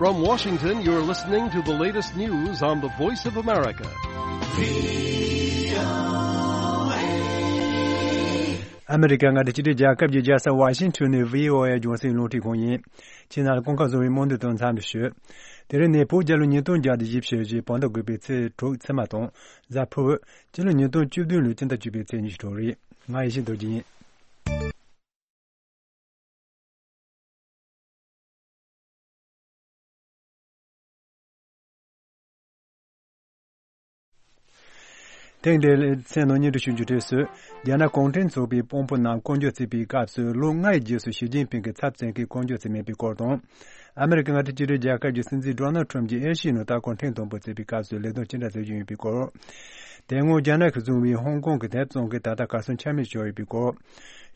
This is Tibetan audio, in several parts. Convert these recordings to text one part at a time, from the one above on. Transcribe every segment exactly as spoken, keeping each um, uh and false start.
From Washington, you're listening to the latest news on the Voice of America. ཨ་མི་རི་ཀ་མངའ་སྡེ་གཅིག་སྒྲིལ་རྒྱལ་ཁབ་ཀྱི་རྒྱལ་ས་ཝ་ཤིང་ཊོན་ནས་བྷི་ཨོ་ཨེ་རྒྱང་སྲིང་རླུང་འཕྲིན་ཁང་ཡིན། ཁྱེད་རྣམས་ལ་གོང་ཁ་བཟོ་བའི་སྨོན་འདུན་དང་འཚམས་འདྲི་ཞུ། དེ་རིང་ནི་བོད་རྒྱལ་ལོ་ཉིས་སྟོང་བརྒྱ་དང་བཞི་བཅུ་ཞེ་བདུན་བར་དགུ་པའི་ཚེས་དྲུག་ཚེས་མ་དང་གཟའ་ཕུར་བུ། སྤྱི་ལོ་ཉིས་སྟོང་བཅུ་བདུན་ལོའི་སྤྱི་ཟླ་བཅུ་པའི་ཚེས་ཉི་ཤུ་རེད། ང་ཡེ་ཤེས་རྡོ་རྗེ་ཡིན། ཐེངས་འདིའི་ལེ་ཚན་ནང་སྙན་སྒྲོན་ཞུ་རྒྱུ་དུས་སུ། རྒྱ་ནག་གུང་ཁྲན་ཚོགས་པའི་དཔོན་པོ་རྣམས་བསྐོ་འཇོག་བྱེད་པའི་སྐབས་སུ་ལོ་ལྔའི་རྗེས་སུ་ཞི་ཅིན་ཕིང་གི་ཚབ་མཚོན་མཁན་བསྐོ་འཇོག་བྱས་མེད་པའི་སྐོར་དང་། ཨ་མི་རི་ཀ་མངའ་སྡེ་གཅིག་སྒྲིལ་རྒྱལ་ཁབ་ཀྱི་སྲིད་འཛིན་ཌོ་ནལ་ཁྲམ་གྱིས་ཨེ་ཤི་ཡའི་ནང་ལྟ་སྐོར་ཐེངས་དང་པོ་བྱས་པའི་སྐབས་སུ་ལས་དོན་ཅི་འདྲ་བྱེད་རྒྱུ་ཡིན་པའི་སྐོར། དེ་སྔོན་རྒྱ་ནག་གིས་བཟུང་བའི་ཧོང་ཀོང་གི་དེབ་བཙོང་མཁན་ད་ལྟ་གར་སོང་ཆ་མེད་བྱས་ཡོད་པའི་སྐོར།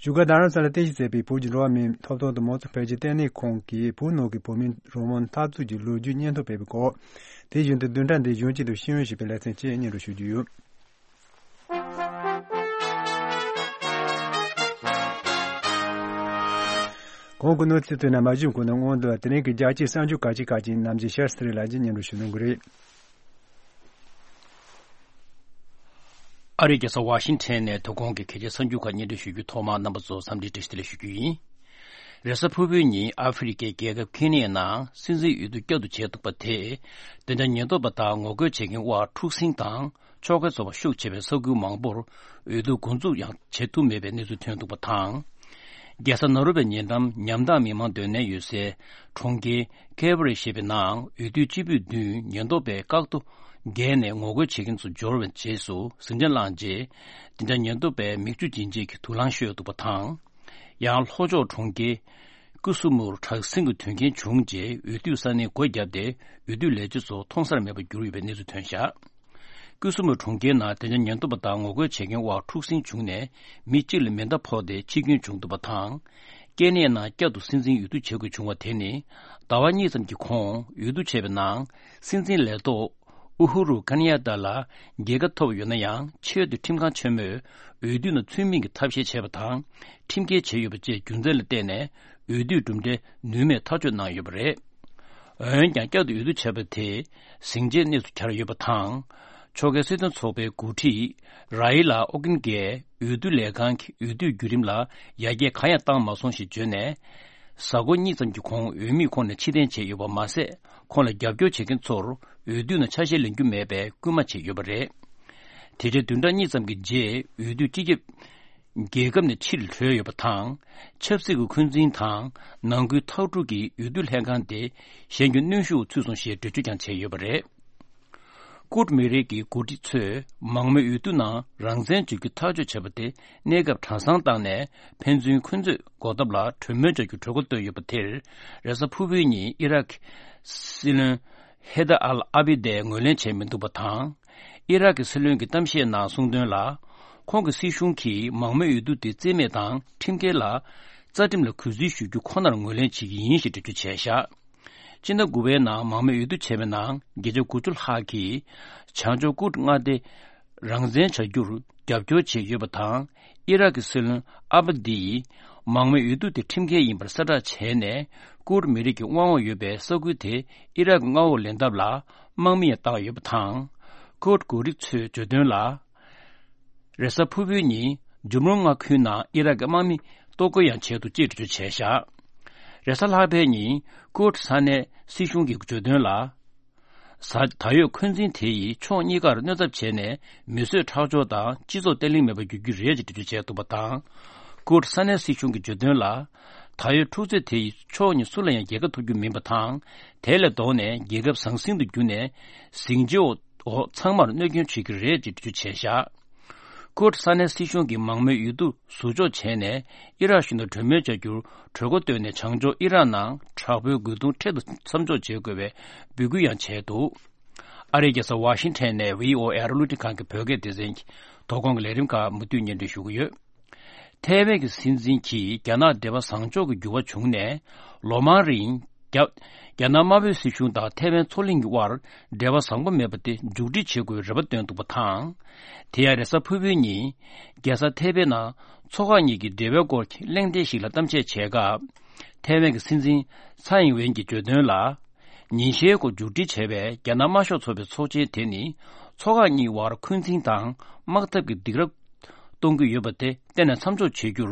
བཞུགས་སྒར་རྡ་རམ་ས་ལར་རྟེན་གཞི་བྱས་པའི་བོད་ཀྱི་འགྲོ་བ་མིའི་ཐོབ་ཐང་དང་མང་གཙོ་འཕེལ་རྒྱས་ལྟེ་གནས་ཁང་གིས་བོད་ནང་གི་བོད་མིའི་རང་དབང་འཐབ་རྩོད་ཀྱི་ལོ་རྒྱུས་སྙན་ཐོ་སྤེལ་བའི་སྐོར། དེ་བཞིན་དུ་བདུན་ཕྲག་འདིའི་གཞོན་སྐྱེས་དང་ཤེས་ཡོན་ཞེས་པའི་ལེ་ཚན་བཅས་སྙན་སྒྲོན་ཞུ་རྒྱུ་ཡོད། གོང་གི་གནས་ཚུལ་ཐོས་ནས་མ་ཞུས་གོང་ནས་སྔོན་དུ་དེ་རིང་གི་རྒྱལ་སྤྱིའི་གསར་འགྱུར་ཁག་ཅིག་ཁག་ཅིག་ནམ་རྒྱུན་ཤར་སི་རི་ལ་ཅིག་སྙན་སྒྲོན་ཞུ་གནང་གི་རེད། ཨ་རིའི་རྒྱལ་ས་ཝ་ཤིང་ཊོན་ནས་དོ་དགོང་གི་གལ་ཆེའི་གསར་འགྱུར་ཁག་སྙན་སྒྲོན་ཞུ་རྒྱུ་ཐོག་མར་རྣམ་པ་ཚོ་འཚམས་འདྲི་བཀྲ་ཤིས་བདེ་ལེགས་ཞུ་རྒྱུ་ཡིན། རེས་གཟའ་ཕུར་བུའི་ཉིན་ཨ་ཧྥེ་རི་ཁའི་རྒྱལ་ཁབ་ཁེ་ནི་ཡའི་ནང་སྲིད་འཛིན་འོས་བསྡུ་བསྐྱར་དུ་བྱས་འདུག་པ་དེས། དེ་འདྲ་ཉེན་རྟོག་པ་དང་ངོ་རྒོལ་བྱེད་མཁན་དབར་འཁྲུག་ཟིང་དང་ཕྱོགས་འགལ་ཚོགས་པ་ཤུགས་ཆེ་བའི་ས་ཁུལ་མང་པོར་འོས་བསྡུ་འགོ་འཛུགས་ཡང་བྱེད་ཐུབ་མེད་པའི་གནས་ཚུལ་ཐོན་འདུག་པ་དང་། རྒྱལ་ས་ནཱ་རོ་པའི་ཉེ་འགྲམ་ཉམ་ཐག་མི་མང་སྡོད་གནས་ཡོད་སའི་གྲོང་ཁྱེར་ཁེ་བ་རི་ཞེས་པའི་ནང་འོས་བསྡུའི་སྤྱི་འཐུས་བདུན་ཉེན་རྟོག་པས་བཀག་རྡོ་བརྒལ་ནས་ངོ་རྒོལ་བྱེད་མཁན་ཚོ་འབྱོར་བའི་རྗེས་སུ་ཟིང་ཆ་བསླངས་རྗེས། དེ་འདྲ་ཉེན་རྟོག་པས་མིག་ཆུ་འབྱིན་བྱེད་ཀྱི་དུག་རླངས་གཞུས་འདུག་པ་དང་། ཡང་ལྷོ་ཕྱོགས་གྲོང་ཁྱེར་ཀུ་སུ་མུར་དྲག་ཟིང་གི་དོན་རྐྱེན་བྱུང་རྗེས་འོས་བསྡུ་ས་གནས་སྒོ་བརྒྱབ་སྟེ་འོས་བསྡུ་ལས་བྱེད་ཚོ་མཐོང་སར་མེད་པར་གྱུར་ཡོད་པའི་གནས་ཚུལ་ཐོན་བཞག་ཀུ་སུ་མུར་གྲོང་ཁྱེར་ནང་དེ་འདྲ་ཉེན་རྟོག་པ་དང་ངོ་རྒོལ་བྱེད་མཁན་དབར་འཁྲུག་ཟིང་བྱུང་ནས་མི་གཅིག་ལ་མེ་མདའ་ཕོག་སྟེ་འཆི་སྐྱོན་བྱུང་འདུག་པ་དང་། ཀེ་ནི་ཡ་ནང་བསྐྱར་དུ་སྲིད་འཛིན་འོས་བསྡུ་བྱེད་དགོས་བྱུང་བ་དེ་ནི་ཟླ་བ་གཉིས་ཙམ་གྱི་གོང་འོས་བསྡུ་བྱས་པའི་ནང་སྲིད་འཛིན་ལས་ཐོག་ཨུ་ཧུ་རུ་ཀན་ཡ་ཏཱ་ལ་རྒྱལ་ཁ་ཐོབ་ཡོད་ན་ཡང་ཆེས་མཐོའི་ཁྲིམས་ཁང་ཆེན་མོས་འོས་བསྡུ་ནང་ཚུལ་མིན་གྱི་ཐབས་ཤེས་བྱས་པ་དང་ཁྲིམས་འགལ་བྱས་ཡོད་པ་བཅས་རྒྱུ་མཚན་ལ་བརྟེན་ནས་འོས་བསྡུའི་གྲུབ་འབྲས་ནུས་མེད་ཐག་གཅོད་གནང་ཡོད་པ་རེད། འོན་ཀྱང་བསྐྱར་དུ་འོས་བསྡུ་བྱས་པ་དེ་ཟིང་ཆའི་གནས་སུ་གྱར་ཡོད་པ་དང་། ཕྱོགས་འགལ་སྲིད་དོན་ཚོགས་པའི་འགོ་ཁྲིད་ར་ཡི་ལ་ཨོ་ཀིན་གྱིས་འོས་བསྡུ་ལས་ཁང་གི་འོས་བསྡུའི་བརྒྱུད་རིམ་ལ་ཡར་རྒྱས་གང་ཡང་བཏང་མ་སོང་ཞེས་བརྗོད་ནས། གཟའ་འཁོར་གཉིས་ཙམ་གྱི་གོང་འོས་མིས་ཁོང་ལ་ཕྱིར་འཐེན་བྱས་ཡོད་པ་མ་ཟད། ཁོང་ལ་རྒྱབ་སྐྱོར་བྱེད་མཁན་ཚོར་འོས་བསྡུ་ནང་ཆ་ཤས་ལེན་རྒྱུ་མེད་པའི་སྐུལ་མ་བྱས་ཡོད་པ་རེད། དེ་རྗེས་བདུན་ཕྲག་གཉིས་ཙམ་གྱི་རྗེས་འོས་བསྡུ་སྤྱི་ཁྱབ་རྒྱལ་ཁབ་ནས་ཕྱིར་ལྷོད་ཡོད་པ་དང་། ཆབ་སྲིད་ཀྱི་འཁོན་འཛིན་དང་ནང་ཁུལ་མཐའ་དཀྲུག་གིས་འོས་བསྡུ་ལྷན་ཁང་དེ་གཞན་གྱི་གནོན་ཤུགས་ཚུད་སོང་ཞེས་འགྲེལ་བརྗོད་ཀྱང་བྱས་ཡོད་པ་རེད། ཀུར་མི་རིགས་ཀྱི་འགོ་ཁྲིད་ཚོས་མང་མོས་འོས་བསྡུ་ནང་རང་བཙན་འཇལ་རྒྱུ་ཐག་གཅོད་བྱས་པ་དེ་གནས་སྐབས་གྲྭ་ཚང་བཏང་ནས་ཕན་ཚུན་འཁོན་རྩོད་འགོག་ཐབས་ལ་གྲོས་མོལ་བྱ་རྒྱུར་གྲོས་འགོ་བཏོན་ཡོད་པ་དེར་རེས་གཟའ་ཕུར་བུའི་ཉིན་ཨི་རག་གི་སྲིད་བློན་ཧེ་ད་ཨལ་ཨ་བི་དས་ངོས་ལེན་བྱས་མི་འདུག་པ་དང་། ཨི་རག་གི་སྲིད་བློན་གྱི་གཏམ་བཤད་ནང་གསུངས་དོན་ལ། ཁོང་གི་སྲིད་གཞུང་གིས་མང་མོས་འོས་བསྡུ་དེ་རྩིས་མེད་དང་ཁྲིམས་འགལ་ལ། རྩ་ཁྲིམས་ལ་གུས་བརྩི་ཞུ་རྒྱུ་ཁོ་ནར་ངོས་ལེན་བྱེད་ཀྱི་ཡིན་ཞེས་འགྲེལ་བརྗོད་བྱས་བཞག་སྤྱི་ཟླ་དགུ་པའི་ནང་མང་མོས་འོས་བསྡུ་བྱས་པའི་ནང་བརྒྱ་ཆ་དགུ་བཅུ་ལྷག་གིས་བྱང་ཕྱོགས་ཀུར་མངའ་སྡེ་རང་བཙན་བྱ་རྒྱུར་རྒྱབ་སྐྱོར་བྱས་ཡོད་པ་དང་། ཨི་རག་གི་སྲིད་བློན་ཨ་བ་དིས་མང་མོས་འོས་བསྡུ་དེ་ཁྲིམས་འགལ་ཡིན་པར་གསལ་བསྒྲགས་བྱས་ནས། ཀུར་མི་རིགས་ཀྱི་དབང་འོག་ཡོད་པའི་ས་ཁུལ་དེ་ཨི་རག་གི་མངའ་འོག་ལེན་ཐབས་ལ་དམག་མི་ཡང་བཏང་ཡོད་པ་དང་། ཀུར་འགོ་ཁྲིད་ཚོས་བརྗོད་དོན་ལ། རེས་གཟའ་ཕུར་བུའི་ཉིན་ཇུམ་རོང་མངའ་ཁུལ་ནང་ཨི་རག་གི་དམག་མི་གཏོར་རྒོལ་ཡང་བྱས་འདུག་ཅེས་འགྲེལ་བརྗོད་བྱས་བཞག་རེས་གཟའ་ལྷག་པའི་ཉིན་ཀུར་ས་གནས་སྲིད་གཞུང་གིས་བརྗོད་དོན་ལ། གཟའ་ད་ཡོད་འཁོན་འཛིན་དེ་ཡིས་ཕྱོགས་གཉིས་ཀར་གནོད་ཚབས་བྱས་ནས་མི་གསོད་ཁྲག་སྦྱོར་དང་སྤྱི་ཚོགས་བརྟན་ལྷིང་མེད་པར་འགྱུར་རྒྱུ་རེད་ཅེས་འགྲེལ་བརྗོད་བྱས་འདུག་པ་དང་། ཀུར་ས་གནས་སྲིད་གཞུང་གིས་བརྗོད་དོན་ལ། ད་ཡོད་འཁྲུག་རྩོད་དེ་ཡིས་ཕྱོགས་གཉིས་སུ་ལ་ཡང་རྒྱལ་ཁ་ཐོབ་རྒྱུ་མིན་པ་དང་། དེ་ལས་ལྡོག་ནས་རྒྱལ་ཁབ་ཟང་ཟིང་དུ་གྱུར་ནས་ཟིང་ཆའི་འོག་འོག་ཚང་མར་གནོད་སྐྱོན་བྱེད་ཀྱི་རེད་ཅེས་འགྲེལ་བརྗོད་བྱས་བཞག་ཀོཊ་ས་གནས་སྲིད་གཞུང་གིས་མང་མོས་འོས་བསྡུ་ཟུར་འཇོག་བྱས་ནས་ཨི་རག་གཞུང་དང་གྲོས་མོལ་བྱ་རྒྱུར་གྲོས་འགོ་བཏོན་ནས་བྱང་ཕྱོགས་ཨི་རག་ནང་དྲག་པོའི་རྒོལ་རྡུང་འཕྲལ་དུ་མཚམས་འཇོག་བྱེད་དགོས་པའི་འབོད་སྐུལ་ཡང་བྱས་འདུག་ཨ་རིའི་རྒྱལ་ས་ཝ་ཤིང་ཊོན་ནས་བྷི་ཨོ་ཨེ་རླུང་འཕྲིན་ཁང་གི་བོད་སྐད་སྡེ་ཚན་གྱི་དོ་དགོང་གི་ལས་རིམ་ཁག་མུ་མཐུད་སྙན་སྒྲོན་ཞུ་གི་ཡོད། ཐའེ་ཝན་གྱི་སྲིད་འཛིན་གྱིས་རྒྱ་ནག་འབྲེལ་བ་བཟང་ཕྱོགས་ཀྱི་འགྱུར་བ་བྱུང་ནས་ལོ་མང་རིང་རྒྱ་རྒྱ་ནག་དམར་པོའི་སྲིད་གཞུང་དང་ཐའེ་ཝན་མཚོ་གླིང་གི་དབར་འབྲེལ་བ་བཟང་པོ་མེད་པ་དེ་མཇུག་སྒྲིལ་བྱེད་དགོས་པའི་རེ་བ་བཏོན་འདུག་པ་དང་། དེ་ཡང་རེས་གཟའ་ཕུར་བུའི་ཉིན་རྒྱལ་ས་ཐའེ་པེ་ནང་མཚོ་ཁག་གཉིས་ཀྱི་འབྲེལ་བའི་སྐོར་གྱི་གླེང་སྟེགས་ཤིག་ལ་གཏམ་བཤད་བྱས་སྐབས། ཐའེ་ཝན་གྱི་སྲིད་འཛིན་ཚའེ་ཨིང་ཝེན་གྱིས་བརྗོད་དོན་ལ། ཉིན་ཤས་འགོར་མཇུག་སྒྲིལ་བྱས་པའི་རྒྱ་ནག་དམར་ཤོག་ཚོགས་པའི་ཚོགས་ཆེན་དེ་ནི། ཚོགས་ཁག་གཉིས་དབར་འཁོན་འཛིན་དང་དམག་འཐབ་ཀྱི་སྡིགས་ར་གཏོང་གི་ཡོད་པ་དེ་གཏན་ནས་མཚམས་འཇོག་བྱེད་རྒྱུར་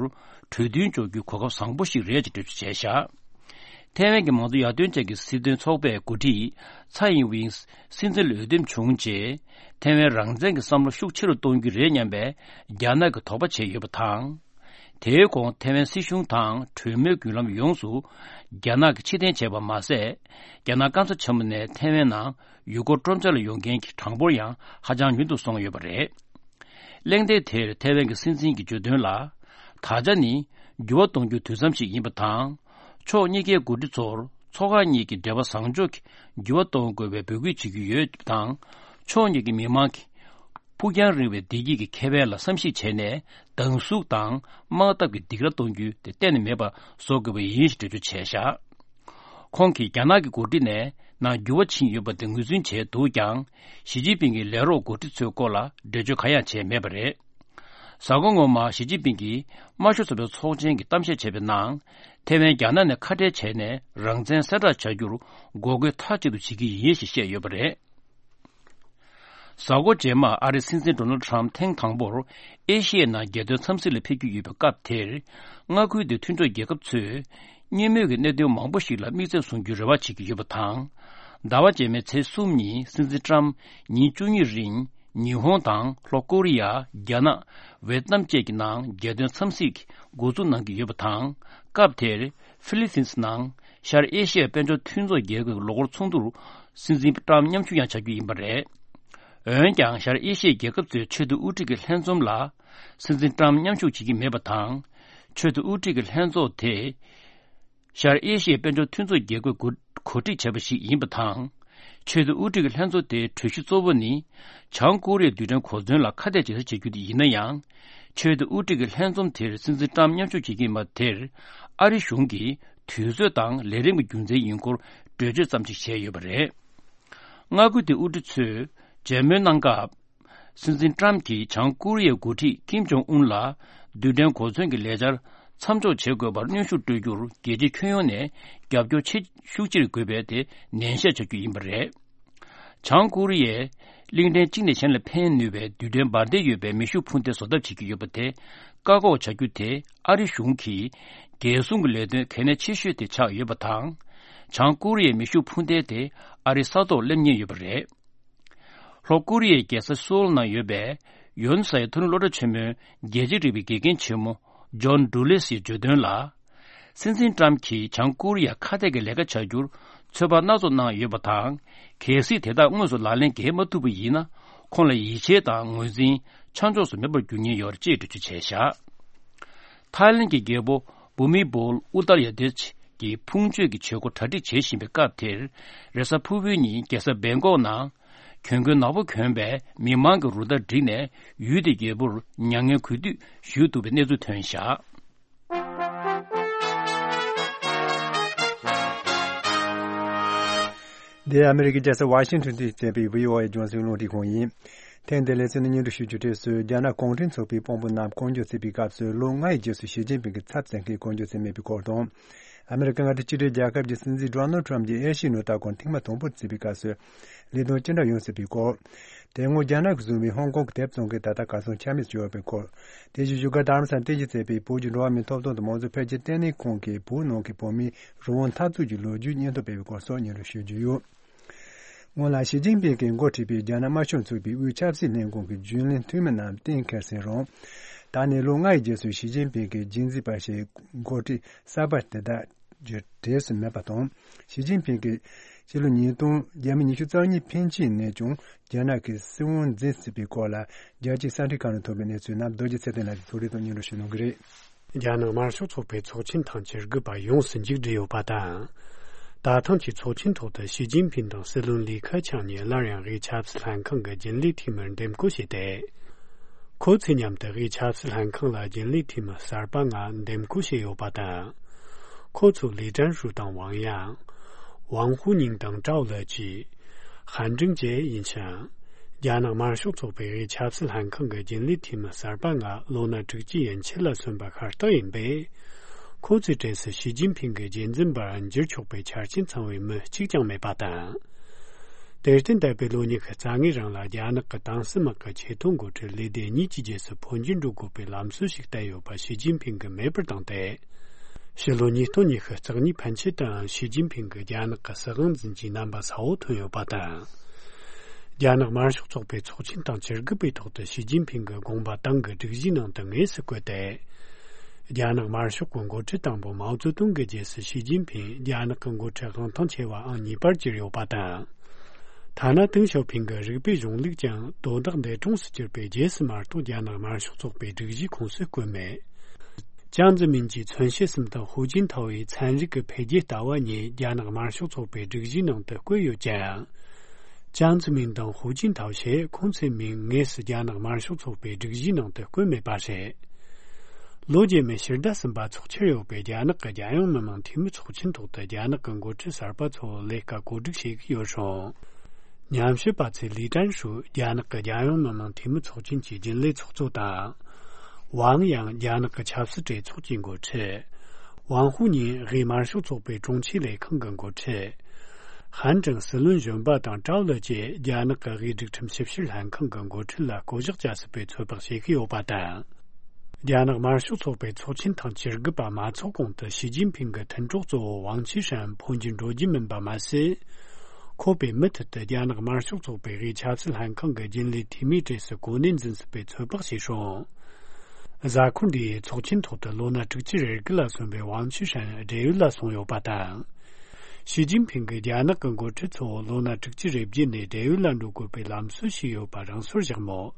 གྲོས་མཐུན་འཇོག་རྒྱུའི་གོ་སྐབས་བཟང་པོ་ཞིག་རེད་ཅེས་འགྲེལ་བརྗོད་བྱས་བཞག་ཐེ་ཝན་གྱི་མང་གཙོ་ཡར་ཐོན་ཅན་གྱི་སྲིད་དོན་ཚོགས་པའི་འགོ་ཁྲིད་ཚའེ་ཡིན་ཝིང་སྲིད་འཛིན་ལ་འོས་འདེམས་བྱུང་རྗེས། ཐེ་ཝན་རང་བཙན་གྱི་བསམ་བློ་ཤུགས་ཆེ་རུ་གཏོང་རྒྱུ་རེད་སྙམ་པའི་རྒྱ་ནག་གི་དོགས་པ་བྱས་ཡོད་པ་དང་། དེའི་གོང་ཐེ་ཝན་སྲིད་གཞུང་དང་གྲོས་མོལ་བརྒྱུད་ལམ་ཡོངས་སུ་རྒྱ་ནག་གིས་ཕྱིར་འཐེན་བྱས་པ་མ་ཟད། རྒྱ་ནག་སྐམ་ས་ཆེན་པོ་ནས་ཐེ་ཝན་ནང་ཡུལ་སྐོར་སྤྲོ་འཆམ་ལ་ཡོང་མཁན་གྱི་གྲངས་འབོར་ཡང་ཧ་ཅང་ཉུང་དུ་སོང་ཡོད་པ་རེད། གླེང་སྟེགས་དེར་ཐེ་ཝན་གྱི་སྲིད་འཛིན་གྱིས་བརྗོད་དོན་ལ། ད་ཆ་ནི་འགྱུར་བ་གཏོང་རྒྱུའི་དུས་མཚམས་ཤིག་ཡིན་པ་དང་། ཕྱོགས་གཉིས་ཀའི་འགོ་ཁྲིད་ཚོར་ཚོགས་ཁག་གཉིས་ཀྱི་འབྲེལ་བ་བཟང་ཕྱོགས་ཀྱི་འགྱུར་བ་གཏོང་དགོས་པའི་འབོད་སྐུལ་བྱེད་ཀྱི་ཡོད་པ་དང་། ཕྱོགས་གཉིས་ཀྱི་མི་མང་གིས་ཕུགས་རྒྱང་རིང་བའི་བདེ་སྐྱིད་ཀྱི་ཁེ་ཕན་ལ་བསམ་གཞིག་བྱས་ནས། སྡང་ཟུག་དང་དམག་འཐབ་ཀྱི་སྡིགས་ར་གཏོང་རྒྱུ་དེ་གཏན་ནས་མེད་པ་བཟོ་དགོས་པ་ཡིན་ཞེས་འགྲེལ་བརྗོད་བྱས་བཞག་ཁོང་གིས་རྒྱ་ནག་གི་འགོ་ཁྲིད་ནས་ནང་འགྱུར་བ་ཕྱིན་ཡོད་པ་དེ་ངོས་འཛིན་བྱས་འདུག་ཀྱང་། ཞི་ཅིན་ཕིང་གི་ལས་རོགས་འགོ་ཁྲིད་ཚོའི་སྐོར་ལ་འགྲེལ་བརྗོད་གང་ཡང་བྱས་མེད་པ་རེད། གཟའ་འཁོར་སྔོན་མ་ཞི་ཅིན་ཕིང་གིས་དམར་ཤོག་ཚོགས་པའི་ཚོགས་ཆེན་གྱི་གཏམ་བཤད་བྱས་པའི་ནང་། ཐེ་ཝན་རྒྱ་ནག་ནས་ཁ་བྲལ་བྱས་ནས་རང་བཙན་གསལ་བསྒྲགས་བྱ་རྒྱུར་འགོག་རྒོལ་མཐའ་གཅིག་ཏུ་བྱེད་ཀྱི་ཡིན་ཞེས་བཤད་ཡོད་པ་རེད། གཟའ་འཁོར་རྗེས་མར་ཨ་རིའི་སྲིད་འཛིན་ཌོ་ནལ་ཌི་ཊརམ་ཕུ་ཐེངས་དང་པོར་ཨེ་ཤི་ཡའི་ནང་རྒྱལ་དོན་འཚམས་གཟིགས་ལ་ཕེབས་ཀྱི་ཡོད་པའི་སྐབས་དེར། མངའ་ཁུལ་དེའི་མཐུན་གྲོགས་རྒྱལ་ཁབ་ཚོས་གཉིས་མོས་ཀྱི་གནད་དོན་མང་པོ་ཞིག་ལ་དམིགས་བསལ་བཟུང་རྒྱུའི་རེ་བ་བྱེད་ཀྱི་ཡོད་པ་དང་། ཟླ་བ་རྗེས་མའི་ཚེས་གསུམ་ཉིན་སྲིད་འཛིན་ཊརམ་ཉིན་བཅུ་གཉིས་རིང་ཉི་ཧོང་དང་ལྷོ་ཀོ་རི་ཡ། རྒྱ་ནག། ཝེ་ཏི་ནམ་བཅས་ཀྱི་ནང་རྒྱལ་དོན་འཚམས་གཟིགས་འགོ་འཛུགས་གནང་གི་ཡོད་པ་དང་། སྐབས་དེར་ཧྥི་ལི་ཕིན་སི་ནང་ཤར་ཨེ་ཤི་ཡའི་དཔལ་འབྱོར་མཐུན་ཚོགས་རྒྱལ་ཁབ་ཀྱི་ལོ་འཁོར་ཚོགས་འདུར་སྲིད་འཛིན་ཊརམ་མཉམ་ཞུགས་ཡང་བྱ་རྒྱུ་ཡིན་པ་རེད། འོན་ཀྱང་ཤར་ཨེ་ཤི་ཡའི་རྒྱལ་ཁབ་ཚོའི་ཆེས་མཐོའི་དབུ་ཁྲིད་ཀྱི་ལྷན་འཛོམས་ལ་སྲིད་འཛིན་ཊརམ་མཉམ་ཞུགས་བྱེད་ཀྱི་མེད་པ་དང་། ཆེས་མཐོའི་དབུ་ཁྲིད་ཀྱི་ལྷན་ཚོགས་དེ་ཤར་ཨེ་ཤི་ཡའི་དཔལ་འབྱོར་མཐུན་ཚོགས་རྒྱལ་ཁབ་གོ་གོ་སྒྲིག་བྱས་པ་ཞིག་ཡིན་པ་དང་། ཆེས་མཐོའི་དབུ་ཁྲིད་ཀྱི་ལྷན་ཚོགས་དེའི་གྲོས་གཞི་གཙོ་བོ་ནི། བྱང་ཀོ་རི་ཡའི་རྡུལ་ཕྲན་གོ་མཚོན་ལ་ཁ་གཏད་བྱེད་ས་བྱེད་རྒྱུ་དེ་ཡིན་ན་ཡང་། ཆེས་མཐོའི་དབུ་ཁྲིད་ཀྱི་ལྷན་འཛོམས་དེར་སྲིད་འཛིན་ཊརམ་མཉམ་ཞུགས་བྱེད་ཀྱི་ཡིན་པ་དེར། ཨ་རི་གཞུང་གིས་དུས་ཚོད་དང་ལས་རིམ་གྱི་རྒྱུ་མཚན་ཡིན་སྐོར་འགྲེལ་བརྗོད་ཙམ་ཞིག་བྱས་ཡོད་པ་རེད། མངའ་ཁུལ་དེའི་དབུ་ཁྲིད་ཚོས་མཇལ་མོལ་གནང་སྐབས། སྲིད་འཛིན་ཊརམ་གྱིས་བྱང་ཀོ་རི་ཡའི་འགོ་ཁྲིད་ཀིམ་ཇོང་ཨུན་ལ་རྡུལ་ཕྲན་གོ་མཚོན་གྱི་ལས་འཆར་མཚམས་འཇོག་བྱེད་དགོས་པར་གནོན་ཤུགས་སྤྲོད་རྒྱུར་རྒྱལ་སྤྱིའི་ཁྱོན་ཡོངས་ནས་རྒྱབ་སྐྱོར་ཆེ་ཤུགས་ཆེར་དགོས་པའི་དེ་ནན་བཤད་བྱ་རྒྱུ་ཡིན་པ་རེད། བྱང་ཀོ་རི་ཡས་གླིང་ཕྲན་གཅིག་ནས་གཞན་ལ་ཕན་ནུས་པའི་རྡུལ་ཕྲན་འབར་མདེལ་ཡོད་པའི་མེ་ཤུགས་འཕུར་མདེལ་བཟོ་ཐབས་བྱེད་ཀྱི་ཡོད་པ་དེ་བཀག་འགོག་བྱ་རྒྱུ་དེ་ཨ་རི་གཞུང་གི་རྒྱལ་སྲུང་གི་ལས་དོན་གལ་གནད་ཆེ་ཤོས་དེ་ཆགས་ཡོད་པ་དང་། བྱང་ཀོ་རི་ཡའི་མེ་ཤུགས་འཕུར་མདེལ་དེ་ཨ་རིའི་ས་ཐོག་སླེབས་ཉེན་ཡོད་པ་རེད། ལྷོ་ཀོ་རི་ཡའི་རྒྱལ་ས་སོའུལ་ནང་ཡོད་པའི་ཡོན་སའི་མཐོ་རིམ་སློབ་གྲྭ་ཆེན་མོའི་རྒྱལ་སྤྱིའི་རིག་པའི་དགེ་རྒན་ཆེན་མོ་ཇོན་ཌུ་ལེ་སིས་བརྗོད་དོན་ལ། སྲིད་འཛིན་ཀྲམ་གྱིས་བྱང་ཀོ་རི་ཡ་ཁ་གཏད་ཀྱི་ལས་ཀ་བྱ་རྒྱུར་ཚོད་དཔག་སྣ་ཚོགས་གནང་ཡོད་པ་དང་། གལ་སྲིད་དེ་དག་དངོས་སུ་ལག་ལེན་འགེལ་མ་ཐུབ་པ་ཡིན་ན། ཁོང་ལ་ཡིད་ཆེས་དང་ངོས་འཛིན་ཆ་འཇོག་སུ་མེད་པར་འགྱུར་ཉེན་ཡོད་ཅེས་འགྲེལ་བརྗོད་བྱས་བཞག་ཐའི་ལེན་གྱི་རྒྱལ་པོ་བྷུ་མི་བོལ་ཨུ་ཏར་ཡ་དེ་ཆི་གི་ཕུང་མཆོད་ཀྱི་བྱེད་སྒོ་གྲ་སྒྲིག་བྱེད་བཞིན་པའི་སྐབས་དེར། རེས་གཟའ་ཕུར་བུའི་ཉིན་རྒྱལ་ས་བེང་ཀོག་ནང་གྱོན་གོས་ནག་པོ་གྱོན་པའི་མི་མང་གི་རུ་སྟར་བསྒྲིགས་ནས་ཡུལ་དེའི་རྒྱལ་པོར་མྱ་ངན་གུས་འདུད་ཞུས་འདུག་པའི་གནས་ཚུལ་ཐོན་བཞག་འདི་ཨ་མི་རི་ཀའི་རྒྱལ་ས་ཝ་ཤིང་ཊོན་དུ་བྱས་པའི་བྷི་ཨོ་ཨེ་རྒྱང་སྲིང་རླུང་འཕྲིན་ཁང་ཡིན། ཐེངས་འདིའི་ལེ་ཚན་ནི་སྙན་སྒྲོན་ཞུ་རྒྱུ་དེ་སོ་སོའི་རྒྱ་ནག་གུང་ཁྲན་ཚོགས་པའི་དཔོན་པོ་རྣམས་བསྐོ་འཇོག་བྱས་པའི་སྐབས་སུ་ལོ་ལྔ་ཡི་རྗེས་སུ་ཞི་ཅིན་ཕིང་གི་ཚབ་མཚོན་མཁན་བསྐོ་འཇོག་བྱས་མེད་པའི་སྐོར་དང་། ཨ་མི་རི་ཀ་མངའ་སྡེ་གཅིག་སྒྲིལ་རྒྱལ་ཁབ་ཀྱི་སྲིད་འཛིན་ཌོ་ནལ་ཊམ་གྱིས་ཨེ་ཤི་ཡའི་ནང་ལྟ་སྐོར་ཐེངས་མ་དང་པོར་བརྩིས་པའི་སྐབས་སུ་ལས་དོན་ཅི་འདྲ་ཡོང་སྲིད་པའི་སྐོར། དེ་སྔོན་རྒྱ་ནག་གིས་བཟུང་བའི་ཧོང་ཀོང་གི་དེབ་བཙོང་མཁན་ད་ལྟ་གར་སོང་ཆ་མེད་བྱུང་ཡོད་པའི་སྐོར། དེ་བཞིན་བཞུགས་སྒར་རྡ་རམ་ས་ལར་རྟེན་གཞི་བྱས་པའི་བོད་ཀྱི་འགྲོ་བ་མིའི་ཐོབ་ཐང་དང་མང་གཙོ་འཕེལ་རྒྱས་ལྟེ་གནས་ཁང་གིས་བོད་ནང་གི་བོད་མིའི་རང་དབང་འཐབ་རྩོད་ཀྱི་ལོ་རྒྱུས་སྙན་ཐོ་སྤེལ་བའི་སྐོར་སོགས་སྙན་སྒྲོན་ཞུ་རྒྱུ་ཡོད། སྔོན་ལ་ཞི་ཅིན་ཕིང་གིས་འགོ་ཁྲིད་པའི་རྒྱ་ནག་དམར་ཤོག་ཚོགས་པའི་དབུས་ཆབ་སྲིད་ལྷན་ཁང་གི་རྒྱུན་ལས་འཐུས་མི་རྣམས་གཏན་འཁེལ་ཟིན་རུང་། ད་ནས་ལོ་ལྔ་ཡི་རྗེས་སུ་ཞི་ཅིན་ཕིང་གི་རྗེས་འཛིན་པ་ཞིག་འགོ་ཁྲིད་གསར་པ་དེ་དག་གི་གྲས་སུ་མེད་པ་དང་། ཞི་ཅིན་ཕིང་གིས་ཕྱི་ལོ་ཉིས་སྟོང་ཉི་ཤུ་རྩ་གཉིས་ཕན་ཆད་ནས་ཀྱང་རྒྱ་ནག་གི་སྲིད་དབང་འཛིན་སྲིད་པའི་སྐོར་ལ་རྒྱལ་སྤྱིའི་གསར་འགྱུར་ཁང་ནས་ཐོན་པའི་གནས་ཚུལ་རྣམས་རྡོ་རྗེ་ཚེ་བརྟན་ལགས་ཀྱིས་ཕྱོགས་སྒྲིག་དང་སྙན་སྒྲོན་ཞུ་གནང་གི་རེད། རྒྱ་ནག་དམར་ཤོག་ཚོགས་པའི་ཚོགས་ཆེན་ཐེངས་བཅུ་དགུ་པ་ཡོངས་སུ་མཇུག་བསྒྲིལ་ཡོད་པ་དང་། ད་ཐེངས་ཀྱི་ཚོགས་ཆེན་ཐོག་ཏུ་ཞི་ཅིན་ཕིང་དང་སྲིད་བློན་ལི་ཁེ་ཆང་གཉིས་སླར་ཡང་དབུས་ཆབ་སྲིད་ལྷན་ཁང་གི་རྒྱུན་ལས་འཐུས་མིར་འདེམས་བསྐོ་བྱས་ཏེ། ཁོ་ཚོས་མཉམ་དུ་དབུས་ཆབ་སྲིད་ལྷན་ཁང་ལ་རྒྱུན་ལས་འཐུས་མི་གསར་པ་ལྔ་འདེམས་བསྐོ་བྱས་ཡོད་པ་དང་། ཁོ་ཚོ་ལི་ཀྲན་ཧྲུའུ་དང་ཝང་དབྱང་། ཝང་ཧུའུ་ཉིང་དང་ཀྲའོ་ལེ་ཅི། ཧན་ཀྲིང་ཅེ་ཡིན་ཞིང་། རྒྱ་ནག་དམར་ཤོག་ཚོགས་པའི་དབུས་ཆབ་སྲིད་ལྷན་ཁང་གི་རྒྱུན་ལས་འཐུས་མི་གསར་པ་ལྔ་ལོ་ན་དྲུག་ཅུ་ཡན་ཆད་ལ་སོན་པ་ཤ་སྟག་ཡིན་པས། ཁོ་ཚོའི་གྲས་སུ་ཞི་ཅིན་ཕིང་གི་རྒྱུན་འཛིན་པར་འགྱུར་ཆོག་པའི་ཆ་རྐྱེན་ཚང་བའི་མི་གཅིག་ཀྱང་མེད་པ་དང་། དེར་བརྟེན། འདས་པའི་ལོ་ཉི་ཤུ་རྩ་ལྔའི་རིང་ལ་རྒྱ་ནག་གི་ཏང་སྲིད་དམག་གི་ཆེས་མཐོའི་འགོ་ཁྲིད་ལས་སྡེ་གཉིས་ཀྱི་རྗེས་སུ་འཕོ་འགྱུར་འགྲོ་དགོས་པའི་ལམ་སྲོལ་ཞིག་བསྟན་ཡོད་པ་ཞི་ཅིན་ཕིང་གིས་མེད་པར་བཏང་སྟེ། ཕྱི་ལོ་ཉིས་སྟོང་ཉི་ཤུ་རྩ་གཉིས་ཕན་ཆད་དུའང་ཞི་ཅིན་ཕིང་གིས་རྒྱ་ནག་གི་སྲིད་དབང་འཛིན་གྱི་རྣམ་པ་གསལ་བོ་ཐོན་ཡོད་པ་དང་། རྒྱ་ནག་དམར་ཤོག་ཚོགས་པའི་ཚོགས་ཆེན་དང་བཅར་དགོས་པའི་ཐོག་ཏུ་ཞི་ཅིན་ཕིང་གི་དགོངས་པ་ཏང་གི་སྒྲིག་གཞིའི་ནང་དུ་དངོས་སུ་བཀོད་དེ། རྒྱ་ནག་དམར་ཤོག་གི་འགོ་ཁྲིད་དང་པོ་མའོ་ཙེ་ཏུང་གི་རྗེས་སུ་ཞི་ཅིན་ཕིང་རྒྱ་ནག་གི་འགོ་ཁྲིད་དབང་ཐང་ཆེ་བ་ཨང་གཉིས་པར་གྱུར་ཡོད་པ་དང་། ཐ་ན་ཏེང་ཞའོ་ཕིང་གི་རིགས་པའི་གཞུང་ལུགས་ཀྱང་དོ་བདག་འདས་གྲོངས་སུ་གྱུར་པའི་རྗེས་སུ་མ་གཏོགས་རྒྱ་ནག་དམར་ཤོག་ཚོགས་པའི་སྒྲིག་གཞིའི་ཁོངས་སུ་བཀོད་མེད། ཅང་ཙེ་མིན་གྱི་མཚོན་བྱེད་གསུམ་དང་ཧུའུ་ཅིན་ཐའོ་ཡི་ཚན་རིག་གི་འཕེལ་རྒྱས་ལྟ་བ་གཉིས་རྒྱ་ནག་དམར་ཤོག་ཚོགས་པའི་སྒྲིག་གཞིའི་ནང་དུ་བཀོད་ཡོད་ཀྱང་། ཅང་ཙེ་མིན་དང་ཧུའུ་ཅིན་ཐའོ་ཞེས་ཁོང་ཚོའི་མིང་དངོས་སུ་རྒྱ་ནག་དམར་ཤོག་ཚོགས་པའི་སྒྲིག་གཞིའི་ནང་དུ་བཀོད་མེད་པ་རེད། ལོ་རྗེས་མའི་ཕྱི་ཟླ་གསུམ་པ་ཚོགས་འཆར་ཡོད་པའི་རྒྱ་ནག་གི་རྒྱལ་ཡོངས་མི་དམངས་འཐུས་མི་ཚོགས་ཆེན་ཐོག་ཏུ་རྒྱ་ནག་གི་འགོ་ཁྲིད་གསར་པ་ཚོ་ལས་ཀ་གོ་སྒྲིག་བྱེད་ཀྱི་ཡོད་རུང་། ཉམས་ཞིབ་པ་ཚོས་ལི་ཀྲན་ཧྲུའུ་རྒྱ་ནག་གི་རྒྱལ་ཡོངས་མི་དམངས་འཐུས་མི་ཚོགས་ཆེན་གྱི་རྒྱུན་ལས་ཚོགས་གཙོ་དང་། ཝང་ཡང་རྒྱ་ནག་གི་ཆབ་སྲིད་གྲོས་ཚོགས་ཀྱི་འགོ་ཁྲིད། ཝང་ཧུའུ་ཉིན་དབུས་དམར་ཤོག་ཚོགས་པའི་དྲུང་ཆེ་ལས་ཁང་གི་འགོ་ཁྲིད། ཧན་ཀྲང་སྲིད་བློན་གཞོན་པ་དང་ཀྲའོ་ལི་ཅེས་རྒྱ་ནག་གི་དབུས་སྒྲིག་ཁྲིམས་ཞིབ་བཤེར་ལྷན་ཁང་གི་འགོ་ཁྲིད་ལ་བསྐོ་གཞག་བྱ་སྲིད་པའི་ཚོད་དཔག་བྱེད་ཀྱི་ཡོད་པ་དང་། རྒྱ་ནག་དམར་ཤོག་ཚོགས་པའི་ཚོགས་ཆེན་ཐེངས་བཅུ་དགུ་པ་མ་འཚོགས་གོང་དུ་ཞི་ཅིན་ཕིང་གི་མཐུན་གྲོགས་གཙོ་བོ་ཝང་ཆི་ཧྲན་འཕོ་འགྱུར་འགྲོ་རྒྱུ་མིན་པ་མ་ཟད། ཁོ་པས་མུ་མཐུད་དུ་རྒྱ་ནག་དམར་ཤོག་ཚོགས་པའི་དབུས་ཆབ་སྲིད་ལྷན་ཁང་གི་རྒྱུན་ལས་འཐུས་མིའི་གྲས་སུ་གོ་གནས་འཛིན་སྲིད་པའི་ཚོད་དཔག་བྱས་སོང་། གཟའ་འཁོར་འདིའི་ཚོགས་ཆེན་ཐོག་ཏུ་ལོ་ན་དྲུག་ཅུ་རེ་དགུ་ལ་སོན་པའི་ཝང་ཆི་ཧྲན་བགྲེས་ཡོལ་ལ་སོང་ཡོད་པ་དང་། ཞི་ཅིན་ཕིང་གིས་རྒྱ་ནག་གི་འགོ་ཁྲིད་ཚོ་ལོ་ན་དྲུག་ཅུ་རེ་བརྒྱད་ནས་བགྲེས་ཡོལ་ལ་འགྲོ་དགོས་པའི་ལམ་སྲོལ་ཞིག་ཡོད་པ་རང་སོར་བཞག་མོད།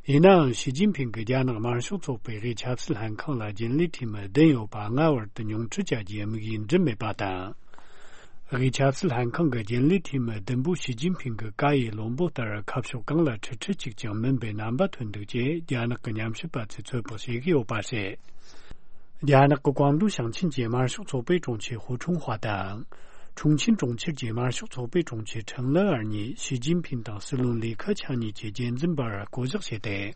ཡིན་ནའང་ཞི་ཅིན་ཕིང་གིས་རྒྱ་ནག་དམར་ཤོག་ཚོགས་པའི་དབུས་ཆབ་སྲིད་ལྷན་ཁང་ལ་རྒྱུན་ལས་འཐུས་མི་བདུན་ཡོད་པ་སྔ་བར་དུ་ཉུང་འཕྲི་བྱ་རྒྱུའི་དམིགས་ཡུལ་འགྲུབ་མེད་པ་དང་། དབུས་ཆབ་སྲིད་ལྷན་ཁང་གི་རྒྱུན་ལས་འཐུས་མི་བདུན་པོ་ཞི་ཅིན་ཕིང་གི་བཀའ་ཡི་བློན་པོ་ལྟར་ཁ་ཕྱོགས་གང་ལ་ཁྲིད་ཁྲིད་ཅིག་ཀྱང་མིན་པའི་རྣམ་པ་ཐོན་འདུག་ཅེས་རྒྱ་ནག་གི་ཉམས་ཞིབ་པ་ཚོས་ཚོད་དཔག་བྱེད་ཀྱི་ཡོད་པ་རེད། རྒྱ་ནག་གི་ཀོང་ཏུང་ཞིང་ཆེན་གྱི་དམར་ཤོག་ཚོགས་པའི་དྲུང་ཆེ་ཧུ་ཁྲུང་ཧྭ་དང་། ཁྲུང་ཆིན་གྲོང་ཁྱེར་གྱི་དམར་ཤོག་ཚོགས་པའི་དྲུང་ཆེ་ཁྲེན་ལི་ཨར་གཉིས་ཞི་ཅིན་ཕིང་དང་སྲིད་བློན་ལི་ཁེ་ཆང་གཉིས་ཀྱི་རྒྱུན་འཛིན་པར་བསྐོ་གཞག་བྱས་ཏེ།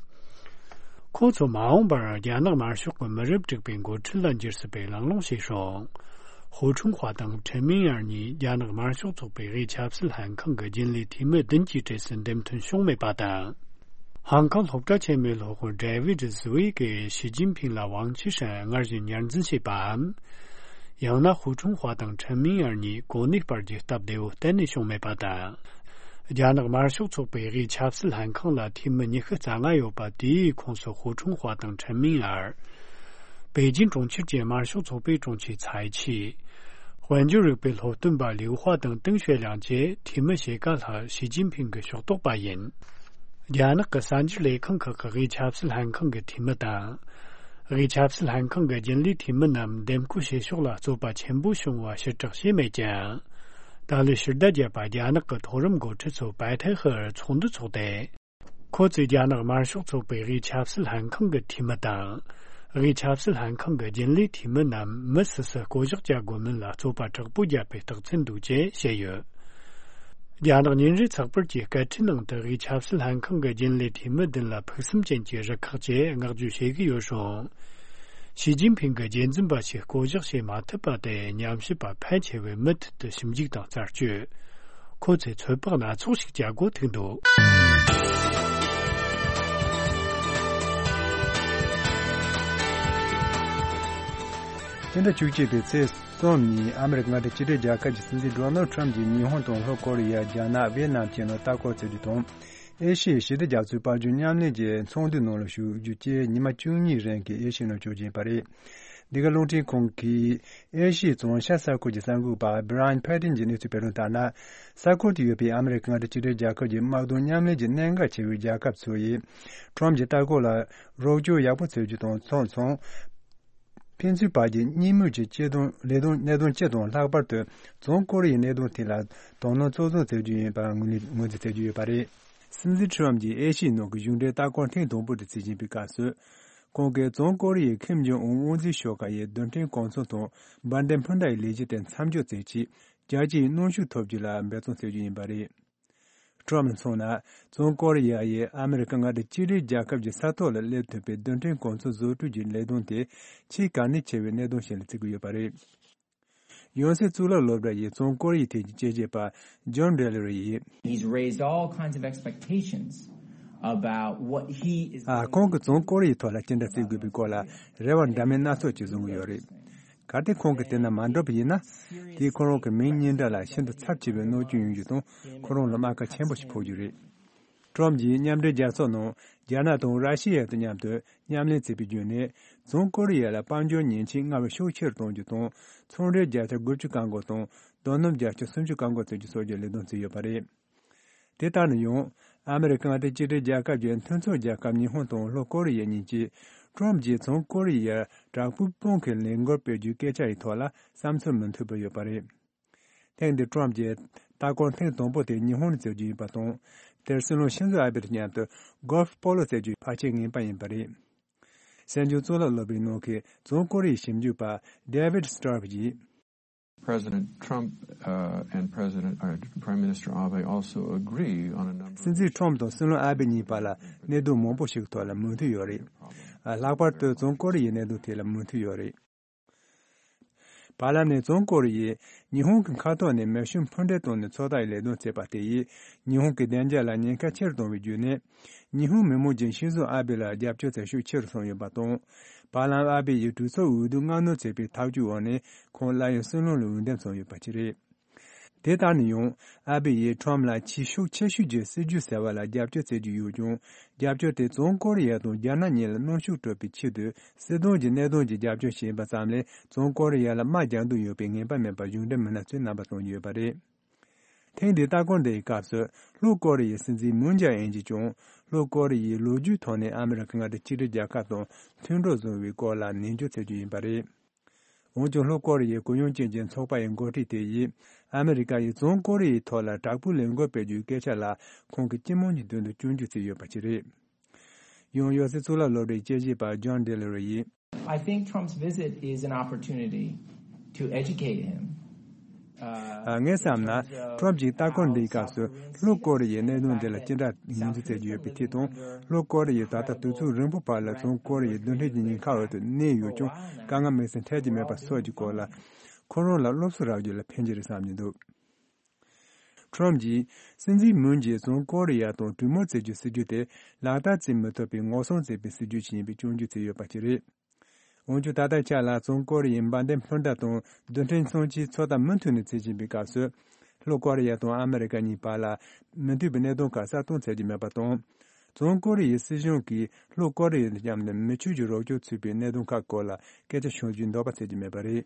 ཁོ་ཚོ་མ་འོངས་པར་རྒྱ་ནག་དམར་ཤོག་གི་མི་རབས་དྲུག་པའི་འགོ་ཁྲིད་ལ་འགྱུར་སྲིད་པའི་གླེང་སློང་བྱས་སོང་། ཧུ་ཁྲུང་ཧྭ་དང་ཁྲེན་མིང་ཨར་གཉིས་རྒྱ་ནག་དམར་ཤོག་ཚོགས་པའི་དབུས་ཆབ་སྲིད་ལྷན་ཁང་གི་རྒྱུན་ལས་འཐུས་མི་བདུན་གྱི་གྲས་སུ་འདེམས་ཐོན་བྱུང་མེད་པ་དང་། ཧང་ཀང་སློབ་གྲྭ་ཆེན་མོའི་སློབ་དཔོན་ཌེ་ཝིད་ཟི་ཝེ་གིས་ཞི་ཅིན་ཕིང་ལ་ཝང་ཆི་ཧྲན་སྔར་བཞིན་ཉར་འཛིན་བྱས་པའམ། ཡང་ན་ཧུ་ཁྲུང་ཧྭ་དང་ཁྲེན་མིང་ཨར་གཉིས་གོ་གནས་སྤར་རྒྱུའི་སྟབས་བདེ་བོ་གཏན་ནས་བྱུང་མེད་པ་དང་། རྒྱ་ནག་དམར་ཤོག་ཚོགས་པའི་དབུས་ཆབ་སྲིད་ལྷན་ཁང་ལ་འཐུས་མི་ཉི་ཤུ་རྩ་ལྔ་ཡོད་པ་དེའི་ཁོངས་སུ་ཧུ་ཁྲུང་ཧྭ་དང་ཁྲེན་མིང་ཨར། པེ་ཅིན་གྲོང་ཁྱེར་གྱི་དམར་ཤོག་ཚོགས་པའི་དྲུང་ཆེ་ཚའེ་ཆི། དཔལ་འབྱོར་རིག་པའི་སློབ་སྟོན་པ་ལིའུ་ཧྭ་དང་ཏེང་ཞའེ་ལིང་བཅས་འཐུས་མི་ཕྱེད་ཀ་ལྷག་ཞི་ཅིན་ཕིང་གི་ཕྱོགས་གཏོགས་པ་ཡིན། རྒྱ་ནག་གི་གསར་འགྱུར་ལས་ཁང་ཁག་གི་དབུས་ཆབ་སྲིད་ལྷན་ཁང་གི་འཐུས་མི་དང་། དབུས་ཆབ་སྲིད་ལྷན་ཁང་གི་རྒྱུན་ལས་འཐུས་མི་རྣམས་འདེམས་བསྐོ་བྱེད་ཕྱོགས་ལ་རྩོད་པ་ཆེན་པོ་བྱུང་བ་ཕྱིར་བསྒྲགས་བྱས་མེད་ཀྱང་། ད་ལོའི་ཕྱི་ཟླ་བརྒྱད་པ་རྒྱ་ནག་གི་མཐོ་རིམ་འགོ་ཁྲིད་ཚོ་པའེ་ཐའེ་ཧུར་ཚོགས་འདུ་འཚོགས་ཏེ། ཁོ་ཚོས་རྒྱ་ནག་དམར་ཤོག་ཚོགས་པའི་དབུས་ཆབ་སྲིད་ལྷན་ཁང་གི་འཐུས་མི་དང་། དབུས་ཆབ་སྲིད་ལྷན་ཁང་གི་རྒྱུན་ལས་འཐུས་མི་རྣམས་མི་སུ་སུ་བསྐོ་གཞག་བྱ་དགོས་མིན་ལ་རྩོད་པ་དྲག་པོ་བརྒྱབ་པའི་རྟགས་མཚན་འདུག་ཅེས་བཤད་ཡོད། རྒྱ་ནག་ཉིན་རེའི་ཚགས་པར་གྱི་སྐད་འཕྲིན་ནང་དུ་དབུས་ཆབ་སྲིད་ལྷན་ཁང་གི་རྒྱུན་ལས་འཐུས་མི་བདུན་ལ་ཕུགས་བསམ་ཅན་གྱི་རུ་ཁག་ཅེས་བསྔགས་བརྗོད་བྱེད་ཀྱི་ཡོད་རུང་། ཞི་ཅིན་ཕིང་གི་རྒྱུན་འཛིན་པ་ཞིག་བསྐོ་གཞག་བྱེད་མ་ཐུབ་པ་དེ་ཉམས་ཞིབ་པ་ཕལ་ཆེ་བས་མུ་མཐུད་དུ་ཞིབ་འཇུག་དང་རྩད་གཅོད། ཁོ་ཚོས་ཚོད་དཔག་སྣ་ཚོགས་ཤིག་བྱ་དགོས་ཐུག་འདུག་སྤྱི་ཟླ་བཅུ་གཅིག་པའི་ཚེས་གསུམ་ཉིན་ཨ་མི་རི་ཀ་མངའ་སྡེ་གཅིག་སྒྲིལ་རྒྱལ་ཁབ་ཀྱི་སྲིད་འཛིན་ཌོ་ནལ་ཁྲམ་གྱིས་ཉི་ཧོང་དང་ལྷོ་ཀོ་རི་ཡ། རྒྱ་ནག་ཝེ་ནམ་བཅས་ནང་ལྟ་སྐོར་བྱེད་རྒྱུ་དང་། ཨེ་ཤི་ཡའི་ཞི་བདེ་རྒྱ་མཚོའི་དཔལ་འབྱོར་མཉམ་ལེན་གྱི་ཚོགས་འདུའི་ནང་ལ་ཞུགས་རྒྱུ་བཅས་ཉི་མ་བཅུ་གཉིས་རིང་གི་ཨེ་ཤི་ཡའི་ནང་བསྐྱོད་ཀྱི་ཡིན་པ་རེད། འདི་ག་རླུང་འཕྲིན་ཁང་གིས་ཨེ་ཤི་ཡའི་བྱང་ཤར་ས་ཁུལ་གྱི་གསར་འགོད་པ་བྷི་ར་ཡན་ཕེ་ཏིན་གྱི་གནས་ཚུལ་སྤེལ་དོན་ལྟར་ན། ས་ཁུལ་དུ་ཡོད་པའི་ཨ་མི་རི་ཀ་མངའ་སྡེ་གཅིག་སྒྲིལ་རྒྱལ་ཁབ་ཀྱི་དམག་དོན་མཉམ་ལས་ཀྱི་གནད་འགག་ཆེ་བའི་རྒྱལ་ཁབ་ཚོ་ཡིས་ཁྲོམ་གྱི་ལྟ་སྐོར་ལ་རོགས་སྐྱོར་ཡག་པོ་བྱེད་རྒྱུ་དང་མཚུངས་མཚུངས། ཕན་ཚུན་བར་གྱི་གཉིས་མོས་ཀྱི་གཅེས་སྡོམ་ལས་དོན་གནད་དོན་སྤྱི་དང་ལྷག་པར་དུ་བྱང་ཀོ་རི་ཡའི་གནད་དོན་ཐད་ལ་དོ་སྣང་གཙོ་བཟུང་བྱེད་རྒྱུ་ཡིན་པ་ངོས་ནས་ངོས་འཛིན་བྱེད་ཀྱི་ཡོད་པ་རེད། སྲིད་འཛིན་ཁྲི་རམ་གྱིས་ཨེ་ཤི་ཡའི་ནང་གི་གཞུང་འབྲེལ་ལྟ་སྐོར་ཐེངས་དང་པོ་དེ་བྱེད་བཞིན་པའི་སྐབས་སུ། ཁོང་གིས་བྱང་ཀོ་རི་ཡའི་ཁིམ་ཇོང་ཨུན་དབུ་འཛིན་ཤོག་ཁག་ཡི་རྡུལ་ཕྲན་གོ་མཚོན་དང་འབར་མདེལ་འཕུར་མདའ་ཡི་ལས་གཞི་དེ་མཚམས་འཇོག་མཛད་ཆེད་རྒྱལ་སྤྱིའི་གནོན་ཤུགས་ཐོབ་རྒྱུ་ལ་འབད་བརྩོན་བྱེད་རྒྱུ་ཡིན་པ་རེད། ཀྲམ་མཚོན་ན། བཙོན་ཀོ་རི་ཡ་ཡིས་ཨ་མི་རི་ཀ་མངའ་སྡེ་གཅིག་སྒྲིལ་རྒྱལ་ཁབ་ཀྱི་ས་ཐོག་ལ་སླེབས་ཐུབ་པའི་རྡུལ་ཕྲན་གོ་མཚོན་བཟོ་སྐྲུན་གྱི་ལས་དོན་དེ་ཆེས་གལ་གནད་ཆེ་བའི་གནད་དོན་ཞིག་ལ་བརྩི་གི་ཡོད་པ་རེད། ཡང་སྲིད་གཙུག་ལག་སློབ་གྲྭ་ཡི་བཙོན་ཀོ་རི་ཡའི་ཐད་ཀྱི་དཔྱད་ཞིབ་པ་ཇོན་ཌེ་ལི་རི་ཡིས། He's raised all kinds of expectations about what he is ཨ། ཁོང་གིས་བཙོན་ཀོ་རི་ཡའི་ཐོག་ལ་ཅི་འདྲ་བརྩི་དགོས་པའི་སྐོར་ལ་རེ་བ་འདྲ་མིན་སྣ་ཚོགས་ཅིག་བཟུང་གི་ཡོད་རེད། གལ་ཏེ་ཁོང་གིས་དེ་ན་མ་འགྲོ་བ་ཡིན་ན། དེས་ཁོ་རང་གི་མིང་གཉིས་འདྲ་ལ་ཤིན་ཏུ་ཚབས་ཆེ་བའི་གནོད་སྐྱོན་ཡོང་རྒྱུ་དང་། ཁོ་རང་ལ་རྨ་ཁ་ཆེན་པོ་ཞིག་ཕོག་རྒྱུ་རེད། ཀྲམ་གྱིས་མཉམ་འབྲེལ་རྒྱལ་ཚོགས་ནང་རྒྱ་ནག་དང་ར་ཤི་ཡ་དང་མཉམ་དུ་མཉམ་ལས་བྱས་པའི་བརྒྱུད་ནས། བཙོན་ཀོ་རི་ཡ་ལ་དཔལ་འབྱོར་ཉེས་ཆད་སྔར་བས་ཤུགས་ཆེ་རུ་གཏོང་རྒྱུ་དང་། ཚོང་འབྲེལ་བརྒྱ་ཆ་དགུ་བཅུ་བཀག་འགོག་དང་། དོ་སྣང་བརྒྱ་ཆ་སུམ་ཅུ་བཀག་འགོག་བྱེད་རྒྱུ་སོགས་ཀྱི་ལས་དོན་བྱས་ཡོད་པ་རེད། དེ་ལྟར་ན་ཡང་། ཨ་མི་རི་ཀ་མངའ་སྡེ་གཅིག་སྒྲིལ་རྒྱལ་ཁབ་ཀྱི་མཐུན་ཚོགས་རྒྱལ་ཁབ་ཉི་ཧོང་དང་ལྷོ་ཀོ་རི་ཡ་གཉིས་ཀྱིས། ཀྲམ་གྱིས་བཙོན་ཀོ་རི་ཡར་དྲག་པོའི་དཔུང་གི་ལས་འགུལ་སྤེལ་རྒྱུའི་སྐད་ཆ་ཡི་ཐོག་ལ་བསམ་ཚུལ་མི་མཐུན་པ་ཡོད་པ་རེད། ཐེངས་འདིར་ཀྲམ་གྱིས་ལྟ་སྐོར་ཐེངས་དང་པོ་དེ་ཉི་ཧོང་ནས་བྱེད་རྒྱུ་ཡིན་པ་དང་། དེར་སྲིད་བློན་ཤིན་ཛོ་ཨ་བྷེ་དང་མཉམ་དུ་གོལ་ཕ་པོ་ལོ་རྩེད་རྒྱུའི་ཕལ་ཆེར་ངེས་པ་ཡིན་པ་རེད། གསན་རྒྱུ་གཙུག་ལག་སློབ་གྲྭའི་ནང་གི་བཙོན་ཀོ་རི་ཡའི་ཞིབ་འཇུག་པ་David Straub ཡིས། President Trump, uh, and President, uh, Prime Minister Abe also agree on a number of སྲིད་འཛིན་ཁྲོམ་དང་སྲིད་བློན་ཨ་བྷེ་གཉིས་བར་ལ་གནད་དོན་མང་པོ་ཞིག་གི་ཐོག་ལ་མོས་མཐུན་ཡོད་རེད། ཨ། ལྷག་པར་དུ་བཙོན་ཀོ་རི་ཡའི་གནད་དོན་ཐད་ལ་མོས་མཐུན་ཡོད་རེད། བར་ལམ་ནས་བཙོན་ཀོ་རི་ཡས་ཉི་ཧོང་གི་མཁའ་ཐོག་ནས་མེ་ཤུགས་འཕུར་མདེལ་བཏང་ནས་མཚོ་ཐོག་ལ་ལས་དོན་བྱས་པ་དེ་ཡིས། ཉི་ཧོང་གི་བདེ་འཇགས་ལ་ཉེན་ཁ་ཆེ་རུ་བཏང་བའི་བརྒྱུད་ནས། ཉི་ཧོང་མི་དམངས་ཀྱིས་ཤིན་ཛོ་ཨ་བྷེ་ལ་རྒྱབ་སྐྱོར་བྱེད་ཤུགས་ཆེ་རུ་སོང་ཡོད་པ་དང་། བར་ལམ་ཨ་བྷེ་ཡིས་གྲོས་ཚོགས་འོས་བསྡུ་སྔ་སྣུར་བྱས་པའི་ཐག་གཅོད་འོག་ནས་ཁོང་སླར་ཡང་སྲིད་བློན་ལ་འོས་འདེམས་སོང་ཡོད་པ་ཞིག་རེད། དེ་ལྟར་ན་ཡང་། ཨ་བྷེ་ཡིས་ཁྲོམ་ལ་ཆེས་ཤུགས་ཆེ་ཤོས་ཀྱི་སྲིད་ཇུས་ཟེར་བ་ལ་རྒྱབ་སྐྱོར་བྱེད་ཀྱི་ཡོད་ཀྱང་། རྒྱབ་སྐྱོར་དེ་བཙོན་ཀོ་རི་ཡ་དང་རྒྱ་ནག་གཉིས་ལ་གནོན་ཤུགས་སྤྲོད་པའི་ཆེད་དུ་སྲིད་དོན་གྱི་གནད་དོན་གྱི་རྒྱབ་སྐྱོར་བྱས་པ་ཙམ་ལས། བཙོན་ཀོ་རི་ཡ་ལ་དམག་རྒྱག་འདོད་ཡོད་པའི་ངེས་པ་མེད་པར་གཞུང་འབྲེལ་མི་སྣ་ཚོས་རྣམ་པ་སྟོན་གྱི་ཡོད་པ་རེད། ཐེངས་འདིའི་ལྟ་སྐོར་འདིའི་སྐབས་སུ། ལྷོ་ཀོ་རི་ཡའི་སྲིད་འཛིན་མུན་ཇེ་ཨིན་གྱིས་ཀྱང་། ལྷོ་ཀོ་རི་ཡས་ལོ་རྒྱུས་ཐོག་ནས་ཨ་མི་རི་ཀ་མངའ་སྡེ་གཅིག་སྒྲིལ་རྒྱལ་ཁབ་དང་མཐུན་གྲོགས་བཟུང་བའི་སྐོར་ལ་ནན་བརྗོད་བྱེད་རྒྱུ་ཡིན་པ་རེད། འོན་ཀྱང་། ལྷོ་ཀོ་རི་ཡའི་གུ་ཡངས་ཅན་གྱི་ཚོགས་པ་ཡི་འགོ་ཁྲིད་དེ་ཡིས། ཨ་མི་རི་ཀ་ཡིས་བཙོན་ཀོ་རི་ཡའི་ཐོག་ལ་དྲག་པོའི་ལས་འགུལ་སྤེལ་རྒྱུའི་སྐད་ཆ་ལ། ཁོང་གིས་སྤྱི་དམངས་ཀྱི་མདུན་དུ་སྐྱོན་བརྗོད་བྱས་ཡོད་པ་ཞིག་རེད། ཡང་། ཡོ་སི་གཙུག་ལག་སློབ་གྲྭའི་དཔྱད་ཞིབ་པ་ཇོན་ཌེ་ལི་རི་ཡིས། I think Trump's visit is an opportunity to educate him. ཨ། ངས་བསམ་ན། ཁྲོམ་གྱི་ལྟ་སྐོར་འདིའི་སྐབས་སུ། ལྷོ་ཀོ་རི་ཡའི་གནད་དོན་འདི་ལ་ཅི་འདྲ་ངོས་འཛིན་བྱེད་ཀྱི་ཡོད་པའི་ཐད་དང་། ལྷོ་ཀོ་རི་ཡས་ད་ལྟ་དུས་ཚོད་རིང་པོའི་བར་ལ་བཙོན་ཀོ་རི་ཡའི་རྡུལ་ཕྲན་གྱི་ཉེན་ཁ་འོག་ཏུ་གནས་ཡོད་ཀྱང་། དཀའ་ངལ་དམིགས་བསལ་འཕྲད་ཀྱི་མེད་པ་སོགས་ཀྱི་སྐོར་ལ། ཁོ་རང་ལ་སློབ་གསོ་རག་རྒྱུ་ལ་ཕན་གྱི་རེད་བསམ་གྱི་འདུག་ཁྲོམ་གྱིས། སྲིད་འཛིན་མུན་གྱིས་བཙོན་ཀོ་རི་ཡ་དང་གྲོས་མོལ་བྱེད་རྒྱུའི་སྲིད་ཇུས་དེ་ལག་བསྟར་བྱེད་མི་ཐུབ་པའི་ངོ་སྲུང་བྱེད་པའི་སྲིད་ཇུས་ཤིག་ཡིན་པའི་སྐྱོན་བརྗོད་བྱས་ཡོད་པ་ཞིག་རེད། འོན་ཀྱང་། ད་ལྟའི་ཆ་ལ་བཙོན་ཀོ་རི་ཡའི་འབར་མདེལ་འཕུར་མདའ་དང་རྡུལ་ཕྲན་མཚོན་ཆའི་ཚོད་ལྟ་མུ་མཐུད་ནས་བྱེད་བཞིན་པའི་སྐབས་སུ། ལྷོ་ཀོ་རི་ཡ་དང་ཨ་མི་རི་ཀ་གཉིས་བར་ལ་མི་མཐུན་པའི་གནད་དོན་ཁག་གསལ་སྟོན་བྱེད་ཀྱི་མེད་པ་དང་། བཙོན་ཀོ་རི་ཡའི་སྲིད་གཞུང་གིས་ལྷོ་ཀོ་རི་ཡ་དང་མཉམ་དུ་མི་ཆོས་ཀྱི་རོགས་སྐྱོར་ཚུད་པའི་གནད་དོན་ཁག་སྐོར་ལ་སྐད་ཆ་ཤོད་རྒྱུའི་འདོད་པ་བྱེད་ཀྱི་མེད་པ་རེད།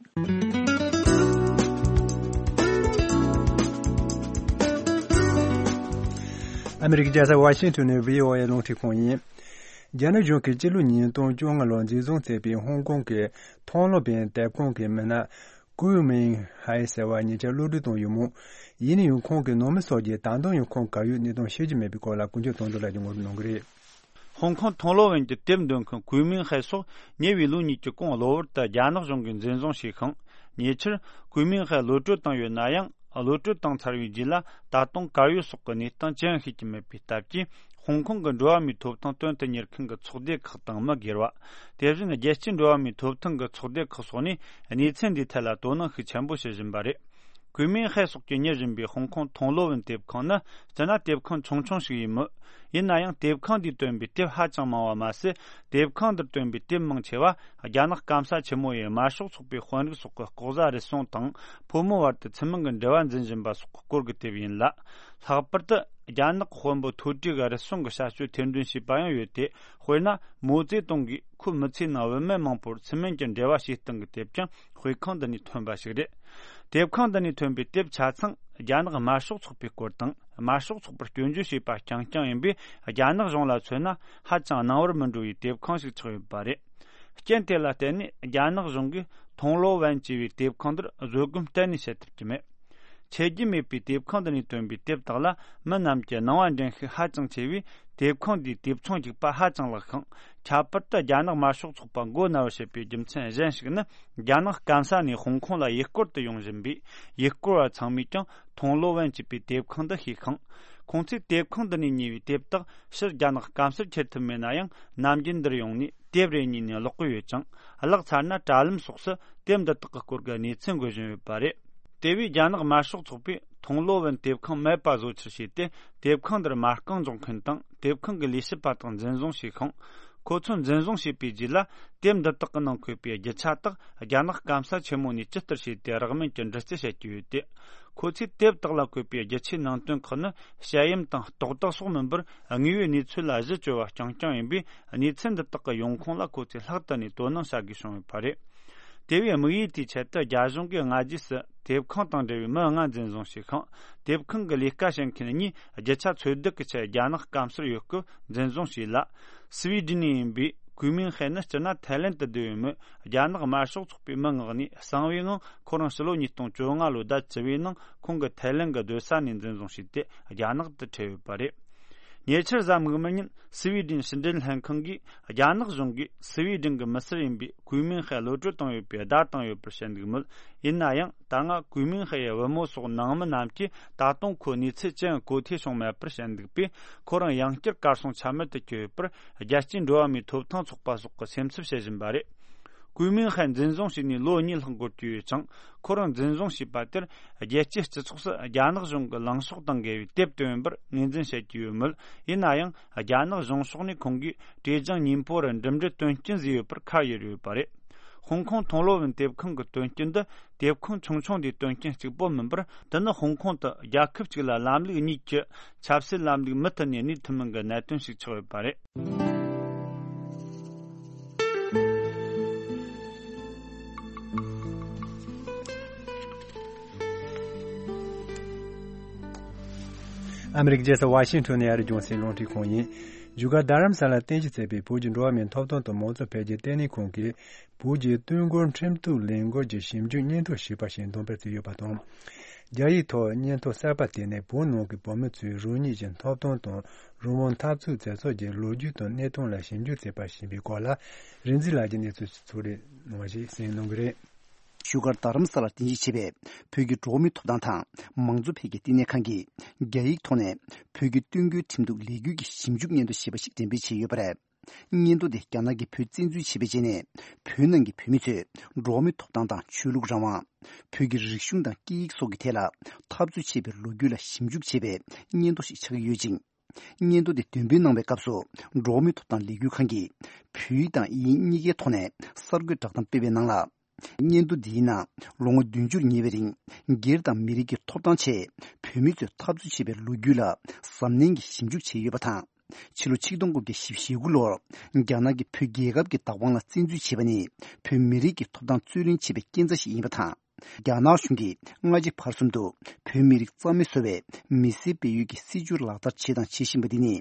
ཨ་མི་རི་ཀའི་རྒྱལ་ས་ཝ་ཤིང་ཊོན་ནས་བྷི་ཨོ་ཨེ་རླུང་འཕྲིན་ཁང་ཡིན། རྒྱ་ནག་གཞུང་གིས་སྤྱི་ལོ་ཉིས་སྟོང་བཅོ་ལྔ་ལོར་འཛིན་བཟུང་བྱས་པའི་ཧོང་ཀོང་གི་མཐོང་སློབ་པའི་དེབ་ཁང་གི་མི་སྣ་ཀུའུ་མིང་ཧའེ་ཟེར་བ་ཉེ་ཆར་གློད་གྲོལ་བཏང་ཡོད་མོད། ཡིན་ན་ཡང་ཁོང་གི་ནང་མི་སོགས་ཀྱིས་ད་དུང་ཡང་ཁོང་ག་ཡོད་གནས་སྟངས་ཤེས་ཀྱི་མེད་པའི་སྐོར་ལ་ཀུན་མཁྱེན་དོན་གྲུབ་ལགས་ཀྱིས་ངོ་སྤྲོད་གནང་གི་རེད། ཧོང་ཀོང་མཐོང་སློབ་ཡིན་གྱི་དེབ་འདོན་མཁན་ཀུའུ་མིང་ཧའེ་སོགས་ཉེ་བའི་ལོ་གཉིས་ཀྱི་གོང་གློ་བུར་དུ་རྒྱ་ནག་གཞུང་གིས་འཛིན་བཟུང་བྱས་ཤིང་། ཉེ་ཆར་ཀུའུ་མིང་ཧའེ་གློད་གྲོལ་བཏང་ཡོད་ན་ཡང་། གློད་གྲོལ་བཏང་ཚར་བའི་རྗེས་ལ་ད་དུང་གར་ཡོད་སོགས་ཀྱི་གནས་སྟངས་ཅི་ཡང་ཤེས་ཀྱི་མེད་པའི་སྟབས་ཀྱིས། ཧོང་ཀོང་གི་འགྲོ་བ་མིའི་ཐོབ་ཐང་དོན་དུ་གཉེར་མཁན་གྱི་ཚོགས་སྡེ་ཁག་དང་མི་སྒེར་བ། དེ་བཞིན་རྒྱལ་སྤྱིའི་འགྲོ་བ་མིའི་ཐོབ་ཐང་གི་ཚོགས་སྡེ་ཁག་སོགས་ནས་གནས་ཚུལ་འདིའི་ཐད་ལ་དོ་སྣང་ཤུགས་ཆེན་པོ་བྱེད་བཞིན་པ་རེད། ཀུའུ་མིང་ཧའེ་སོགས་ཀྱིས་གཉེར་བཞིན་པའི་ཧོང་ཀོང་མཐོང་སློབ་ཡིན་དེབ་ཁང་ནི། སྤྱིར་ན་དེབ་ཁང་ཆུང་ཆུང་ཞིག་ཡིན་མོད། ཡིན་ན་ཡང་དེབ་ཁང་འདིས་བཏོན་པའི་དེབ་ཧ་ཅང་མང་བ་མ་ཟད། དེབ་ཁང་འདིར་བཏོན་པའི་དེབ་མང་ཆེ་བ། རྒྱ་ནག་སྐམ་ས་ཆེན་མོ་ཡི་དམར་ཤོག་ཚོགས་པའི་དཔོན་རིགས་སོགས་ཀྱི་ལྐོག་ཟ་རུལ་སུངས་དང་། ཕོ་མོའི་བར་དུ་ཁྱིམ་མི་གི་འབྲེལ་བ་འཛིན་བཞིན་པ་སོགས་ཀྱི་སྐོར་གྱི་དེབ་ཡིན་ལ། ལྷག་པར་དུ། རྒྱ་ནག་གི་དཔོན་པོ་མཐོ་གྲས་ཀྱི་རུལ་སུངས་ཀྱི་བྱ་སྤྱོད་ཐེར་འདོན་བྱས་པ་ཡང་ཡོད་དེ། དཔེར་ན། མའོ་ཙེ་ཏུང་གིས་ཁོའི་མི་ཚེའི་ནང་བུད་མེད་མང་པོར་སྲིད་སྨན་གྱི་འབྲེལ་བ་བྱས་སྟངས་ཀྱི་དེབ་ཀྱང་དཔེ་ཁང་འདི་ནས་ཐོན་པ་ཞིག་རེད། དེབ་ཁང་འདི་ནས་ཐོན་པའི་དེབ་ཆ་ཚང་རྒྱ་ནག་དམར་ཤོག་ཚོགས་པའི་སྐོར་དང་། དམར་ཤོག་ཚོགས་པར་སྐྱོན་བརྗོད་བྱས་པ་རྐྱང་རྐྱང་ཡིན་པས། རྒྱ་ནག་གཞུང་ལ་མཚོན་ན་ཧ་ཅང་སྣང་བར་མི་འགྲོ་བའི་དེབ་ཁང་ཞིག་ཆགས་ཡོད་པ་རེད། རྐྱེན་དེ་ལ་བརྟེན་ནས་རྒྱ་ནག་གཞུང་གིས་ཐུང་ལོ་ཝན་ཅེས་པའི་དེབ་ཁང་འདིར་བཟོད་སྒོམ་གཏན་ནས་བྱེད་ཐུབ་ཀྱི་མེད། ཆད་རྒྱུ་མེད་པའི་དེབ་ཁང་འདི་ནས་ཐོན་པའི་དེབ་དག་ལ་མི་རྣམས་ཀྱི་སྣང་བ་འདྲེན་ཤུགས་ཧ་ཅང་ཆེ་བས། དེབ་ཁང་འདིའི་དེབ་ཚོང་རྒྱུག་པ་ཧ་ཅང་ལེགས་ཤིང་། ཁྱད་པར་དུ་རྒྱ་ནག་དམར་ཤོག་ཚོགས་པ་མགོ་ན་བར་བྱེད་པའི་རྒྱུ་མཚན་གཞན་ཞིག་ནི། རྒྱ་ནག་སྐམ་ས་ནས་ཧོང་ཀོང་ལ་ཡུལ་སྐོར་དུ་ཡོང་བཞིན་པའི་ཡུལ་སྐོར་བ་ཚང་མས་ཀྱང་ཐུང་ལོ་ཝན་ཅེས་པའི་དེབ་ཁང་འདི་ཤེས་ཤིང་། ཁོང་ཚོས་དེབ་ཁང་འདི་ནས་ཉོས་པའི་དེབ་དག་ཕྱིར་རྒྱ་ནག་སྐམ་སར་ཁྱེར་ཐུབ་མེད་ན་ཡང་། ནམ་རྒྱུན་འདིར་ཡོང་ནས་དེབ་རེ་གཉིས་ནས་ཀློག་གི་ཡོད་ཅིང་། གླགས་ཚར་ན་དྲ་ལམ་སོགས་སུ་དེབ་འདི་དག་གི་སྐོར་གྱི་གནས་ཚུལ་འགོད་བཞིན་ཡོད་པ་རེད། དེ་བས་རྒྱ་ནག་དམར་ཤོག་ཚོགས་པས་ཐུང་ལོ་ཝན་དེབ་ཁང་མེད་པ་བཟོ་ཆེད་བྱས་ཏེ། དེབ་ཁང་འདིར་མ་རྐང་འཇོག་མཁན་དང་། དེབ་ཁང་གི་ལས་བྱེད་པ་དག་འཛིན་བཟུང་བྱས་ཤིང་། ཁོ་ཚོ་འཛིན་བཟུང་བྱས་པའི་རྗེས་ལ། དེབ་འདི་དག་གི་ནང་འཁོད་པའི་རྒྱུ་ཆ་དག་རྒྱ་ནག་སྐམ་ས་ཆེན་མོ་ནས་ཇི་ལྟར་བྱས་ཏེ་རག་མིན་གྱི་འདྲི་རྩད་བྱེད་ཀྱི་ཡོད་དེ། ཁོ་ཚོས་དེབ་དག་ལ་བཀོད་པའི་རྒྱུ་ཆའི་ནང་དོན་ཁག་ནི་དཔྱད་གཡམ་དང་རྟོག་བཏགས་སོགས་མིན་པར། དངོས་ཡོད་གནས་ཚུལ་ལ་གཞི་བཅོལ་བ་རྐྱང་རྐྱང་ཡིན་པས། གནས་ཚུལ་འདི་དག་གི་ཡོང་ཁུངས་ལ་ཁོ་ཚོས་ལྷག་ཏུ་ནས་དོ་སྣང་བྱ་དགོས་བྱུང་ཡོད་པ་རེད། དེ་བས་དམིགས་ཡུལ་དེའི་ཆེད་དུ་རྒྱ་གཞུང་གིས་སྔ་རྗེས་སུ་དེབ་ཁང་དང་འབྲེལ་བའི་མི་ལྔ་འཛིན་བཟུང་བྱས་ཤིང་། དེབ་ཁང་གི་ལས་ཀ་བྱེད་མཁན་གཉིས་རྒྱུ་ཆ་འཚོལ་སྡུད་ཀྱི་ཆེད་རྒྱ་ནག་སྐམ་སར་ཡོད་སྐབས་འཛིན་བཟུང་བྱས་ལ། སི་བི་ཌིན་ནས་ཡིན་པའི་ཀུའི་མིང་ཧའེ་ནི་སྤྱིར་ན་ཐའི་ལེན་དུ་བསྡད་ཡོད་མོད། རྒྱ་ནག་དམར་ཤོག་ཚོགས་པའི་མི་མངགས་ནས་གསང་བའི་ངང་ཁོ་རང་ཕྱི་ལོ་ཉིས་སྟོང་བཅོ་ལྔ་ལོའི་ཟླ་བཅུ་བའི་ནང་ཁོང་གི་ཐའི་ལེན་གྱི་སྡོད་ས་ནས་འཛིན་བཟུང་བྱས་ཏེ་རྒྱ་ནག་ཏུ་ཁྲིད་ཡོད་པ་རེད། ཉེ་ཆར་གཟའ་མིག་དམར་ཉིན་སི་བི་ཌིན་ཕྱི་འབྲེལ་ལྷན་ཁང་གིས་རྒྱ་ནག་གཞུང་གིས་སི་བི་ཌིན་གྱི་མི་སེར་ཡིན་པའི་ཀུའི་མིང་ཧའེ་གློད་གྲོལ་བཏང་ཡོད་པའི་བརྡ་བཏང་ཡོད་པར་བཤད་འདུག་མོད། ཡིན་ན་ཡང་ད་སྔ་ཀུའི་མིང་ཧའེ་ཡི་བུ་མོ་སོགས་ནང་མི་རྣམས་ཀྱིས་ད་དུང་ཁོའི་གནས་ཚུལ་ཅི་ཡང་གོ་ཐོས་བྱུང་མེད་པར་བཤད་འདུག་པས། ཁོ་རང་ཡང་བསྐྱར་གར་སོང་ཆ་མེད་དུ་གྱུར་ཡོད་པར་རྒྱལ་སྤྱིའི་འགྲོ་བ་མིའི་ཐོབ་ཐང་ཚོགས་པ་སོགས་ཀྱིས་སེམས་འཚབ་བྱེད་བཞིན་པ་རེད། ཀུའི་མིང་ཧའེ་འཛིན་བཟུང་བྱས་ནས་ལོ་གཉིས་ལྷག་འགོར་གྱི་ཡོད་ཅིང་། ཁོ་རང་འཛིན་བཟུང་བྱས་པ་དེར་རྒྱལ་སྤྱིའི་སྤྱི་ཚོགས་སུ་རྒྱ་ནག་གཞུང་གི་ལངས་ཕྱོགས་དང་འགལ་བའི་དེབ་བཏོན་ཡོད་པར་ངོས་འཛིན་བྱེད་ཀྱི་ཡོད་མོད། ཡིན་ན་ཡང་རྒྱ་ནག་གཞུང་ཕྱོགས་ནས་ཁོང་གིས་ཀྲེ་ཅང་ཉིན་པོ་རུ་འགྲིམ་འགྲུལ་དོན་རྐྱེན་བཟོས་ཡོད་པར་ཁ་གཡར་ཡོད་པ་རེད། ཧོང་ཀོང་ཐུང་ལོ་ཝན་དེབ་ཁང་གི་དོན་རྐྱེན་འདི་དེབ་ཁང་ཆུང་ཆུང་འདིའི་དོན་རྐྱེན་གཅིག་པོ་མིན་པར། དེ་ནི་ཧོང་ཀོང་དུ་རྒྱལ་ཁབ་གཅིག་ལ་ལམ་ལུགས་གཉིས་ཀྱི་ཆབ་སྲིད་ལམ་ལུགས་མུ་མཐུད་ནས་གནས་ཐུབ་མིན་གྱི་གནད་དོན་ཞིག་ཆགས་ཡོད་པ་རེད། ཨ་མི་རི་ཀའི་རྒྱལ་ས་ཝ་ཤིང་ཊོན་ནས་ཨ་རིའི་རྒྱང་སྲིང་རླུང་འཕྲིན་ཁང་ཡིན། བཞུགས་སྒར་རྡ་རམ་ས་ལར་རྟེན་གཞི་བྱས་པའི་བོད་ཀྱི་འགྲོ་བ་མིའི་ཐོབ་ཐང་དང་མང་གཙོ་འཕེལ་རྒྱས་ལྟེ་གནས་ཁང་གིས། བོད་ཀྱི་དུས་འཁོར་ཁྲིམས་གཏུག་ལས་འགུལ་གྱི་ཞིབ་འཇུག་སྙན་ཐོ་ཞེས་པ་ཞིག་འདོན་སྤེལ་བྱས་ཡོད་པ་དང་། རྒྱ་ཡིག་ཐོག་སྙན་ཐོ་གསར་པ་དེ་ནི་བོད་ནང་གི་བོད་མི་ཚོའི་རང་ཉིད་ཀྱི་ཐོབ་ཐང་དང་རང་དབང་འཐབ་རྩོད་མཛད་ཕྱོགས་ཀྱི་ལོ་རྒྱུས་དང་གནས་སྟངས་ལ་ཞིབ་འཇུག་བྱས་པ་ཞེས་པའི་སྐོར་ལ། རིག་འཛིན་ལགས་ཀྱིས་གནས་ཚུལ་ཕྱོགས་སྒྲིག་གནང་བ་ཞིག་གསན་གནང་གི་རེད། བཞུགས་སྒར་རྡ་རམ་ས་ལར་རྟེན་གཞི་བྱས་པའི་བོད་ཀྱི་འགྲོ་བ་མིའི་ཐོབ་ཐང་དང་མང་གཙོ་འཕེལ་རྒྱས་ལྟེ་གནས་ཁང་གིས་རྒྱ་ཡིག་ཐོག་ནས་བོད་ཀྱི་དུས་འཁོར་ཁྲིམས་གཏུག་ལས་འགུལ་གྱི་ཞིབ་འཇུག་སྙན་ཐོ་ཞེས་པ་ཞིག་འགྲེམས་སྤེལ་བྱས་ཡོད་པ་རེད། སྙན་ཐོ་དེ་རྒྱ་ནག་གིས་བོད་བཙན་འཛུལ་བྱས་པའི་རྗེས་ནས། བོད་ནང་གི་བོད་མི་ཚོས་འགྲོ་བ་མིའི་ཐོབ་ཐང་དང་ཆོས་ལུགས་རང་དབང་། བོད་ཀྱི་རིག་གཞུང་དང་སྐད་ཡིག་སོགས་ཀྱི་ཐད་ལ་འཐབ་རྩོད་བྱས་པའི་ལོ་རྒྱུས་ལ་ཞིབ་འཇུག་བྱས་པའི་སྙན་ཐོ་ཞིག་ཆགས་ཀྱི་ཡོད་ཅིང་། སྙན་ཐོ་དེ་འདོན་སྤེལ་གནང་བའི་སྐབས་སུ། འགྲོ་བ་མིའི་ཐོབ་ཐང་ལས་འགུལ་ཁང་གིས་བོད་ཡིག་དང་དབྱིན་ཡིག་གཉིས་ཀའི་ཐོག་ནས་གསར་འགོད་བསྒྲགས་གཏམ་སྤེལ་བའི་ནང་ལ། སྙན་ཐོ་འདིའི་ནང་ལོ་ངོ་བདུན་ཅུར་ཉེ་བའི་རིང་། སྒེར་དང་མི་རིགས་ཀྱི་ཐོབ་ཐང་ཆེད་བོད་མི་ཚོས་འཐབ་རྩོད་བྱས་པའི་ལོ་རྒྱུས་ལ་གཟབ་ནན་གྱིས་ཞིབ་འཇུག་བྱས་ཡོད་པ་དང་། ཕྱི་ལོ་ཆིག་སྟོང་དགུ་བརྒྱ་བཞི་བཅུ་ཞེ་དགུ་ལོར་རྒྱ་ནག་གིས་བོད་རྒྱལ་ཁབ་ཀྱི་བདག་དབང་ལ་བཙན་འཛུལ་བྱས་པ་ནི། བོད་མི་རིགས་ཀྱི་ཐོབ་ཐང་རྩོད་ལེན་བྱས་པའི་རྐྱེན་རྩ་ཞིག་ཡིན་པ་དང་། རྒྱ་ནག་གཞུང་གིས་སྔ་ཕྱི་བར་གསུམ་དུ་བོད་མི་རིགས་རྩ་མེད་བཟོ་བའི་མི་སེར་སྤེལ་ཡུལ་གྱི་སྲིད་བྱུས་ལག་བསྟར་བྱས་དང་བྱེད་བཞིན་པ་འདི་ནི།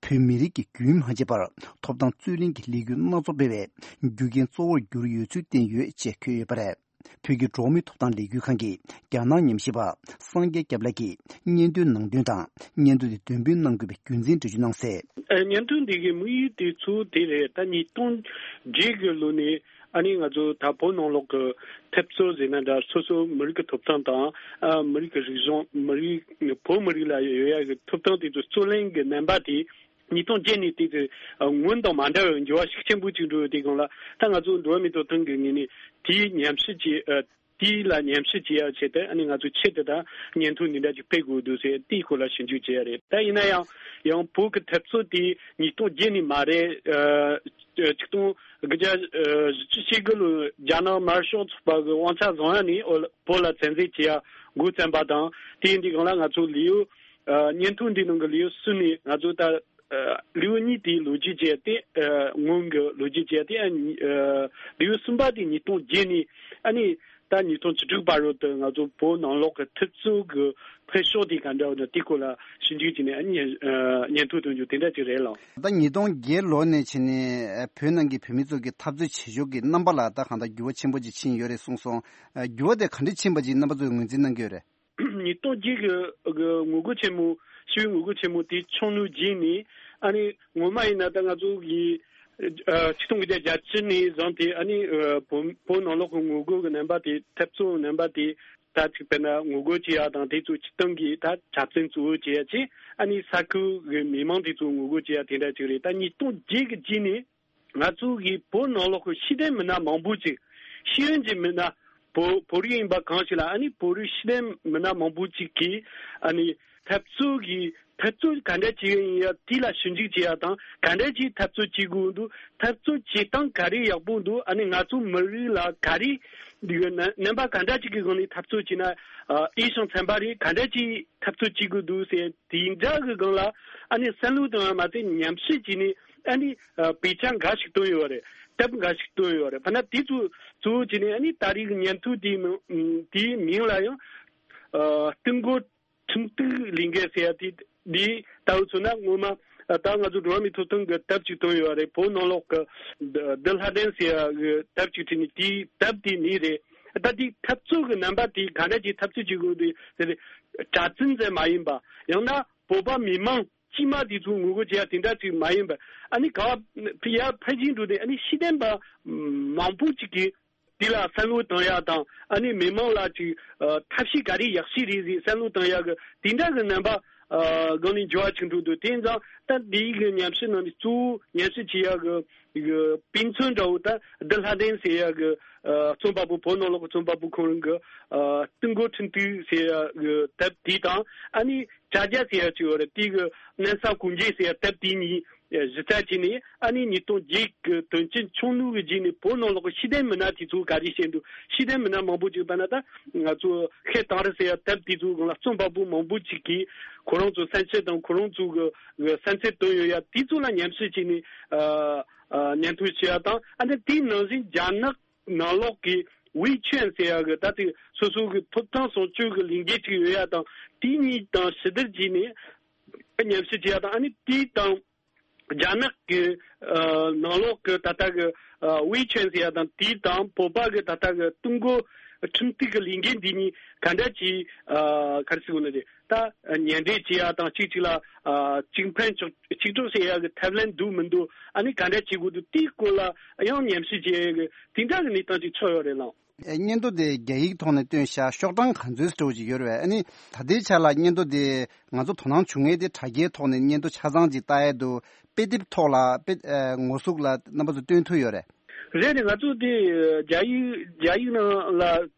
བོད་མི་རིགས་ཀྱིས་རྒྱུན་མ་ཆད་པར་ཐོབ་ཐང་རྩོད་ལེན་གྱི་ལས་འགུལ་སྣ་ཚོགས་སྤེལ་བའི་རྒྱུ་རྐྱེན་གཙོ་བོར་གྱུར་ཡོད་ཚུལ་བསྟན་ཡོད་ཅེས་འཁོད་ཡོད་པ་རེད། བོད་ཀྱི་འགྲོ་བ་མིའི་ཐོབ་ཐང་ལས་འགུལ་ཁང་གི་རྒྱ་ནག་ཉམས་ཞིབ་པ་སངས་རྒྱས་སྐྱབས་ལགས་ཀྱིས་སྙན་ཐོའི་ནང་དོན་དང་། སྙན་ཐོ་དེ་འདོན་སྤེལ་གནང་དགོས་པའི་རྒྱུ་མཚན་འགྲེལ་བརྗོད་གནང་གསལ། ཨ། སྙན་ཐོ་འདི་གི་དམིགས་ཡུལ་དེ་ཚོ་དེ་རེད། ད་ཉིས་སྟོང་བརྒྱད་ཀྱི་ལོ་ནས་ཨ་ནི་ང་ཚོ་ད་བོད་ནང་ལོགས་ཀྱི་འཐབ་རྩོད་ཟེར་ན་འདྲ། སོ་སོ་མི་རིགས་ཀྱི་ཐོབ་ཐང་དང་། ཨ། མི་རིགས་ཀྱི་རིག་གཞུང་། མི་རིགས། བོད་མི་རིགས་ལ་ཡོད་ཡ་གི་ཐོབ་ཐང་དེ་ཚོ་རྩོད་ལེན་གྱི་རྣམ་པ་དེ་ཉིས་སྟོང་བརྒྱད་ནས་དེ་ཚོ་སྔོན་དང་མ་འདྲ་བའི་འགྱུར་བ་ཤུགས་ཆེན་པོ་ཅིག་འགྲོ་ཡོད། དེ་སྒང་ལ་ད་ང་ཚོ་འགྲོ་བ་མིའི་ཐོབ་ཐང་གི་ངོས་ནས་དེའི་ཉམས་ཞིབ་ཀྱི། ཨ། དེའི་ལ་ཉམས་ཞིབ་བྱེད་ཡ་ཆེད་དུ་ཨ་ནི་ང་ཚོས་ཆེད་དུ་ད་སྙན་ཐོ་འདི་འདྲ་ཅིག་སྤེལ་དགོས་འདུག་ཟེར། དེའི་སྐོར་ལ་ཞིབ་འཇུག་བྱེད་ཡ་རེད། ད་ཡིན་ན་ཡང་ཡང་བོད་ཀྱི་འཐབ་རྩོད་དེ་ཉིས་སྟོང་བརྒྱད་ནས་མ་རེད། ཨ། ཆིག་སྟོང་དགུ་བརྒྱ་བཞི་བཅུ་ཞེ་དགུ་ལོའི་རྒྱ་ནག་དམར་ཤོག་ཚོགས་པ་གི་དབང་ཆ་བཟུང་ཡ་ནས་བོད་ལ་བཙན་འཛུལ་བྱེད་ཡ་འགོ་བརྩམས་པ་དང་། དེ་ཡིན་དུས་སྒང་ལ་ང་ཚོ་ལེའུ། ཨ། སྙན་ཐོ་འདི་ནང་གི་ལེའུ་གསུམ་ནས་ང་ཚོ་ད། ཨ། ལེའུ་གཉིས་དེའི་ལོ་རྒྱུས་བྱས་ཏེ། ཨ། སྔོན་གྱི་ལོ་རྒྱུས་བྱས་ཏེ། ཨ། ལེའུ་གསུམ་པ་དེ་ཉིས་སྟོང་བརྒྱད་ནས་ཨ་ནི་ད་ཉིས་སྟོང་བཅུ་དྲུག་བར་དུ་ང་ཚོ་བོད་ནང་ལོགས་ཀྱི་འཐབ་རྩོད་ཀྱི་འཕེལ་ཕྱོགས་དེ་ག་འདྲ་ཡོད་ན་དེའི་སྐོར་ལ་ཞིབ་འཇུག་བྱས་ནས། ཨ། སྙན། ཨ། སྙན་ཐོ་ཐོན་རྒྱུ་དེ་འདྲ་ཅིག་རེད་ལགས། ད་ཉིས་སྟོང་བརྒྱད་ལོ་ནས་བྱས་ནས། ཨ། བོད་ནང་གི་བོད་མི་ཚོ་གི་འཐབ་རྩོད་བྱེད་ཕྱོགས་ཀྱི་རྣམ་པ་ལ་ད་གང་ལྟར་འགྱུར་བ་ཆེན་པོ་ཅིག་ཕྱིན་ཡོད་རེད་གསུངས་སོང་། ཨ། འགྱུར་བ་དེ་ག་འདྲ་ཕྱིན་པ་ཅིག་རྣམ་པ་ཚོས་ངོས་འཛིན་གནང་གི་ཡོད་རེད། ཉིས་སྟོང་བརྒྱད་ཀྱི་ངོ་རྒོལ་ཆེན་མོ། ཞི་བའི་ངོ་རྒོལ་ཆེན་མོ་དེ་བྱུང་ནས་རྗེས་ནས། ཨ་ནི་ངོ་མ་ཡིན་ན་ད་ང་ཚོ་གི་ཆིག་སྟོང་དགུ་བརྒྱ་གྱ་བཅུ་ནས་བཟུང་སྟེ་ཨ་ནི་བོད་བོད་ནང་ལོགས་ཀྱི་ངོ་རྒོལ་གྱི་རྣམ་པ་དེ་འཐབ་རྩོད་རྣམ་པ་དེ་ད་ཅིག་དཔེར་ན་ངོ་རྒོལ་བྱེད་ཡ་དང་དེ་ཚོ་སྤྱིར་བཏང་གི་ད་འཁྲབ་ཚན་གཙོ་བོ་བྱེད་ཡ་ཅིག་ཨ་ནི་ས་ཁུལ་གྱི་མི་མང་དེ་ཚོ་ངོ་རྒོལ་བྱེད་ཡ་དེ་འདྲ་ཅིག་རེད། ད་ཉིས་སྟོང་བརྒྱད་ཀྱི་རྗེས་ནས་ང་ཚོ་གི་བོད་ནང་ལོགས་ཀྱི་ཤེས་ལྡན་མི་སྣ་མང་པོ་ཅིག་ཤེས་ཡོན་གྱི་མི་སྣ་བོད་བོད་རིགས་ཡིན་པ་གང་ཞིག་ལ་ཨ་ནི་བོད་རིགས་ཤེས་ལྡན་མི་སྣ་མང་པོ་ཅིག་གིས་ཨ་ནི་འཐབ་རྩོད་ཀྱི་འཐབ་རྩོད་ག་འདྲ་བྱེད་ཀྱི་ཡིན་ཡ་དེ་ལ་ཞིབ་འཇུག་བྱེད་ཡ་དང་ག་འདྲ་ཅིག་འཐབ་རྩོད་བྱེད་དགོས་འདུག་འཐབ་རྩོད་བྱེད་སྟངས་ག་རེ་ཡག་པོ་འདུག་ཨ་ནི་ང་ཚོ་མི་རིགས་ལ་ག་རེ་འདི་གི་རྣམ་པ་ག་འདྲ་ཅིག་གི་སྒང་ནས་འཐབ་རྩོད་བྱས་ན་འོས་ཤིང་འཚམ་པ་རེད། ག་འདྲ་ཅིག་འཐབ་རྩོད་བྱེད་དགོས་འདུག་ཟེར་དེ་འདྲ་གི་སྒང་ལ་ཨ་ནི་བསམ་བློ་བཏང་ཡ་མ་ཟད་ཉམས་ཞིབ་བྱས་ནས་ཨ་ནི་དཔེ་ཆ་འགའ་ཞིག་བཏོན་ཡོད་རེད། དེབ་འགའ་ཞིག་བཏོན་ཡོད་རེད། ཕ་ན་དེ་ཚོ་གཙོ་བོ་བྱས་ནས་ཨ་ནི་ད་རེས་ཀྱི་ཉིན་ཐོ་དེའི་མིང་དེའི་མིང་ལ་ཡང་ཨ་སྟེང་སྒོ་ཁྲིམས་གཏུག་ལས་འགུལ་ཟེར་ཡ་དེ་འདི་ལྟ་བུ་མཚོན་ན་སྔོན་མ་ད་ང་ཚོ་འགྲོ་བ་མིའི་ཐོབ་ཐང་གི་དེབ་ཅིག་བཏོན་ཡོད་རེད། བོད་ནང་ལོགས་ཀྱི་བདུད་ལྷ་ལྡན་ཟེར་ཡ་གི་དེབ་ཅིག་བྲིས་ནས་དེའི་དེབ་དེའི་མིང་རེད། ད་དེའི་འཐབ་རྩོད་ཀྱི་རྣམ་པ་དེ་ག་འདྲ་ཅིག་འཐབ་རྩོད་བྱེད་དགོས་འདུག་ཟེར་ཏེ་གྲྭ་བཙུན་ཟེར་མ་ཡིན་པ་ཡང་ན་བོད་པ་མི་མང་དཀྱུས་མ་དེ་ཚོ་ངོ་རྒོལ་བྱེད་ཡ་དེ་འདྲ་ཅིག་མ་ཡིན་པར་ཨ་ནི་ག་བ་ཕི་ཡ་ཕལ་ཆེར་འགྲོ་དེ་ཨ་ནི་ཤེས་ལྡན་པ་མང་པོ་ཅིག་གིས་དེ་ལ་བསམ་བློ་བཏང་ཡ་དང་ཨ་ནི་མི་མང་ལ་ཅིག་ཐབས་ཤེས་ག་རེ་ཡག་ཤོས་རེད་ཟེར་བསམ་བློ་བཏང་ཡ་གི་དེ་འདྲ་གི་རྣམ་པ་སྒང་ནས་འགྱུར་བ་ཅིག་འགྲོ་འདུག་དེ་ཡིན་ཙང་ད་འདི་གི་ཉམས་ཞིབ་ནང་ནས་གཙོ་བོ་ཉམས་ཞིབ་བྱེད་ཡ་གི་གི་དཔེ་མཚོན་འདྲ་བོ་ད་བདུད་ལྷ་ལྡན་ཟེར་ཡ་གི་རྩོམ་པ་པོ་བོད་ནང་ལོགས་ཀྱི་རྩོམ་པ་པོ་ཁོང་རང་གི་སྟེང་སྒོ་ཁྲིམས་གཏུག་ཟེར་ཡ་གི་དེབ་དེ་དང་ཨ་ནི་དྲ་རྒྱ་ཟེར་ཡ་ཅིག་ཡོད་རེད། དེ་གི་གནམ་ས་གོང་འཇལ་ཟེར་ཡ་དེབ་དེ་གཉིས་གཞི་རྩ་བྱས་ནས་ཨ་ནི་ཉིས་སྟོང་བརྒྱད་གི་དོན་རྐྱེན་ཆུང་ངུ་གི་རྗེས་ནས་བོད་ནང་ལོགས་ཀྱི་ཤེས་ལྡན་མི་སྣ་དེ་ཚོ་ག་རེ་བཤད་འདུག་ཤེས་ལྡན་མི་སྣ་མང་པོ་ཅིག་ད་ན་ད་ང་ཚོ་ཤེས་དང་རི་ཟེར་ཡ་དེབ་དེ་ཚོ་སྒང་ལ་རྩོམ་པ་པོ་མང་པོ་ཅིག་གིས་ཁོ་རང་ཚོ་བསམ་ཚུལ་དང་ཁོ་རང་ཚོ་གི་བསམ་ཚུལ་བཏོན་ཡོད་ཡ་དེ་ཚོ་ལ་ཉམས་ཞིབ་བྱས་ནས་ཨ་ཨ་ཉན་ཐོས་བྱེད་ཡ་དང་ཨ་ནི་དེའི་ནང་བཞིན་རྒྱ་ནག་ནང་ལོགས་ཀྱི་ཝེ་ཆན་ཟེར་ཡ་གི་ད་ལྟའི་སོ་སོ་གི་ཐོབ་ཐང་སྲུང་སྐྱོབ་ཀྱི་ལས་འགུལ་ཅིག་ཡོད་ཡ་དང་དེ་གཉིས་དང་ཕྱི་བསྡུར་བྱས་ནས་ཉམས་ཞིབ་བྱེད་ཡ་དང་ཨ་ནི་དེ་དང་རྒྱ་ནག་གི་ཨ་ནང་ལོགས་ཀྱི་ད་ལྟ་གི་ཨ་ཝེ་ཆན་ཟེར་ཡ་དང་དེ་དང་བོད་པ་གི་ད་ལྟ་གི་སྟེང་སྒོ་ཁྲིམས་གཏུག་གི་ལས་འགུལ་འདི་གཉིས་ག་འདྲ་ཅིག་ཨ་ག་རེ་ཟེར་དགོས་ན་རེད། ད་ཉེ་འབྲེལ་བྱེད་ཡ་དང་གཅིག་གཅིག་ལ་ཨ་གཅིག་ཕན་གཅིག་གཅིག་གྲོགས་བྱེད་ཡ་གི་ཐབས་ལམ་འདུག་མི་འདུག་ཨ་ནི་ག་འདྲ་བྱེད་དགོས་འདུག་དེའི་སྐོར་ལ་ཡང་ཉམས་ཞིབ་བྱེད་ཡ་གི་དེ་འདྲ་གི་གནས་སྟངས་ཅིག་ཚོར་ཡོད་རེད་ལགས། ཨེ་སྙན་ཐོ་དེ་རྒྱ་ཡིག་ཐོག་ནས་བཏོན་ཤག་ཤོག་གྲངས་ག་ཚོད་ཙམ་ཅིག་ཡོད་རེད་པས། ཨ་ནི་ད་ལྟའི་ཆ་ལ་སྙན་ཐོ་དེ་ང་ཚོ་དོ་སྣང་བྱུང་མཁན་དེ་དྲ་རྒྱའི་ཐོག་ནས་སྙན་ཐོ་ཆ་ཚང་ཅིག་ལྟ་ཡས་འདུག་དཔེ་དེབ་ཐོག་ལ་དཔེ་ཨེ་ངོ་ཟུག་ལ་རྣམ་པ་ཚོ་སྟོན་ཐུབ་ཡོད་རེད། རེད་རེད། ང་ཚོ་དེ་རྒྱ་ཡིག་རྒྱ་ཡིག་ནང་ལ་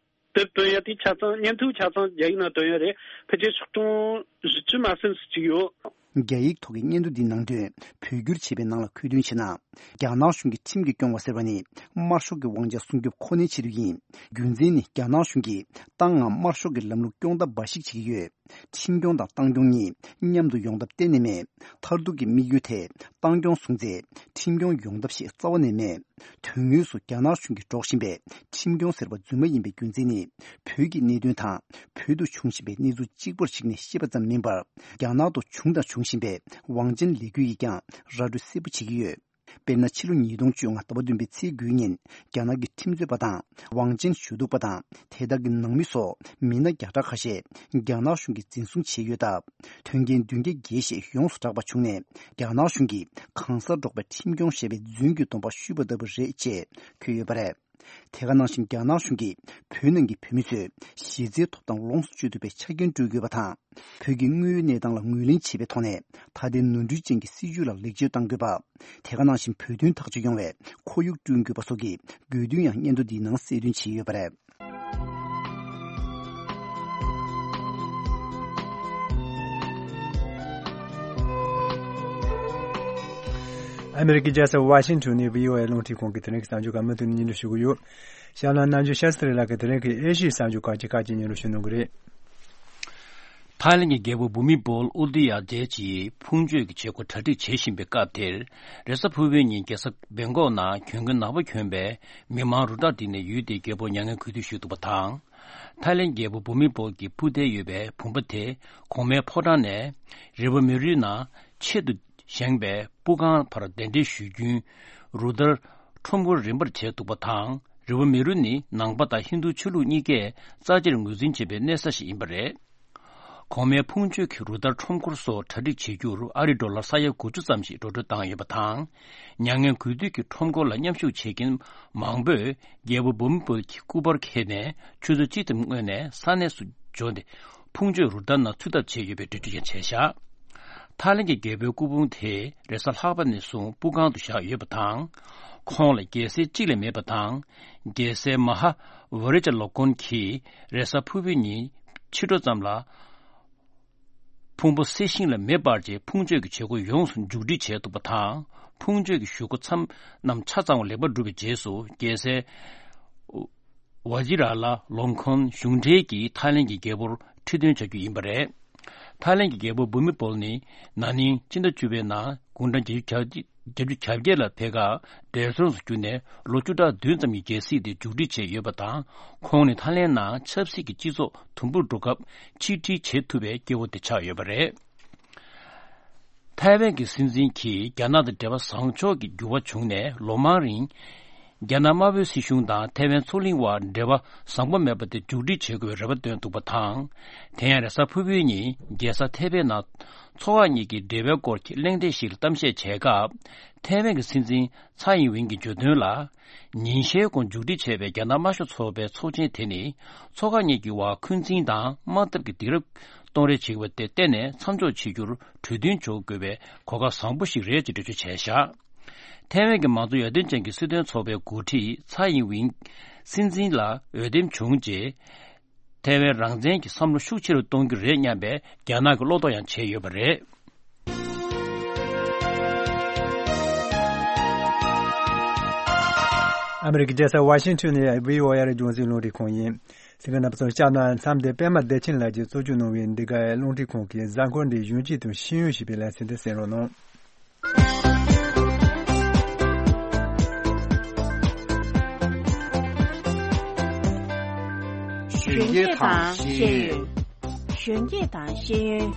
དེབ་བཏོན་ཡ་དེ་ཆ་ཚང་སྙན་ཐོ་ཆ་ཚང་རྒྱ་ཡིག་ནང་བཏོན་ཡོད་རེད། ཕལ་ཆེར་ཤོག་གྲངས་བཞི་བཅུ་མ་ཟིན་ཙམ་ཅིག་ཡོད། རྒྱ་ཡིག་ཐོག་གི་སྙན་ཐོ་འདིའི་ནང་དོན་བོད་བསྒྱུར་བྱས་པའི་ནང་ལ་ཁུལ་སྟོན་བྱས་ན། རྒྱ་ནག་གཞུང་གིས་ཁྲིམས་ཀྱིས་སྐྱོང་བ་ཟེར་བ་ནི་དམར་ཤོག་གི་དབང་ཆ་སྲུང་སྐྱོབ་ཁོ་ནའི་ཆེད་དུ་ཡིན། རྒྱུ་མཚན་ནི་རྒྱ་ནག་གཞུང་གིས་ཏང་ངམ་དམར་ཤོག་གི་ལམ་ལུགས་སྐྱོང་ཐབས་འབའ་ཞིག་བྱེད་ཀྱི་ཡོད། ཁྲིམས་སྐྱོང་དང་ཏང་སྐྱོང་གཉིས་མཉམ་དུ་ཡོང་ཐབས་གཏན་ནས་མེད། མཐར་ཐུག་གི་དམིགས་ཡུལ་དེ་ཏང་སྐྱོང་བཟུང་ཚེ་ཁྲིམས་སྐྱོང་ཡོང་ཐབས་ཤིག་རྩ་བ་ནས་མེད། དོན་དངོས་སུ་རྒྱ་ནག་གཞུང་གིས་སྒྲོག་བཞིན་པའི་ཁྲིམས་སྐྱོང་ཟེར་བ་རྫུན་མ་ཡིན་པའི་རྒྱུ་མཚན་ནི། བོད་ཀྱི་གནད་དོན་དང་བོད་དུ་བྱུང་བཞིན་པའི་གནས་ཚུལ་གཅིག་པར་གཞིགས་ནས་བཤད་པ་ཙམ་མིན་པར། རྒྱ་ནག་ཏུ་བྱུང་དང་འབྱུང་བཞིན་པའི་དབང་ཆེན་ལས་འགུལ་ཡིས་ཀྱང་ར་སྤྲོད་གསལ་པོ་བྱེད་ཀྱི་ཡོད། དཔེར་ན། ཕྱི་ལོ་ཉིས་སྟོང་བཅོ་ལྔ་ཟླ་བ་བདུན་པའི་ཚེས་དགུའི་ཉིན། རྒྱ་ནག་གི་ཁྲིམས་རྩོད་པ་དང་། དབང་ཆེན་ཞུ་གཏུག་པ་དང་། དེ་དག་གི་ནང་མི་སོགས་མི་སྣ་བརྒྱ་ཕྲག་ཁ་ཤས་རྒྱ་ནག་གཞུང་གིས་འཛིན་བཟུང་བྱས་ཡོད་སྟབས། དོན་རྐྱེན་བདུན་བརྒྱ་བརྒལ་ཞིག་ཡོངས་སུ་གྲགས་པ་བྱུང་ནས། རྒྱ་ནག་གཞུང་གིས་གང་སར་འབྲོག་པའི་ཁྲིམས་སྐྱོང་ཞེས་པའི་རྫུན་གྱི་སྡོམ་པ་གཞུས་པ་ལྟ་བུ་རེད་ཅེས་འཁོད་ཡོད་པ་རེད། དེ་ག་ནང་བཞིན། རྒྱ་ནག་གཞུང་གིས་བོད་ནང་གི་བོད་མི་ཚོས་གཞི་རྩའི་ཐོབ་ཐང་ལོངས་སུ་སྤྱོད་ཐུབ་པའི་ཆ་རྐྱེན་སྤྲོད་དགོས་པ་དང་། བོད་ཀྱི་དངོས་ཡོད་གནས་སྟངས་ལ་ངོས་ལེན་བྱེད་པའི་ཐོག་ནས། ད་ལྟའི་ནོར་འཁྲུལ་ཅན་གྱི་སྲིད་བྱུས་ལ་ལེགས་བཅོས་གཏང་དགོས་པ། དེ་ག་ནང་བཞིན། བོད་དོན་ཐག་གཅོད་ཡོང་བའི་ཁོར་ཡུག་བསྐྲུན་དགོས་པ་སོགས་ཀྱི་དགོས་འདུན་ཡང་སྙན་ཐོ་འདིའི་ནང་གསལ་སྟོན་བྱས་ཡོད་པ་རེད། ཨ་མེ་རི་ཀའི་རྒྱལ་ས་ཝ་ཤིང་ཊོན་ནས་བྷི་ཨོ་ཨེ་རླུང་འཕྲིན་ཁང་གི་དེ་རིང་གི་གསར་འགྱུར་ཁག་མུ་མཐུད་ནས་སྙན་སྒྲོན་ཞུ་གི་ཡོད། ཤར་ལ་ནམ་རྒྱུན་ཤ་སྟྲི་ལགས་ཀྱིས་དེ་རིང་གི་ཨེ་ཤི་ཡའི་གསར་འགྱུར་ཁག་ཅིག་ཁག་ཅིག་སྙན་སྒྲོན་ཞུ་གནང་གི་རེད། ཐའི་ལེན་གྱི་རྒྱལ་པོ་བྷུ་མི་བོལ་ཨུ་དི་ཡ་རྗེ་གིས་ཕུང་གཅོད་ཀྱི་བྱེད་སྒོ་གྲ་སྒྲིག་བྱེད་བཞིན་པའི་སྐབས་དེར། རེས་གཟའ་ཕུར་བུའི་ཉིན་རྒྱལ་ས་བེང་ཀོག་ནང་གྱོང་གུན་ནག་པོ་གྱོན་པའི་མི་མང་རུ་ཏྲ་བསྒྲིགས་ནས་ཡུལ་དེའི་རྒྱལ་པོར་མྱ་ངན་གུས་འདུད་ཞུས་འདུག་པ་དང་། ཐའི་ལེན་རྒྱལ་པོ་བྷུ་མི་བོལ་གྱི་སྤུ་མདེལ་ཡོད་པའི་བུམ་པ་དེ་གོང་མའི་ཕོ་བྲང་ནས་རི་བོ་མེ་རུའི་ནང་ཆེད་དུ་བཞེངས་པའི་སྤུ་ཁང་བར་གདན་འདྲེན་ཞུས་རྒྱུན་རུ་ཏྲ་ཁྲོམ་སྐོར་རིམ་པར་བྱས་འདུག་པ་དང་། རི་བོ་མེ་རུ་ནི་ནང་པ་དང་ཧིན་རྡུ་ཆོས་ལུགས་གཉིས་ཀས་རྩ་ཆེར་ངོས་འཛིན་བྱེད་པའི་གནས་ས་ཞིག་ཡིན་པ་རེད། གོང་མའི་ཕུང་མཆོད་ཀྱི་རུ་སྟར་ཁྲོམ་སྐོར་སོགས་གྲ་སྒྲིག་བྱེད་རྒྱུར་ཨ་རིའི་ཌོ་ལར་ས་ཡ་དགུ་བཅུ་ཙམ་ཞིག་འགྲོ་གྲོན་བཏང་ཡོད་པ་དང་། མྱ་ངན་གུས་འདུད་ཀྱི་ཁྲོམ་སྐོར་ལ་མཉམ་ཞུགས་བྱེད་མཁན་མང་པོས་རྒྱལ་པོ་བྷུ་མི་བོལ་གྱི་སྐུ་པར་འཁྱེར་ནས་ཆུ་ཚོད་གཅིག་ཙམ་སྔོན་ནས་ས་གནས་སུ་འབྱོར་ཏེ་ཕུང་མཆོད་རུ་སྟར་ནང་ཚུད་ཐབས་བྱས་ཡོད་པའི་འགྲེལ་བརྗོད་ཀྱང་བྱས་བཞག་ཐའི་ལེན་གྱི་རྒྱལ་པོའི་སྐུ་ཕུང་དེ་རེས་གཟའ་ལྷག་པ་ནས་བཟུང་སྤུ་ཁང་དུ་བཞག་ཡོད་པ་དང་། ཁོང་ལ་རྒྱལ་སྲས་གཅིག་ལས་མེད་པ་དང་། རྒྱལ་སྲས་མ་ཧ་ཝེ་རེ་ཅ་ལོ་ཀོན་གྱིས་རེས་གཟའ་ཕུར་བུའི་ཉིན་ཕྱི་དྲོ་ཙམ་ལ། ཕུང་པོ་གསེར་ཤིང་ལ་མེ་སྤར་རྗེས་ཕུང་མཆོད་ཀྱི་བྱེད་སྒོ་ཡོངས་སུ་མཇུག་སྒྲིལ་བྱས་འདུག་པ་དང་། ཕུང་མཆོད་ཀྱི་གཞུག་གུ་མཚམས་རྣམས་ཆ་ཚང་བ་ལེགས་པར་གྲུབ་པའི་རྗེས་སུ་རྒྱལ་སྲས་ཝ་ཇི་ར་ལ་ལོང་ཁོན་གཞུང་འབྲེལ་གྱིས་ཐའི་ལེན་གྱི་རྒྱལ་པོར་ཁྲི་འདོན་བྱ་རྒྱུ་ཡིན་པ་རེད། ཐའི་ལེན་གྱི་རྒྱལ་པོ་བྷུ་མི་བོལ་ནི་ན་ནིང་སྤྱི་ཟླ་བཅུ་པའི་ནང་དགུང་གྲངས་བརྒྱད་ཅུ་གྱ་བརྒྱད་ལ་ཕེབས་སྐབས་འབྲས་སྤུངས་སུ་གྱུར་ནས་ལོ་བཅུ་ཕྲག་བདུན་ཙམ་གྱི་རྒྱལ་སྲིད་དེ་མཇུག་སྒྲིལ་བྱས་ཡོད་པ་དང་། ཁོང་ནི་ཐའི་ལེན་ནང་ཆབ་སྲིད་ཀྱི་སྤྱི་ཚོགས་དུམ་བུར་འགྲོ་སྐབས་ཆིག་སྒྲིལ་བྱེད་ཐུབ་པའི་སྐྱེ་བོ་དེ་ཆགས་ཡོད་པ་རེད། ཐའེ་ཝན་གྱི་སྲིད་འཛིན་གྱིས་རྒྱ་ནག་དང་འབྲེལ་བ་བཟང་ཕྱོགས་ཀྱི་འགྱུར་བ་བྱུང་ནས་ལོ་མང་རིང་། རྒྱ་ནག་དམར་པོའི་སྲིད་གཞུང་དང་ཐའེ་ཝན་མཚོ་གླིང་བར་འབྲེལ་བ་བཟང་པོ་མེད་པ་དེ་མཇུག་སྒྲིལ་བྱེད་དགོས་པའི་རེ་བ་བཏོན་འདུག་པ་དང་། དེ་ཡང་རེས་གཟའ་ཕུར་བུའི་ཉིན་རྒྱལ་ས་ཐའེ་པེ་ནང་མཚོ་འགག་གཉིས་ཀྱི་འབྲེལ་བའི་སྐོར་གྱི་གླེང་སྟེགས་ཤིག་ལ་གཏམ་བཤད་བྱས་སྐབས། ཐའེ་ཝན་གྱི་སྲིད་འཛིན་ཚའེ་ཡིན་ཝིན་གྱིས་བརྗོད་དོན་ལ། ཉིན་ཤས་གོང་མཇུག་སྒྲིལ་བྱས་པའི་རྒྱ་ནག་དམར་ཤོག་ཚོགས་པའི་ཚོགས་ཆེན་དེ་ནི། མཚོ་འགག་གཉིས་ཀྱི་བར་འཁོན་འཛིན་དང་དམག་འཐབ་ཀྱི་སྡིགས་ར་གཏོང་རེས་བྱེད་པ་དེ་གཏན་ནས་མཚམས་འཇོག་བྱེད་རྒྱུར་གྲོས་མཐུན་འཇོག་དགོས་པའི་གོ་སྐབས་བཟང་པོ་ཞིག་རེད་ཅེས་འགྲེལ་བརྗོད་བྱས་བཞག་ཐའེ་ཝན་གྱི་མང་གཙོ་ཡར་ཐོན་ཅན་གྱི་སྲིད་དོན་ཚོགས་པའི་འགོ་ཁྲིད་ཚའེ་ཡིན་ཝིན་སྲིད་འཛིན་ལ་འོས་འདེམས་བྱུང་རྗེས། ཐའེ་ཝན་རང་བཙན་གྱི་བསམ་བློ་ཤུགས་ཆེ་རུ་གཏོང་རྒྱུ་རེད་སྙམ་པའི་རྒྱ་ནག་གི་བློ་དོགས་ཡང་བྱས་ཡོད་པ་རེད། ཨ་མི་རི་ཀའི་རྒྱལ་ས་ཝ་ཤིང་ཊོན་ནས་བྷི་ཨོ་ཨེ་རྒྱང་སྲིང་རླུང་འཕྲིན་ཁང་ཡིན། གསན་མཁན་རྣམ་པ་ཚོར་སྐྱབས་གནང་། མཚམས་འདིར་པད་མ་བདེ་ཆེན་ལགས་ཀྱིས་གཙོ་སྐྱོང་གནང་བའི་འདི་ག་རླུང་འཕྲིན་ཁང་གི་གཟའ་འཁོར་འདིའི་གཞོན་སྐྱེས་དང་ཤེས་ཡོན་ཞེས་པའི་ལེ་ཚན་དེ་གསན་རོགས་གནང་། གཞོན་སྐྱེས་དང་ཤེས་ཡོན། གཞོན་སྐྱེས་དང་ཤེས་ཡོན།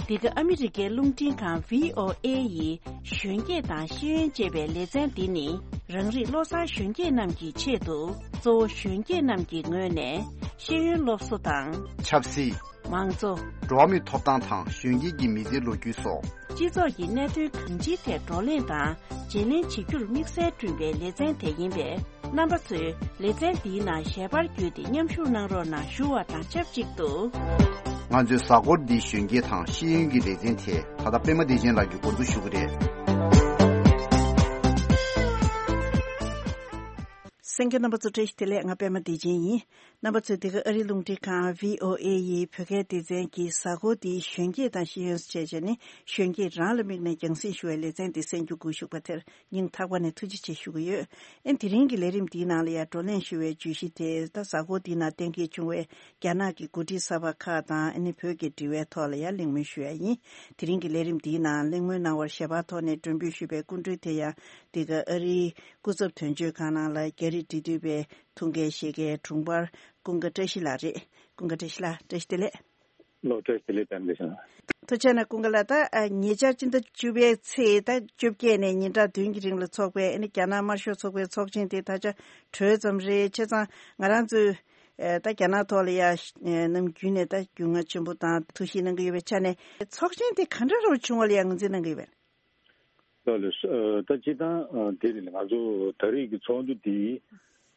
འདི་ག་ཨ་མི་རི་ཀའི་རླུང་འཕྲིན་ཁང་བྷི་ཨོ་ཨེ་ཡི་གཞོན་སྐྱེས་དང་ཤེས་ཡོན་ཅེས་པའི་ལེ་ཚན་འདི་ནི། རང་རིགས་བློ་བཟང་གཞོན་སྐྱེས་རྣམས་ཀྱི་ཆེད་དུ། གཙོ་བོ་གཞོན་སྐྱེས་རྣམས་ཀྱི་ངོས་ནས་ཤེས་ཡོན་སློབ་གསོ་དང་། ཆབ་སྲིད། མང་གཙོ། འགྲོ་བ་མིའི་ཐོབ་ཐང་དང་གཞོན་སྐྱེས་ཀྱི་མི་ཚེའི་ལོ་རྒྱུས་སོགས། སྤྱི་ཚོགས་ཀྱི་གནད་དོན་གང་ཅིའི་ཐད་བགྲོ་གླེང་དང་བརྗེ་ལེན་བྱེད་རྒྱུར་དམིགས་བསལ་བསྐྲུན་པའི་ལེ་ཚན་དེ་ཡིན་པས། རྣམ་པ་ཚོས་ལེ་ཚན་འདིའི་ནང་ཞལ་པར་བརྒྱུད་དེ་མཉམ་ཞུགས་གནང་རོགས་གནང་ཞུ་བ་དང་ཆབས་ཅིག་ཏུ། ང་ཚོའི་གཟའ་འཁོར་འདིའི་གཞོན་སྐྱེས་དང་ཤེས་ཡོན་གྱི་ལེ་ཚན་དེ་ད་ལྟ་པད་མ་བདེ་ཆེན་ལགས་ཀྱིས་འགོ་འཛུགས་ཞུ་གི་རེད། གསན་མཁན་རྣམ་པ་ཚོ་བཀྲ་ཤིས་བདེ་ལེགས། ང་པད་མ་བདེ་ཆེན་ཡིན། རྣམ་པ་ཚོས་འདི་ག་ཨ་རིའི་རླུང་འཕྲིན་ཁང་བྷི་ཨོ་ཨེ་ཡི་བོད་སྐད་སྡེ་ཚན་གྱི་གཟའ་འཁོར་འདིའི་གཞོན་སྐྱེས་དང་ཤེས་ཡོན་ཞེས་བྱས་ནས་གཞོན་སྐྱེས་རང་ལ་དམིགས་ནས་རྒྱང་སྲིང་ཞུ་བའི་ལེ་ཚན་འདི་གསན་རྒྱུ་སྒུག་བཞུགས་པ་དེར་སྙིང་ཐག་པ་ནས་ཐུགས་རྗེ་ཆེ་ཞུ་གི་ཡོད། ཨེ་དེ་རིང་གི་ལས་རིམ་འདིའི་ནང་ལ་ཡང་བགྲོ་གླེང་ཞུ་བའི་བརྗོད་གཞི་དེ་ད་གཟའ་འཁོར་འདིའི་ནང་གཏན་འཁེལ་བྱུང་བའི་རྒྱ་ནག་གི་འགོ་ཁྲིད་གསར་པ་ཁག་དང་ཨ་ནི་བོད་ཀྱི་འབྲེལ་བའི་ཐོག་ལ་ཡང་གླེང་མོལ་ཞུ་ཡ་ཡིན། དེ་རིང་གི་ལས་རིམ་འདིའི་ནང་གླེང་མོལ་གནང་བར་ཞལ་པར་ཐོག་ནས་མགྲོན་འབོད་ཞུས་པའི་སྐུ་མགྲོན་དེ་ཡང་འདི་ག་ཨ་རིའི་སྐུ་ཚབ་དོན་གཅོད་ཁང་ནང་ལ་རྒྱ་རིགས་འབྲེལ་མཐུད་པའི་ཐུགས་འགན་བཞེས་མཁན་དྲུང་འཕར་ཀུན་དགའ་བཀྲ་ཤིས་ལགས་རེད། ཀུན་དགའ་བཀྲ་ཤིས་ལགས་བཀྲ་ཤིས་བདེ་ལེགས། ལོ་བཀྲ་ཤིས་བདེ་ལེགས་དམ་བདེ་ཞང་། ཐུགས་རྗེ་གནང་ཀུན་དགའ་ལགས། ད་ཉེ་ཆར་སྤྱི་ཟླ་བཅུ་པའི་ཚེས་ད་བཅོ་བརྒྱད་ནས་ཉིན་གྲངས་བདུན་གྱི་རིང་ལ་འཚོགས་པའི་ཨ་ནི་རྒྱ་ནག་དམར་ཤོག་ཚོགས་པའི་ཚོགས་ཆེན་དེ་ད་ཆ་གྲོལ་ཙམ་རེད། བྱས་ཙང་ང་རང་ཚོས་ད་རྒྱ་ནག་ཐོག་ལ་ཡ་ནམ་རྒྱུན་ནས་ད་རྒྱུས་མངའ་ཆེན་པོ་དང་ཐུགས་ཞིབ་གནང་གི་ཡོད་པའི་ཆ་ནས་ཚོགས་ཆེན་དེ་ག་འདྲ་རུ་བྱུང་བ་ལ་ཡ་ངོས་འཛིན་གནང་གི་ཡོད་པས། ལགས་ལགས། ད་སྤྱིར་བཏང་འདི་རེད། ང་ཚོ་ད་རེས་ཀྱི་ཚོགས་འདུ་འདི་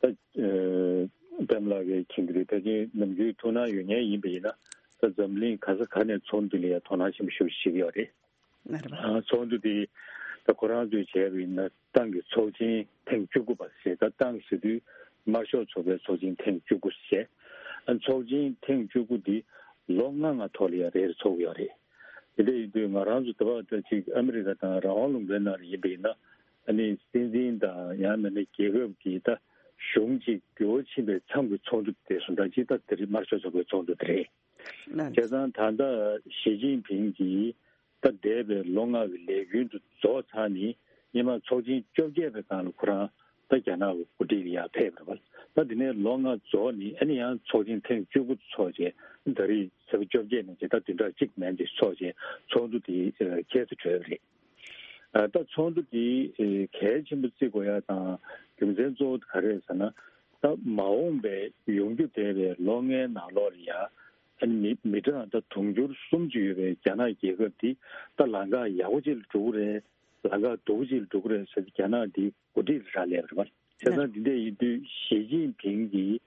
ད་པད་མ་ལགས་ཀྱིས་མཁྱེན་གྱི་རེད། ད་ཅི་ནམ་རྒྱུན་ཐུགས་སྣང་ཡོད་མཁན་ཡིན་པ་ཡིན་ན་ད་འཛམ་གླིང་ག་ས་ག་ནས་ཚོགས་འདུ་ལ་ཡང་དོ་སྣང་ཆེན་པོ་ཞེ་པོ་ཅིག་བྱེད་ཀྱི་ཡོད་རེད། ཚོགས་འདུ་འདི་ད་ཁོ་རང་ཚོས་བྱས་པ་ཡིན་ན་ཏང་གི་ཚོགས་ཆེན་ཐེངས་བཅུ་དགུ་པ་ཞེས། ད་ཏང་ཟེར་དུས་དམར་ཤོག་ཚོགས་པའི་ཚོགས་ཆེན་ཐེངས་བཅུ་དགུ་ཞེས། ཚོགས་ཆེན་ཐེངས་བཅུ་དགུ་འདི་ལོ་ལྔ་ལྔ་ཐོག་ལ་ཡང་རེ་རེ་ཚོགས་ཀྱི་ཡོད་རེད། དེ་འདྲ་ཡིན་དུས་ང་རང་ཚོ་ད་བར་ད་ཅིག་ཨ་མི་རི་ཀ་དང་རང་དབང་ལུང་པའི་ནང་ལ་ཡིན་པ་ཡིན་ན་ཨ་ནི་སྲིད་འཛིན་དང་ཡང་མིན་ན་རྒྱལ་ཁབ་ཀྱི་ད་གཞུང་ཅིག་འགྱུར་བ་ཕྱིན་པའི་མཚམས་ཀྱི་ཚོགས་འདུ་དེ་སོང་ཙང་ཅིག་ད་དེ་རིང་དམར་ཤོག་ཚོགས་པའི་ཚོགས་འདུ་དེ་རེད། བྱས་ཙང་ད་ལྟ་ཞི་ཅིན་ཕིང་གིས་ད་འདས་པའི་ལོ་ལྔ་གི་ལས་རྒྱུན་དུ་རྫོགས་ཚར་ནས་སྔོན་མ་ཚོགས་ཆེན་བཅོ་བརྒྱད་པའི་སྒང་ལ་ཁོ་རང་ད་རྒྱ་ནག་གི་འགོ་ཁྲིད་ལ་ཡར་ཕེབས་པ་རེད་པ། ད་དེ་ནས་ལོ་ལྔ་རྫོགས་ནས་ཨ་ནི་ཡང་ཚོགས་ཆེན་ཐེངས་བཅུ་དགུ་ཚོགས་བྱས། ད་རེས་ཚེས་པ་བཅོ་བརྒྱད་ནས་བྱས་ད་བདུན་ཕྲག་གཅིག་མན་ཆད་ཚོགས་བྱས་ཚོགས་འདུ་དེ་ཁྱད་དུ་གྲོལ་བ་རེད། ད་ཚོགས་འདུ་དེ་གལ་ཆེན་པོ་བརྩི་དགོས་ཡ་དང་རྒྱུ་མཚན་གཙོ་བོ་ག་རེ་རེད་ཟེར་ན། ད་མ་འོངས་པའི་ཡོང་རྒྱུ་བསྡད་པའི་ལོ་ལྔའི་ནང་ལོགས་ལ་ཡ་ ཨ་ནི་མི་མི་གྲངས་ད་དུང་ཕྱུར་གསུམ་ཅིག་ཡོད་པའི་རྒྱ་ནག་རྒྱལ་ཁབ་འདི་ད་ལམ་ཁ་ཡག་པོ་ཅིག་ལ་འགྲོ་གི་རེད། ལམ་ཁ་སྡུག་པོ་ཅིག་ལ་འགྲོ་གི་རེད་ཟེར་ཏེ་རྒྱ་ནག་འདི་འགོ་ཁྲིད་ལ་རག་ལས་པ་རེད་བ། བྱས་ཙང་འདི་འདྲ་ཡིན་དུས་ཞི་ཅིན་ཕིང་གིས་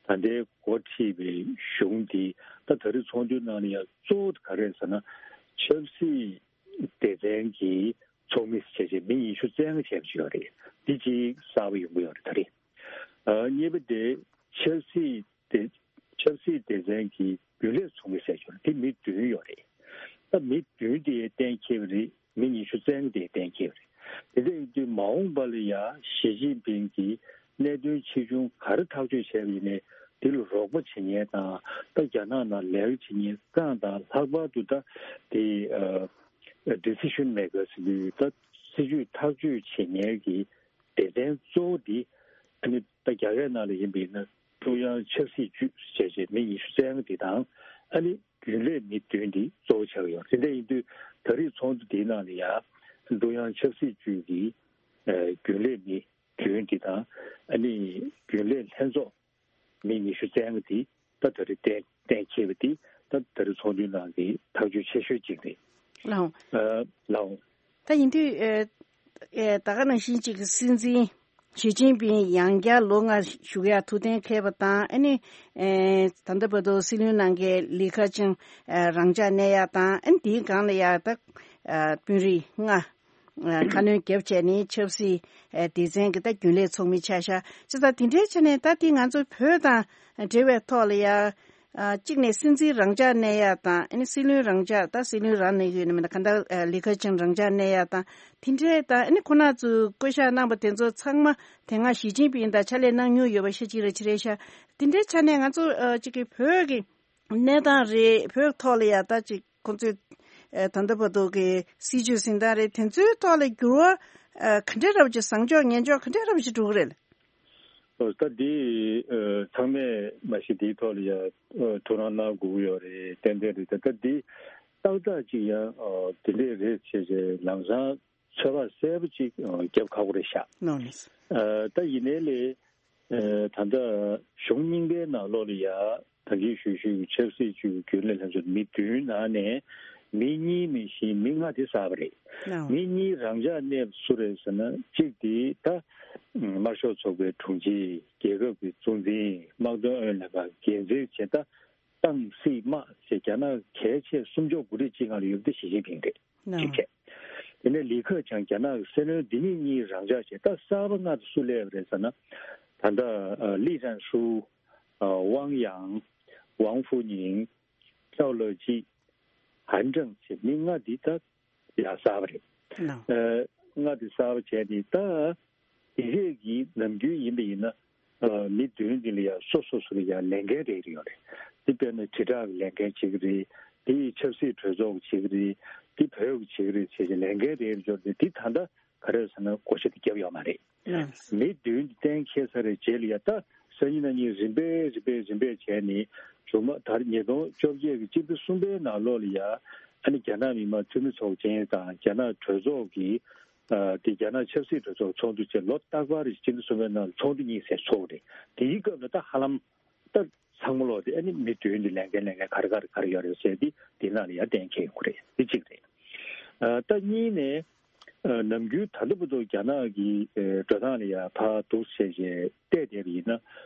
ད་ལྟའི་འགོ་ཁྲིད་པའི་གཞུང་འདི་ད་ད་རེས་ཚོགས་འདུའི་ནང་ལ་ཡང་གཙོ་བོ་ག་རེ་རེད་ཟེར་ན། ཆབ་སྲིད་སྡེ་ཚན་གྱི་ཚོགས་མི་བྱས་རྗེས་མི་ཉི་ཤུ་རྩ་ལྔ་བྱས་པ་ཅིག་ཡོད་རེད། འདི་གཅིག་གསར་པ་ཡོང་གི་ཡོད་རེད་ད་རེས། ཨ་གཉིས་པ་དེ་ཆབ་སྲིད་སྡེ་ཆབ་སྲིད་སྡེ་ཚན་གྱི་རྒྱུན་ལས་ཚོགས་མི་བྱས་ཡོད་རེད། འདི་མི་བདུན་ཡོད་རེད། ད་མི་བདུན་དེ་གཏན་འཁེལ་བ་རེད། མི་ཉི་ཤུ་རྩ་ལྔ་དེ་གཏན་འཁེལ་བ་རེད། དེ་འདྲ་ཡིན་དུས་མ་འོངས་པ་ལ་ཡང་ཞི་ཅིན་ཕིང་གིས་གནད་དོན་ཆེ་ཆུང་ག་རེ་ཐག་གཅོད་བྱས་པ་ཡིན་ནའི་དེ་ལ་རོགས་པ་བྱེད་མཁན་དང་། ད་རྒྱ་ནག་ནང་ལས་ཀ་བྱེད་མཁན་རྐང་དང་ལྷག་པར་དུ་ད་དེ་ཨ་decision makers ཟེར་དུས་ད་སྲིད་ཇུས་ཐག་གཅོད་བྱེད་མཁན་གྱི་སྡེ་ཚན་གཙོ་བོ་འདི་ཨ་ནི་ད་རྒྱ་གར་ནང་ལ་ཡིན་པ་ཡིན་ན་ཀྲུང་དབྱང་ཆབ་སྲིད་ཅུས་བྱས་རྗེས་མི་ཉི་ཤུ་རྩ་ལྔ་འདི་དང་ཨ་ནི་རྒྱུན་ལས་མི་བདུན་འདི་གཙོ་བོ་ཆགས་ཡོད། དེ་འདྲ་ཡིན་དུས་ད་རེས་ཚོགས་འདུ་འདིའི་ནང་ལ་ཡང་ཀྲུང་དབྱང་ཆབ་སྲིད་ཅུས་ཀྱི་ཨ་རྒྱུན་ལས་མི་བདུན་འདི་དང་ཨ་ནི་རྒྱུན་ལས་ལྷན་ཚོགས་མི་ཉི་ཤུ་རྩ་ལྔ་འདི་ད་ད་རེས་གཏན་གཏན་འཁེལ་བ་འདི་ད་ད་རེས་ཚོགས་འདུའི་ནང་གི་ཐག་གཅོད་ཆེ་ཤོས་གཅིག་རེད། ལགས་འོང་། ཨ་ལགས་འོང་། ད་ཡིན་དུས་ཨེ་ཨེ་ད་ག་ནང་བཞིན་གཅིག་གི་སྲིད་འཛིན་ཞི་ཅིན་ཕིང་ཡང་བསྐྱར་ལོ་ལྔ་བཞུགས་ཡ་ཐུགས་གཏན་འཁེལ་བ་དང་། ཨ་ནི་ཨེ་ད་ལྟ་བར་དུ་སྲིད་བློན་གནང་མཁན་ལི་ཁེ་ཆང་ཨེ་རང་འཇགས་གནས་ཡ་དང་། ཨ་ནི་དེའི་སྒང་ལ་ཡ་ད་ཨེ་དཔོན་རིགས་ལྔ་ཨེ་ཁ་སྣོན་བརྒྱབ་བྱས་ནས་ཆབ་སྲིད་ཨེ་སྡེ་ཚན་གྱི་ད་རྒྱུན་ལས་ཚོགས་མི་ཆགས་ཤག་བྱས་ཙང་དེ་འདྲའི་ཆ་ནས་ད་དེ་ང་ཚོ་བོད་དང་འབྲེལ་བའི་ཐོག་ལ་ཡ། ཨ་གཅིག་ནས་སྲིད་འཛིན་རང་འཇགས་གནས་ཡ་དང་། ཨ་ནི་སྲིད་བློན་རང་འཇགས། ད་སྲིད་བློན་རང་གནས་ཡོད་ན་མེད་ན་གང་ལྟར་ཨ་ལི་ཁེ་ཆང་རང་འཇགས་གནས་ཡ་དང་། དེ་འདྲའི་ད་ཨ་ནི་ཁོ་ན་ཚོས་བསྐོ་བཞག་གནང་པ་དེ་ཚོ་ཚང་མ་དེ་སྔ་ཞི་ཅིན་ཕིང་དང་ཕྱག་ལས་གནང་མྱོང་ཡོད་པ་ཤ་གཅིག་རེད་ཅི་རེད་ཤག་དེ་འདྲའི་ཆ་ནས་ང་ཚོ་ཨ་གཅིག་གི་བོད་ཀྱི་གནས་སྟངས་རེད། བོད་ཐོག་ལ་ཡ་ད་ཅིག་ཁོང་ཚོས་ཨ་ད་ལྟ་བར་དུ་གི་སྲིད་བྱུས་ཟིན་སྟངས་རེད། དེ་ཚོའི་ཐོག་ལ་འགྱུར་བ་ཨ་ག་འདྲ་འདྲ་པོ་ཅིག་བཟང་ཕྱོགས་ངན་ཕྱོགས་ག་འདྲ་འདྲ་པོ་ཅིག་འགྲོ་གི་རེད། ཨོ་ད་འདི་ཨ་ཚང་མས་མ་གཞི་འདིའི་ཐོག་ལ་ཡང་ཨ་ཐུགས་སྣང་གནང་དགོས་ཀྱི་ཡོད་རེད། ཏན་ཏན་རེད། ད་ད་འདི་ཏག་ཏག་ཅིག་ཡང་ཨ་དེ་འདྲས་རེད་བྱས་བྱས་ལམ་སང་ཚོད་དཔག་གསལ་པོ་ཅིག་ཨ་རྒྱབ་ཁག་པོ་རེད་ཤག་ནོ་ནི། ཨ་ད་ཡིན་ནའི་ལས་ཨ་ད་ལྟ་གཞུང་རྙིང་པའི་ནང་ལོགས་ལ་ཡང་ད་གིན་ཞུས་ཞུས་ཀྱི་ཆབ་སྲིད་ཅུས་ཀྱི་རྒྱུན་ལས་ལྷན་ཚོགས་མི་བདུན་ནང་ནས་མི་གཉིས་མེད་བཞིན་མི་ལྔ་དེ་གསར་པ་རེད། ནོ། མི་གཉིས་རང་འཇགས་གནས་པ་སུ་རེད་ཟེར་ན། གཅིག་དེ་ད་དམར་ཤོག་ཚོགས་པའི་དྲུང་ཆེ། རྒྱལ་ཁབ་ཀྱི་གཙོ་འཛིན། དམག་དོན་ཨུ་ཡོན་ལྷན་ཁང་འགན་འཛིན་བྱས། ད་ཏང་སྲིད་དམག་ཅེས་རྒྱ་ནག་གལ་ཆེ་སུམ་ཅུ་སོ་དགུ་རེ་གཅིག་སྒང་ལ་ཡོད་པ་དེ་ཞི་ཅིན་ཕིང་རེད། ནོ། གཅིག་བྱས། དེ་ནས་ལི་ཁེ་ཆང་རྒྱ་ནག་གི་སྲིད་བློན། འདི་གཉིས་གཉིས་རང་འཇགས་བྱས། ད་གསར་པ་ལྔ་དེ་སུ་སླེབས་པ་རེད་ཟེར་ན། ད་ལྟ་ཨ་ལི་ཀྲན་ཧྲུའུ། ཨ་ཝང་ཡང་། ཝང་ཧྥུ་ཉིང་། ཅའོ་ལེ་ཅི། ཧན་ཀྲང་ཅེས་མི་ལྔ་འདི་ད་ཡང་གསར་པ་རེད། ནོ། ཨ་ལྔ་འདི་གསར་པ་བྱས་ནས་ད་དེ་རེས་ཀྱི་ནམ་རྒྱུན་ཡིན་པ་ཡིན་ན་ཨ་མི་བདུན་འདི་ལ་ཡང་སོ་སོ་སོ་ལ་ཡང་ལས་འགན་རེ་རེ་ཡོད་རེད། འདི་དཔེར་ན་དྲིལ་བསྒྲགས་ཀྱི་ལས་འགན་བྱེད་ཀྱི་རེད། འདི་ཆབ་སྲིད་གྲོས་ཚོགས་ཀྱི་བྱེད་ཀྱི་རེད། འདི་བོད་ཀྱི་བྱེད་ཀྱི་རེད་བྱས་བྱས་ལས་འགན་རེ་རེ་ཡོད་རེད། འདི་ད་ལྟ་ག་རེ་ཟེར་ན་བགོ་བཤའ་དེ་བརྒྱབ་ཡོད་མ་རེད། ལགས། མི་བདུན་གཏན་འཁེལ་ཚར་བའི་རྗེས་ལ་ཡ་ད་སང་ཉིན་གནངས་ཉིན་རིམ་པས་རིམ་པས་རིམ་པས་བྱས་ནས་མཇུག་མ་ད་ཉིས་སྟོང་བཅོ་བརྒྱད་ཀྱི་སྤྱི་ཟླ་གསུམ་པའི་ནང་ལོགས་ལ་ཡ་ཨ་ནི་རྒྱ་ནག་མི་དམངས་འཐུས་མི་ཚོགས་ཆེན་དང་རྒྱ་ནག་གྲོས་ཚོགས་ཀྱི་ཨ་དེ་རྒྱ་ནག་ཆབ་སྲིད་གྲོས་ཚོགས་ཚོགས་འདུ་བཅས་ལོ་རྟག་པར་སྤྱི་ཟླ་གསུམ་པའི་ནང་ཚོགས་འདུ་གཉིས་ཟེར་ཚོགས་རེད། དེའི་སྐབས་ལ་ད་ཧ་ལམ། ད་ཚང་མ་ལོག་དེ་ཨ་ནི་མི་བདུན་དེ་ལས་འགན་ལས་འགན་ག་རེ་ག་རེ་ག་རེ་ཡོད་རེད་ཟེར་དེ་དེ་ནང་ལ་ཡང་གཏན་འཁེལ་ཡོང་གི་རེད། དེ་གཅིག་རེད། ཨ་ད་གཉིས་ནས་ཨ་ནམ་རྒྱུན་ད་ལྟ་བར་དུ་རྒྱ་ནག་གི་ཨ་འགྲོ་སྟངས་ལ་ཡང་ཕར་འདུག་བྱས་བྱས་བལྟས་བསྡད་པ་ཡིན་ན།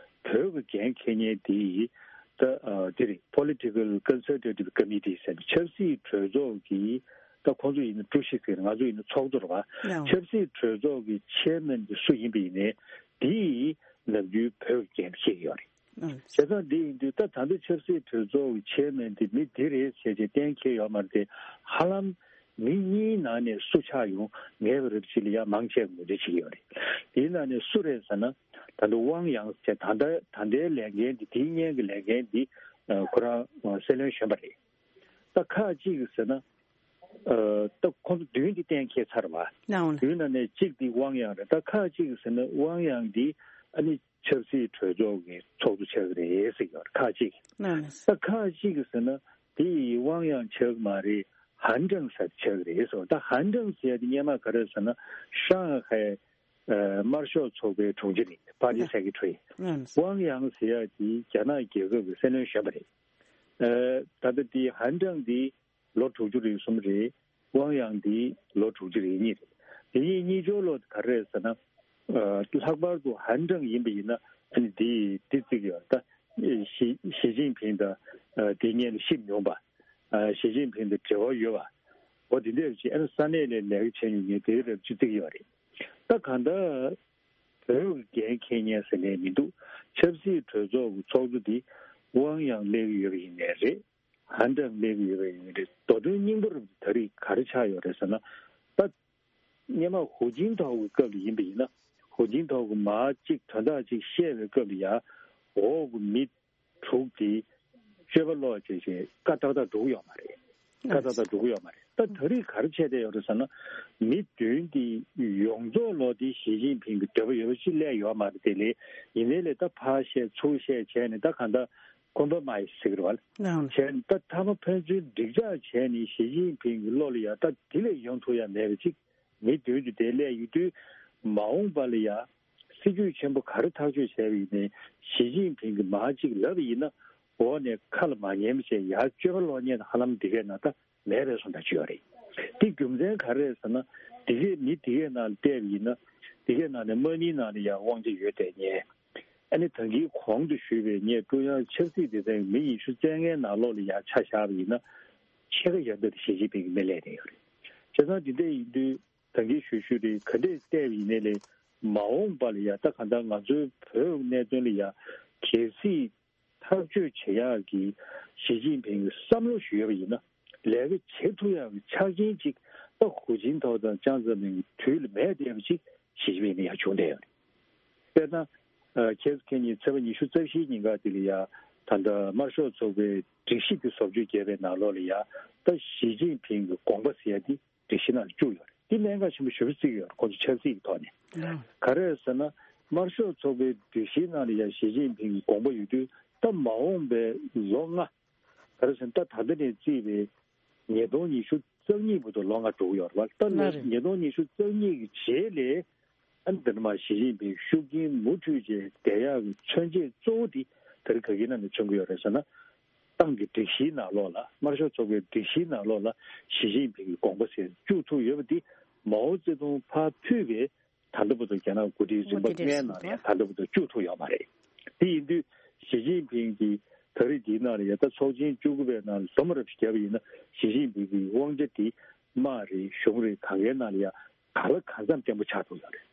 བོད་ཀྱི་འགན་འཁྱེར་མཁན་དེ་ད་ཨ་དེ་རེད། Political Consultative Committee ཟེར་ནས་ཆབ་སྲིད་གྲོས་ཚོགས་ཀྱི་ད་ཁོང་ཚོ་ཡིན་ན་ཀྲུའུ་ཞི་ཟེར། ང་ཚོ་ཡིན་ན་ཚོགས་གཙོ་རེད་བ། ཡང་། ཆབ་སྲིད་གྲོས་ཚོགས་ཀྱི་ཆེར་མེན་དེ་སུ་ཡིན་པ་ཡིན་ནའི་དེ་ནམ་རྒྱུན་བོད་ཀྱི་འགན་འཁྱེར་གྱི་ཡོད་རེད། ཨང་། བྱས་ཙང་འདི་ཡིན་དུས་ད་ད་ལྟ་ཆབ་སྲིད་གྲོས་ཚོགས་ཀྱི་ཆེར་མེན་དེ་མི་འདི་རེད་ཟེར་བྱས་གཏན་འཁེལ་ཡོད་མ་རེད་དེ། ཧ་ལམ་མི་གཉིས་ནང་ནས་སུ་ཆགས་ཡོང་ངེས་པ་རེད་ཅེས་ལ་ཡང་མང་ཆེ་བས་ངོས་འཛིན་བྱེད་ཀྱི་ཡོད་རེད། དེའི་ནང་ནས་སུ་རེད་ཟེར་ན། ད་ལྟ་ཝང་ཡང་ཟེར་ད་ལྟ་ད་ལྟའི་ལས་འགན་འདི་དེའི་སྔོན་གྱི་ལས་འགན་འདི་ཁོ་རང་སྲིད་བློན་གཞོན་པ་རེད། ད་ཁག་ཅིག་གིས་ཟེར་ན། ཨ་ད་ཁོང་ཚོ་བདུན་འདི་གཏན་འཁེལ་ཚར་བ། ནའོ་ལ། བདུན་ནང་ནས་གཅིག་འདི་ཝང་ཡང་རེད། ད་ཁག་ཅིག་གིས་ཟེར་ན་ཝང་ཡང་འདི་ཨ་ནི་ཆབ་སྲིད་གྲོས་ཚོགས་ཀྱི་ཚོགས་གཙོ་ཆགས་ཀྱི་རེད་ཟེར་གྱི་ཡོད་རེད། ཁག་ཅིག་ནའོ་ལ། ད་ཁག་ཅིག་གིས་ཟེར་ན་དེ་ཡི་ཝང་ཡང་ཆགས་ཀྱི་མ་རེད། ཧན་ཀྲང་ཟེར་ཆགས་ཀྱི་རེད་ཟེར་བ། ད་ཧན་ཀྲང་ཟེར་ཡ་དེ་སྔོན་མ་ག་རེ་ཟེར་ན་ཧྲང་ཧའེ་ཨ་དམར་ཤོག་ཚོགས་པའི་དྲུང་ཆེ་རེད། Party Secretary། ནའོ་ལ། ཝང་ཡང་ཟེར་ཡ་དེ་རྒྱ་ནག་རྒྱལ་ཁབ་ཀྱི་སྲིད་བློན་གཞོན་པ་རེད། ཨ། ད་ལྟ་དེ་ཧན་ཀྲང་དེ་ལོ་དྲུག་ཅུ་རེ་གསུམ་རེད། ཝང་ཡང་དེ་ལོ་དྲུག་ཅུ་རེ་གཉིས་རེད། དེ་གཉིས་གཉིས་སྦྱོར་ལོ་དེ་ག་རེ་རེད་ཟེར་ན། ཨ། ལྷག་པར་དུ་ཧན་ཀྲང་ཡིན་པ་ཡིན་ན། ཨ་ནི་དེ་དེ་བརྩི་གི་ཡོད་ད། ཞི་ཞི་ཅིན་ཕིང་དང་། ཨ། དེ་སྔོན་ལ་ཤེས་མྱོང་པ། ཨ། ཞི་ཅིན་ཕིང་དང་འབྲེལ་བ་ཡོད་པ། འོ་དེ་འདྲ་ཅིག་ཨ་ནི་ས་གནས་ལ་ལས་ཀ་བྱེད་མྱོང་མཁན་དེ་རབ་ཅིག་བརྩི་གི་ཡོད་རེད། ད་གང་ལྟར་བོད་ཀྱི་འགན་འཁྱེར་མཁན་ཟེར་ནས་མི་འདུག་ཆབ་སྲིད་གྲོས་ཚོགས་ཀྱི་ཚོགས་གཙོ་འདི་ཝང་ཡང་སླེབས་ཀྱི་ཡོད་པ་ཡིན་ནའི་རེད། ཧན་ཀྲང་སླེབས་ཀྱི་ཡོད་པ་ཡིན་ནའི་རེད། མདོ་དོན་སྙིང་པོ་རུ་ད་རེས་ག་རེ་ཆགས་ཡོད་རེད་ཟེར་ན། ད་སྔོན་མ་ཧུའུ་ཅིན་ཐའོ་གི་སྐབས་ལ་ཡིན་པ་ཡིན་ན། ཧུའུ་ཅིན་ཐའོ་གི་མ་གཅིག་དོན་དག་ཅིག་བཤད་པའི་སྐབས་ལ་ཡ། འོག་གི་མི་དྲུག་དེ་སྤྱོད་པ་ལོག་བྱས་བྱས་བཀའ་ཏག་ཏག་འགྲོ་གི་ཡོད་མ་རེད། བཀའ་ཏག་ཏག་འགྲོ་གི་ཡོད་མ་རེད། ད་ད་རེས་ག་རེ་བྱས་བསྡད་ཡོད་རེད་ཟེར་ན། མི་བདུན་དེ་ཡོངས་རྫོགས་ལོག་དེ་ཞི་ཅིན་ཕིང་གི་འདོད་པ་ཡོད་པ་ཞིག་སླེབས་ཡོད་མ་རེད། དེ་ལས་ཡིན་ནའི་ལས་ད་ཕར་བཤད་ཚུར་བཤད་བྱས་ནས་ད་གང་ལྟར་ཀོམ་པོ་མའི་ཟེར་གི་རེད་བ། ལགས། བྱས་ནས་ད་མཐའ་མ་ཕན་ཚུན་འགྲིག་འཇགས་བྱས་ནས་ཞི་ཅིན་ཕིང་གི་བློ་ལ་ཡ་ད་དེ་ལས་ཡོང་ཐུབ་ཡ་མེད་པ་ཅིག་མི་བདུན་དུ་དེ་སླེབས་ཡོད་དུས། མ་འོངས་པ་ལ་ཡ་སྲིད་ཇུས་ཆེན་པོ་ག་རེ་ཐག་གཅོད་བྱས་པ་ཡིན་ནའི། ཞི་ཅིན་ཕིང་གིས་མར་གཅིག་ལབ་པ་ཡིན་ན། འོག་ནས་ཁ་ལ་མ་ཉན་པ་བྱས་ཡར་སྤྱོད་པ་ལོག་མཁན་ཧ་ལམ་འདི་གའི་ནང་ད་མེད་པའི་བཟོ་འདྲ་ཅིག་ཡོད་རེད། དེ་རྒྱུ་མཚན་ག་རེ་རེད་ཟེར་ན། འདི་གའི་མི་འདི་གའི་ནང་ལ་བལྟས་པ་ཡིན་ན། འདི་གའི་ནང་ནས་དམག་མིའི་ནང་ལ་ཡ་དབང་ཆ་ཡོད་བསྡད་མཁན། ཨ་ནི་ད་གིན་གོང་དུ་ཞུས་པའི་ངས་ཀྲུང་དབྱང་ཆབ་སྲིད་སྡེ་ཚན་གྱི་མི་ཉི་ཤུ་རྩ་ལྔའི་ནང་ལོགས་ལ་ཡ་ཆ་བཞག་པ་ཡིན་ན། ཕྱེད་ཀ་ཡར་འདི་ཞི་ཅིན་ཕིང་གི་མི་སླེབས་བསྡད་ཡོད་རེད། བྱས་ཙང་འདི་འདྲ་ཡིན་དུས་ད་གིན་ཞུ་ཞུ་རེད། ག་འདྲས་བལྟས་པ་ཡིན་ནའི་ལས་མ་འོངས་པ་ལ་ཡ་ད་གང་ལྟར་ང་ཚོའི་བོད་གནད་དོན་ལ་ཡ་གལ་སྲིད་ཐག་གཅོད་བྱེད་ཡག་གི་ཞི་ཅིན་ཕིང་གི་བསམ་བློ་ཞིག་ཡོད་པ་ཡིན་ན། ལས་ཀ་བྱེད་ཐུབ་ཡག་གི་ཆ་རྐྱེན་ཅིག་ད་ཧུའུ་ཅིན་ཐའོ་དང་ཅང་ཙེ་མིན་གྱི་དུས་ལ་མེད་བསྡད་པ་ཅིག་ཞི་ཅིན་ཕིང་ནས་ཡར་བྱུང་བསྡད་ཡོད་རེད། དཔེར་ན། ཨ། ཁྱེད་ཁྱེད་ཉིད་ཚེས་པ་ཉི་ཤུ་རྩ་བཞིའི་ཉིན་ཀ་དེ་ལ་ཡ་ད་ལྟ་དམར་ཤོག་ཚོགས་པའི་སྒྲིག་གཞི་དེ་བཟོ་བཅོས་བརྒྱབ་པའི་ནང་ལོགས་ལ་ཡ། ད་ཞི་ཅིན་ཕིང་གི་དགོངས་པ་ཟེར་ཡ་དེ་སྒྲིག་གཞི་ནང་ལ་བཅུག་ཡོད་རེད། དེ་གནད་འགག་ཆེན་པོ་ཞེ་པོ་བརྩི་གི་ཡོད་རེད། ཁོང་ཚོ་ཆབ་སྲིད་ཀྱི་ཐོག་ནས། ལགས། ག་རེ་ཟེར་ན། དམར་ཤོག་ཚོགས་པའི་སྒྲིག་གཞིའི་ནང་ལ་ཡ་ཞི་ཅིན་ཕིང་གི་དགོངས་པ་ཡོད་དུས། ད་མ་འོངས་པའི་ལོ་ལྔ། ག་རེ་ཟེར་ན། ད་ད་ལྟ་ནས་བརྩིས་པའི་ཉིས་སྟོང་ཉི་ཤུ་རྩ་གཉིས་བར་དུ་ལོ་ལྔ་འགྲོ་གི་ཡོད་རེད་བ། ད་ལོ། ལགས་རེད། ཉིས་སྟོང་ཉི་ཤུ་རྩ་གཉིས་ཀྱི་རྗེས་ལ་ཨ་ནི་འདི་ནས་མར་ཞི་ཅིན་ཕིང་ཤུགས་རྐྱེན་མུ་མཐུད་བྱས་བསྡད་ཡག་གི་མཚོན་བྱེད་གཙོ་བོ་དེ་ད་རེས་ག་གི་ནང་ནས་མཚོན་གྱི་ཡོད་རེད་ཟེར་ན། ཏང་གི་སྒྲིག་གཞིའི་ནང་ལོགས་ལ། དམར་ཤོག་ཚོགས་པའི་སྒྲིག་གཞིའི་ནང་ལོགས་ལ་ཞི་ཅིན་ཕིང་གི་དགོངས་པ་ཟེར་བཅུག་ཐུབ་ཡོད་པ་དེ། མའོ་ཙེ་ཏུང་ཕར་ཕུད་པའི་ད་ལྟ་བར་དུ་རྒྱ་ནག་འགོ་ཁྲིད་རིམ་པ་ལྔའི་ནང་ལ་ཡང་ད་ལྟ་བར་དུ་བཅུག་ཐུབ་ཡོད་མ་རེད། དེ་ཡིན་དུས་ཞི་ཅིན་ཕིང་གིས་ད་རེས་འདིའི་ནང་ལ་ཡ་ད་ཚོགས་ཆེན་བཅུ་དགུ་པའི་ནང་ལ་འཛོམས་རབས་བརྒྱབ་པ་ཡིན་ན། ཞི་ཅིན་ཕིང་གི་དབང་ཆ་དེ་དམག་རེད། གཞུང་རེད། གང་གའི་ནང་ལ་ཡ་གང་ལ་གང་འཚམ་བརྟན་པོ་ཆགས་ཐུབ་ཡོད་རེད།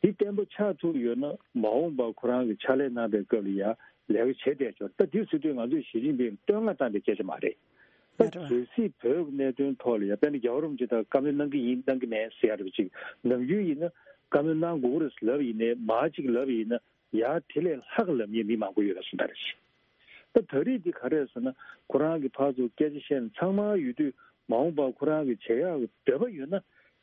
དེ་བརྟན་པོ་ཆགས་ཐུབ་ཡོད་ན། མ་འོངས་པར་ཁོ་རང་གི་ཕྱག་ལས་གནང་པའི་སྐབས་ལ་ཡ་ལས་ཀ་བྱེད་བསྡད་ཆོག་ད་དེ་ཟེར་དུས་ང་ཚོས་ཞི་ཅིན་ཕིང་ལ་བསྟོད་བསྔགས་བཏང་པའི་སྐད་ཆ་མ་རེད། ད་གལ་སྲིད་བོད་ཀྱི་གནད་དོན་ཐོག་ལ་ཡ་དཔེར་ན་རྒྱལ་བ་རིན་པོ་ཆེ་དང་བཀའ་མོལ་གནང་གི་ཡིན་གནང་གི་མེད་ཟེར་ཡ་རེད་པ་ཅིག་ནམ་རྒྱུན་ཡིན་ན་བཀའ་མོལ་གནང་དགོས་ཀྱི་རེད་ལབ་ཡིན་ནའི། མར་ཅིག་ལབ་ཡིན་ན་ཡ་དེ་ལས་ལྷག་ལབ་མཁན་མི་མང་པོ་ཡོད་པ་སོང་ད་རེད། ད་ད་རེས་འདི་ག་རེ་རེད་ཟེར་ན། ཁོ་རང་གིས་ཕར་ཚུར་སྐད་ཆ་བཤད་ནས་ཚང་མ་ཡོད་དུས། མ་འོངས་པར་ཁོ་རང་གིས་བྱེད་ཡག་གི་འདོད་པ་ཡོད་ན།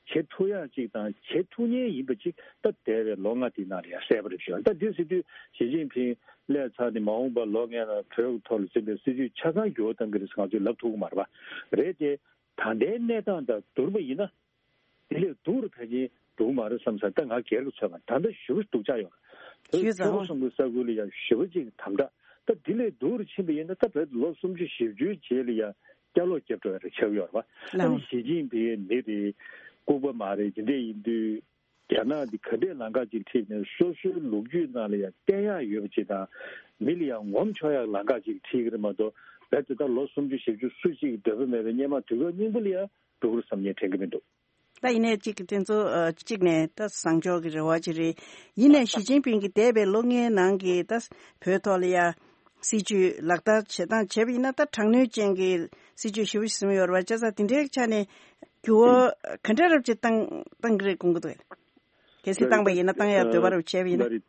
བྱེད་ཐུབ་ཡག་ཅིག་དང་བྱེད་ཐུབ་མཁན་ཡིན་པ་ཅིག་ད་འདས་པའི་ལོ་ལྔ་དེའི་ནང་ལ་ཡང་གསལ་པོ་རེད་ཤག་ད་འདི་ཟེར་དུས་ཞི་ཅིན་ཕིང་སླེབས་ཚར་ནས་མ་འོངས་པར་ལོ་ལྔའི་ནང་བོད་ཀྱི་ཐོག་ལ་འཛིན་པའི་སྲིད་བྱུས་ཆ་ཚང་འགྱུར་བ་གཏང་གི་རེད་ཟེར་ང་ཚོས་ལབ་ཐུབ་ཀྱི་མ་རེད་པ། རེད་དེ། ད་ལྟའི་གནས་སྟངས་དང་བསྡུར་བ་ཡིན་ན། དེ་ལས་སྡུག་རུ་ཕལ་ཆེར་འགྲོ་གི་མ་རེད་བསམ་ས། ད་ང་སྒེར་གྱི་ཚོད་མ། ད་ལྟ་ཞེ་པོ་སྡུག་ཆགས་ཡོད་རེད། བོད་ཞེ་པོ་ཆོལ་ཁ་གསུམ་གྱི་ས་ཁུལ་ལ་ཡང་ཞེ་པོ་ཅིག་དམ་དྲག་ད་དེ་ལས་སྡུག་རུ་ཕྱིན་པ་ཡིན་ན། ད་བོད་དུ་ལོ་སུམ་ཅུ་བཞི་བཅུའི་རྗེས་ལ་ཡང་སྐྱ་ལོག་རྒྱབ་འགྲོ་ཡ་རེ་ཆགས་ཡོད་རེད་པ། ཨ་ནི་ཞི་ཅིན་ཕིང་མི་རེད། ལྐུགས་པ་མ་རེད། དེ་འདྲས་ཡིན་དུས། རྒྱ་ནག་འདི་ག་འདྲས་ལམ་ཁ་ཅིག་ཁྲིད་ནས་སོ་སོའི་ལོ་རྒྱུས་ནང་ལ་ཡང་བསྟན་ཡག་ཡོད་པ་ཅིག་དང་། མི་ལ་ཡང་ངོམ་ཆོག་ཡག་ལམ་ཁ་ཅིག་ཁྲིད་ཀྱི་རེད་མ་གཏོགས། རྦད་དེ་ད་ལོ་སུམ་ཅུ་བཞི་བཅུ་སུ་གཅིག་གི་འདོད་པ་མེད་པའི་སྔོན་མ་དུས་སྐབས་སྙིང་པོ་ལ་ཡང་འགྲོ་གི་རེད་བསམ་ངས་དྲན་གྱི་མི་འདུག་ད་ཡིན་ནའི་གཅིག་གི་དེ་ཚོ་ཨ་གཅིག་ནས་ད་བཟང་ཕྱོགས་ཀྱི་རེ་བ་ཅིག་རེད། ཡིན་ནའི་ཞི་ཅིན་ཕིང་གིས་འདས་པའི་ལོ་ལྔའི་ནང་གི་ད་བོད་ཐོག་ལ་ཡ་སྲིད་ཇུས་ལག་བསྟར་བྱེད་སྟངས་བྱས་པ་ཡིན་ན། ད་དྲག་གནོན་ཅན་གྱི་སྲིད་ཇུས་ཞེ་པོ་ཞིག་བཟུང་ཡོད་རེད་པ། བྱས་ཙང་དེ་འདྲའི་ཆ་ནས་འགྱུར་བ་ག་འདྲ་རབ་ཅིག་བཏང་བཏང་གི་རེད་དགོངས་ཀྱི་འདུག་གལ་སྲིད་བཏང་པ་ཡིན་ན། བཏང་ཡག་འདོད་པ་རབ་བྱས་པ་ཡིན་ན།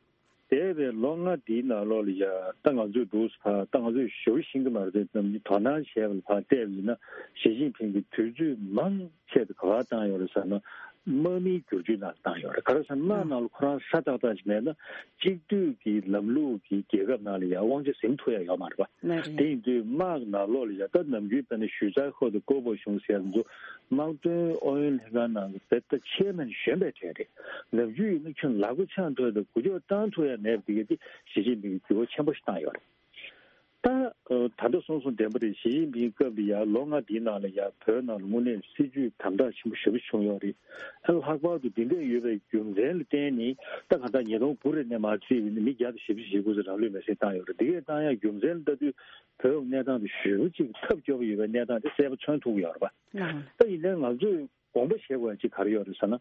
འདས་པའི་ལོ་ལྔ་འདིའི་ནང་ལོགས་ལ་ཡ་ད་ང་ཚོས་འདུག་ཕ་ད་ང་ཚོས་ཞེ་པོ་ཤེས་ཀྱི་མ་རེད་དེ། ནམ་རྒྱུན་དོ་སྣང་བྱས་པ་ལ་ཕར་བལྟས་པ་ཡིན་ན། ཞི་ཅིན་ཕིང་གིས་དུས་ཚོད་མང་ཆེ་དུ་ག་པར་བཏང་ཡོད་རེད་ཟེར་ན། དམག་མིའི་བསྒྱུར་བཅོས་ནང་བཏང་ཡོད་རེད། ག་རེ་ཟེར་ན་དམག་ནང་ལ་ཁོ་རང་ཧྲ་ཏག་ཏག་ཅིག་མེད་ན། གཅིག་སྡུད་ཀྱི་ལམ་ལུགས་ཀྱི་རྒྱལ་ཁབ་ནང་ལ་ཡང་དབང་ཆ་ཟིན་ཐུབ་ཡ་ཡོད་མ་རེད་པ། ལགས་རེད། དེ་ཡིན་དུས་དམག་ནང་ལོགས་ལ་ཡ་ད་ནམ་རྒྱུན་དཔེར་ན་ཞུས་ཙང་ཧོ་དང་ཀོ་པོ་གཞུང་ཟེར་ཡ་ཚོ་དམག་དོན་ཨུ་ཡོན་ལྷན་ཁང་ནང་གི་དཔེ་ད་ཆེར་མེད་གཞོན་པའི་གྲས་རེད། ནམ་རྒྱུན་ཡིན་ན་ཁྱོད་ལག་པ་འཆང་ཐུབ་ཡ་དང་འགུལ་སྐྱོད་བཏང་ཐུབ་ཡ་མེད་པ་དེ་ག་དེ་ཞི་ཅིན་ཕིང་གིས་འགྱུར་བ་ཆེན་པོ་ཞིག་བཏང་ཡོད་རེད། ད་ད་ལྟ་གསུངས་སོང་བདེན་པ་རེད། ཞི་ཅིན་ཕིང་སྐབས་ལ་ཡ་ལོ་ལྔ་འདིའི་ནང་ལ་ཡ་བོད་ནང་ལ་དངོས་གནས་སྲིད་ཇུས་དམ་དྲག་ཆེན་པོ་ཞེ་པོ་བྱུང་ཡོད་རེད། ཨ་ལྷག་པར་དུ་འདི་འདྲས་ཡོད་པའི་རྒྱུ་མཚན་ལ་བརྟེན་ནས་ད་གང་ལྟར་ཉིས་སྟོང་དགུ་རེ་ནས་མར་བརྩིས་པ་ཡིན་ན་མི་བརྒྱ་དང་བཞི་བཅུ་ཞེ་དགུ་ཙམ་རང་ལུས་མེར་སྲེག་བཏང་ཡོད་རེད། འདི་གས་བཏང་ཡ་རྒྱུ་མཚན་ལ་ལྟ་དུས་བོད་གནས་སྟངས་དེ་ཞེ་པོ་ཅིག་ཐབས་སྐྱོ་པོ་ཡོད་པའི་གནས་སྟངས་དེ་གསལ་པོ་མཚོན་ཐུབ་ཀྱི་ཡོད་རེད་པ། ད་ཡིན་ནའི་ང་ཚོས་དགོངས་པ་བཞེས་དགོས་ཡ་ཅིག་ག་རེ་ཡོད་རེད་ཟེར་ན།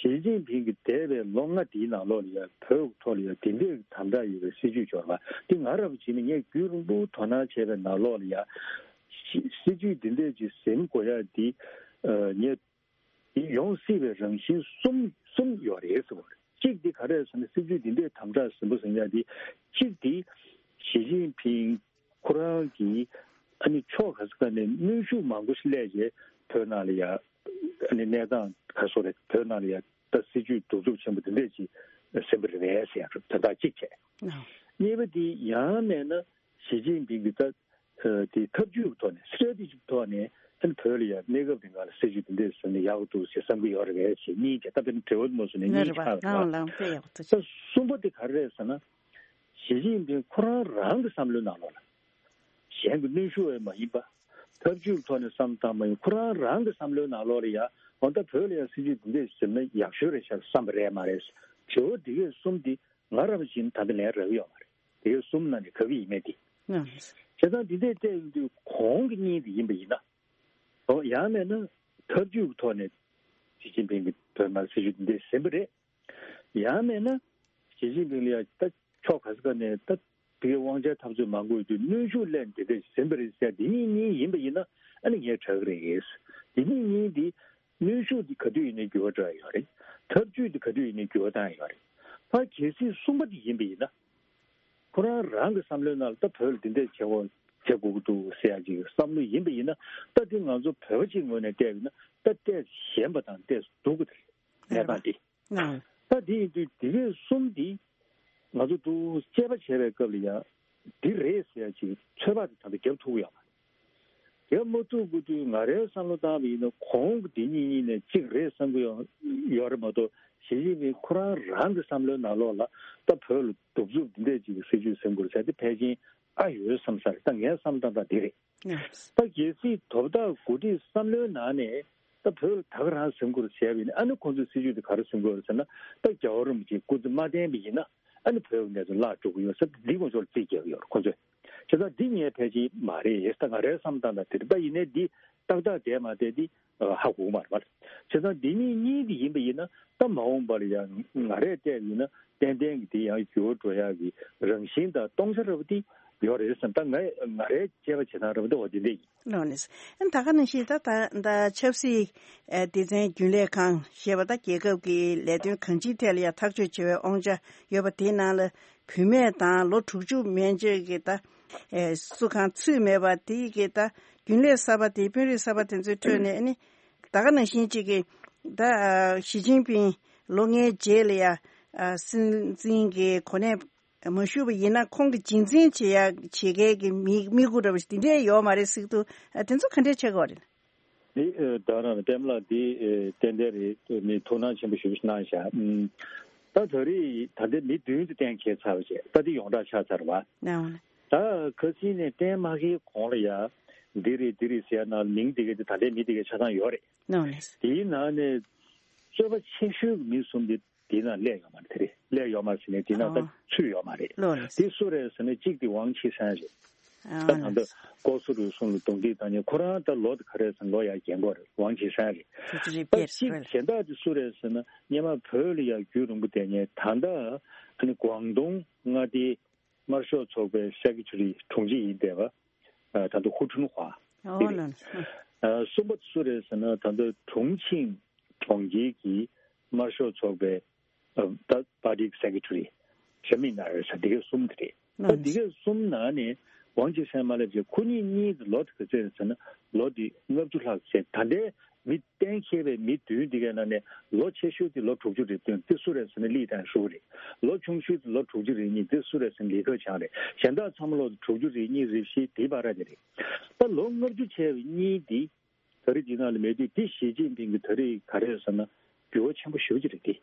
ཞི་ཅིན་ཕིང་གིས་འདས་པའི་ལོ་ལྔ་འདིའི་ནང་ལོགས་ལ་ཡ་བོད་ཐོག་ལ་ཡ་དེ་འདྲའི་དམ་དྲག་ཡོད་པའི་སྲིད་ཇུས་འབྱོར་བ་འདི་ང་རང་བྱས་ན་ངས་རྒྱུན་རིང་པོ་དོ་སྣང་བྱས་པའི་ནང་ལོགས་ལ་ཡ་སྲིད་ཇུས་འདི་འདྲས་ཅིག་ཟིན་དགོས་ཡ་འདི་ངས་འདི་ཡོང་སྲིད་པའི་རང་བཞིན་གསུམ་གསུམ་ཡོད་རེད་ཟེར་བ་རེད། གཅིག་འདི་ག་རེ་ཟེར་ན་སྲིད་ཇུས་འདི་འདྲས་དམ་དྲག་ཟིན་པོ་ཟིན་ཡ་འདི་གཅིག་འདི་ཞི་ཅིན་ཕིང་ཁོ་རང་གིས་ཨ་ནི་ཕྱོགས་ག་ས་ག་ནས་གནོན་ཤུགས་མང་པོ་ཞིག་སླེབས་རྗེས་བོད་ནང་ལ་ཡ་ཨ་ནི་གནས་སྟངས་ག་སོ་རེད། བོད་ནང་ལ་ཡ་ད་སྲིད་ཇུས་གདུག་རྩུབ་ཆེན་པོ་འདི་འདྲས་ཅིག་ཟིན་པ་རེད་པས་ཟེར་ཡ་དོན་དག་གཅིག་བྱས། གཉིས་པ་འདི་ཡང་མེད་ན་ཞི་ཅིན་ཕིང་གིས་ད་དེ་ཐབས་ཇུས་ཀྱི་ཐོག་ནས་སི་ཊེ་རེ་ཊི་ཇི་ཀྱི་ཐོག་ནས་ཨ་ནི་བོད་ལ་ཡ་གནས་སྐབས་རིང་ག་ལ་སྲིད་ཇུས་འདི་འདྲས་བཟོས་ན་ཡག་པོ་འདུག་ཟེར་བསམ་གྱི་ཡོད་རེད་པས་ཞེས་གཉིས་བྱས། ད་དཔེར་ན་འབྲེལ་བ་མ་བཟོས་ན་གཉིས་ཆགས་རེད་པ། ལའང་དཔེ་ཡག་པོ་ད་གསུམ་པ་དེ་ག་རེ་རེད་ཟེར་ན། ཞི་ཅིན་ཕིང་ཁོ་རང་རང་གི་བསམ་བློའི་ནང་ལོགས་ལ། གཞན་གྱི་གནོན་ཤུགས་ཡང་མ་ཡིན་པ། ཐབས་ཇུས་ཐོག་ནས་བསམ་བཏང་མ་ཡིན། ཁོ་རང་རང་གི་བསམ་བློའི་ནང་ལོགས་ལ་ཡ་འོ་ད་བོད་ལ་ཡ་སྲིད་ཇུས་འདི་འདྲས་ཟིན་ན་ཡག་ཤོས་རེད་ཤག་བསམ་པ་རེད་མ་རེད། དྲི་བ་འདི་གས་གསུམ་འདི་ང་རང་བཞིན་ད་ལྟ་ལན་རག་གི་ཡོད་མ་རེད། འདི་གས་གསུམ་ནང་ནས་ག་གི་ཡིན་མེད་འདི། བྱས་ཙང་འདི་འདྲས་བལྟས་ཡོང་དུས་གོང་གི་གཉིས་འདི་ཡིན་པ་ཡིན་ན། འོ་ཡང་མེད་ན་ཐབས་ཇུས་ཀྱི་ཐོག་ནས་ཞི་ཅིན་ཕིང་གིས་བོད་ནང་སྲིད་ཇུས་འདི་འདྲས་ཟིན་པ་རེད། ཡང་མེད་ན་ཞི་ཅིན་ཕིང་ལ་ཡ་ད་ཕྱོགས་ག་ས་ག་ནས་ད་དེ་གའི་དབང་ཆ་འཐབ་རྩོད་མང་པོ་ཡོད་དུས་གནོན་ཤུགས་ལེན་དེ་འདྲ་ཟིན་པ་རེད་ཟེར་འདི་གཉིས་གཉིས་ཡིན་པ་ཡིན་ན་ཨ་ནི་ངས་དྲག་གི་རེད། འདི་གཉིས་གཉིས་འདི་གནོན་ཤུགས་འདི་ག་དུས་ཡིན་ནའི་འགྱུར་བ་འགྲོ་ཡ་ཡོད་རེད། ཐབས་ཇུས་འདི་ག་དུས་ཡིན་ནའི་འགྱུར་བ་བཏང་ཡ་ཡོད་རེད། ཕར་གལ་སྲིད་གསུམ་པ་འདི་ཡིན་པ་ཡིན་ན། ཁོ་རང་རང་གི་བསམ་བློའི་ནང་ལ་ད་བོད་ལ་འདི་འདྲས་བྱེད་དགོས་བྱེད་དགོས་ཀྱི་འདུག་ཟེར་ཡ་ཅིག་བསམ་བློ་ཡིན་པ་ཡིན་ན། ད་འདི་ང་ཚོ་བོད་པ་ཅིག་ངོས་ནས་བལྟས་པ་ཡིན་ན་ད་ཏོག་ཙམ་ཞན་པ་དང་ཏོག་ཙམ་སྡུག་གི་རེད། གནས་སྟངས་འདི། ད་འདི་ཡིན་དུས་འདི་གས་གསུམ་འདི་ང་ཚོ་འདུག་དཔྱད་པ་བྱས་པའི་སྐབས་ལ་ཡང་འདི་རེད་ཟེར་ཡ་ཅིག་ཚོད་དཔག་དེ་ད་ལྟ་རྒྱབ་ཐུབ་ཀྱི་ཡོད་མ་རེད། རྒྱབ་མ་ཐུབ་དགོས་དུས་ང་རའི་བསམ་བློ་བཏང་བ་ཡིན་ན་གོང་གི་འདི་གཉིས་གཉིས་ནས་གཅིག་རེད་བསམ་གྱི་ཡོད་ཡོད་རེད་མ་གཏོགས་ཞི་ཅིན་ཕིང་ཁོ་རང་རང་གི་བསམ་བློའི་ནང་ལོགས་ལ་ད་བོད་ལ་གདུག་རྩུབ་འདི་འདྲས་ཅིག་གི་སྲིད་ཇུས་ཟིན་དགོས་ཟེར་དེ་ཕལ་ཆེར་ཨ་ཡོད་བསམ་ས་རེད། ད་ངའི་བསམ་བློ་བཏང་སྟངས་འདི་རེད། ད་གལ་སྲིད་དོ་བདག་འགོ་ཁྲིད་བསམ་བློའི་ནང་ནས་ད་བོད་ལ་ད་ག་རང་ཟིན་དགོས་ཟེར་བ་ཡིན་ན་ཨ་ནི་ཁོང་ཚོའི་སྲིད་ཇུས་དེ་ག་རེ་ཟིན་དགོས་རེད་ཟེར་ན། ད་རྒྱལ་བ་རིན་པོ་ཆེའི་སྐུ་ཚེ་མ་བརྟན་པ་ཡིན་ན་ཨ་ནི་བོད་ཀྱི་གནས་ཚུལ་བརླག་འགྲོ་གི་ཡོད་ཟེར་འདི་ཁོང་ཚོར་རྩིས་རྒྱག་གི་ཡོད་རེད་ཁོང་ཚོས། བྱས་ཙང་འདི་ངས་ཕལ་ཆེར་མ་རེད་ད་ང་རའི་བསམ་བློ་བཏང་སྟངས་དེ་རེད། ད་ཡིན་ནའི་འདི་ཏག་ཏག་བསྡད་མ་བསྡད་འདི་ཧ་གོ་གི་མ་རེད་པ། བྱས་ཙང་འདི་གཉིས་གཉིས་འདི་ཡིན་པ་ཡིན་ན་ད་མ་འོངས་པ་ལ་ཡང་ང་རས་བལྟས་ཡིན་ན་ཏན་ཏན་གྱི་འདི་ཡང་འགྱུར་བ་འགྲོ་ཡག་གི་རང་བཞིན་དང་སྟོང་ཆ་ར་བ་འདི་ཡོད་རེད་བསམ། ད་ང་ང་རའི་དཔྱད་པ་བྱེད་སྟངས་ར་བ་འདི་འོ་འདི་འདྲ་ཡིན། ལགས་ནས། ཨ་ནི་ད་ག་ནང་བཞིན་ད་ད་ད་ཆབ་སྲིད་ཨ་སྡེ་ཚན་རྒྱུན་ལས་ཁང་ཞེས་པ་ད་རྒྱལ་ཁབ་ཀྱི་ལས་དོན་གང་ཅིའི་ཐད་ལ་ཡང་ཐག་གཅོད་བྱེད་པའི་དབང་ཆ་ཡོད་པ་དེའི་ནང་ལ་བུད་མེད་དང་ལོ་དྲུག་ཅུ་མན་ཆད་ཀྱི་ད་ཨེ་སུ་གང་ཚུད་མེད་པ་དེའི་གི་ད་རྒྱུན་ལས་གསར་པ་དེ་དཔོན་རིགས་གསར་པ་དེ་ཚོའི་ཁྲོད་ནས་ཨ་ནི་ད་ག་ནང་བཞིན་གཅིག་གི་ད་ཨ་ཞི་ཅིན་ཕིང་ལོ་ལྔའི་རྗེས་ལ་ཡ་ཨ་སྲིད་འཛིན་གྱི་གོ་གནས་མ་ཞུགས་པ་ཡིན་ན་ཁོང་གི་རྗེས་འཛིན་བྱེད་ཡ་བྱེད་མཁན་གྱི་མི་དམིགས་ཡུལ་འདྲ་བ་ཞིག་དེ་འདྲས་ཡོད་མ་རེད་ཟེར་གྱི་འདུག་ཨ་དེ་ཚོ་ག་འདྲས་ཆགས་ཀྱི་ཡོད་རེད། འདི་ཨེ་ད་རང་པདྨ་ལགས་འདི་ཨེ་ཏན་ཏན་རེད། མི་ཐུགས་སྣང་ཆེན་པོ་ཞེ་པོ་ཞིག་གནང་བཞག་ཨུམ། ད་ད་རེས་ད་ལྟའི་མི་མདུན་དུ་གཏན་འཁེལ་ཚར་བ་བྱས་ད་འདི་ཡོངས་གྲགས་ཆགས་ཚར་བ། ད་ཁ་སང་ནས་གཏན་མ་འཁེལ་གོང་ལ་ཡ་འདི་རེད་འདི་རེད་ཟེར་ཡ་ནང་མིང་འདི་ག་འདི་ད་ལྟའི་མི་འདི་ག་ཆ་ཚང་ཡོད་རེད། དེའི་ནང་ནས་རྩོད་པ་ཆེ་ཤོས་ཀྱི་མི་གསུམ་འདི། དེ་ན་སླེབས་ཡོད་མ་རེད། དེ་རེད་སླེབས་ཡོད་མ་རེད་ཟེར་ནས་དེ་ན་ད་ཨོ། ཚུད་ཡོད་མ་རེད། ལོ་རེད། དེ་སུ་རེད་ཟེར་ན་གཅིག་དེ་ཝང་ཆི་ཧྲན་རེད། ཨོ། ད་ད་ལྟ་ལྐོག་ཟ་རུལ་སུངས་ལ་རྡུང་རྡེག་བཏང་མཁན་ཁོ་རང་ད་ལོ་དེ་ག་རེད་ཟེར་ན་ལོ་ཡར་རྒན་གོག་རེད། ཝང་ཆི་ཧྲན་རེད། ད་གཅིག་གཞན་དག་དེ་སུ་རེད་ཟེར་ན་སྔོན་མ་བོད་ལ་ཡར་རྒྱུས་རིང་པོ་བསྡད་མཁན་ད་ལྟ་ཨ་ནི་ཀོང་ཏུང་མངའ་སྡེའི་དམར་ཤོག་ཚོགས་པའི་སེ་ཀེ་ཐེ་རི་དྲུང་ཆེ་ཡིན་བསྡད་པ། ད་ལྟ་ཧུ་ཁྲུན་ཧྭ་ཨོ་དེ་ལོ་རེད། ནས། གསུམ་པ་དེ་སུ་རེད་ཟེར་ན་ད་ལྟ་ཁྲུང་ཆིང་གྲོང་ཁྱེར་གྱི་དམར་ཤོག་ཚོགས་པའི་ད་པར་ཊི་གི་སེ་ཀེ་ཐེ་རི་ཞ་མི་ནར་ཟེར་འདི་ག་གསུམ་དེ་རེད། ད་འདི་ག་གསུམ་ནང་ནས་ཝང་ཆི་ཧྲན་མ་སླེབས་ཚེ་ཁོ་གཉིས་གཉིས་ཀྱི་ལོ་དེ་ག་ཚོད་རེད་ཟེར་ན་ལོ་དེ་ལྔ་བཅུ་ལྷག་ཟེར། ད་ལྟའི་མི་གཏན་འཁེལ་བའི་མི་བདུན་འདི་གའི་ནང་ནས་ལོ་ཆེ་ཤོས་དེ་ལོ་དྲུག་ཅུ་རེད་འདུག་དེ་སུ་རེད་ཟེར་ན་ལི་ཏན་ཧྲུའུ་རེད། ལོ་ཆུང་ཤོས་དེ་ལོ་དྲུག་ཅུ་རེ་གཉིས་དེ་སུ་རེད་ཟེར་ན་ལི་ཁེ་ཆང་རེད། གཞན་དག་ཚང་མ་ལོ་དྲུག་ཅུ་རེ་གཉིས་རེ་བཞི་དེའི་བར་དེ་རེད། ད་ལོ་ལྔ་བཅུ་བྱས་པའི་གཉིས་འདི་ད་རེས་འདི་ནང་ལ་མེད་དུས་འདི་ཞི་ཅིན་ཕིང་གི་ད་རེས་ག་རེ་ཟེར་ན་འགྱུར་བ་ཆེན་པོ་ཞེ་པོ་ཅིག་རེད་དེ།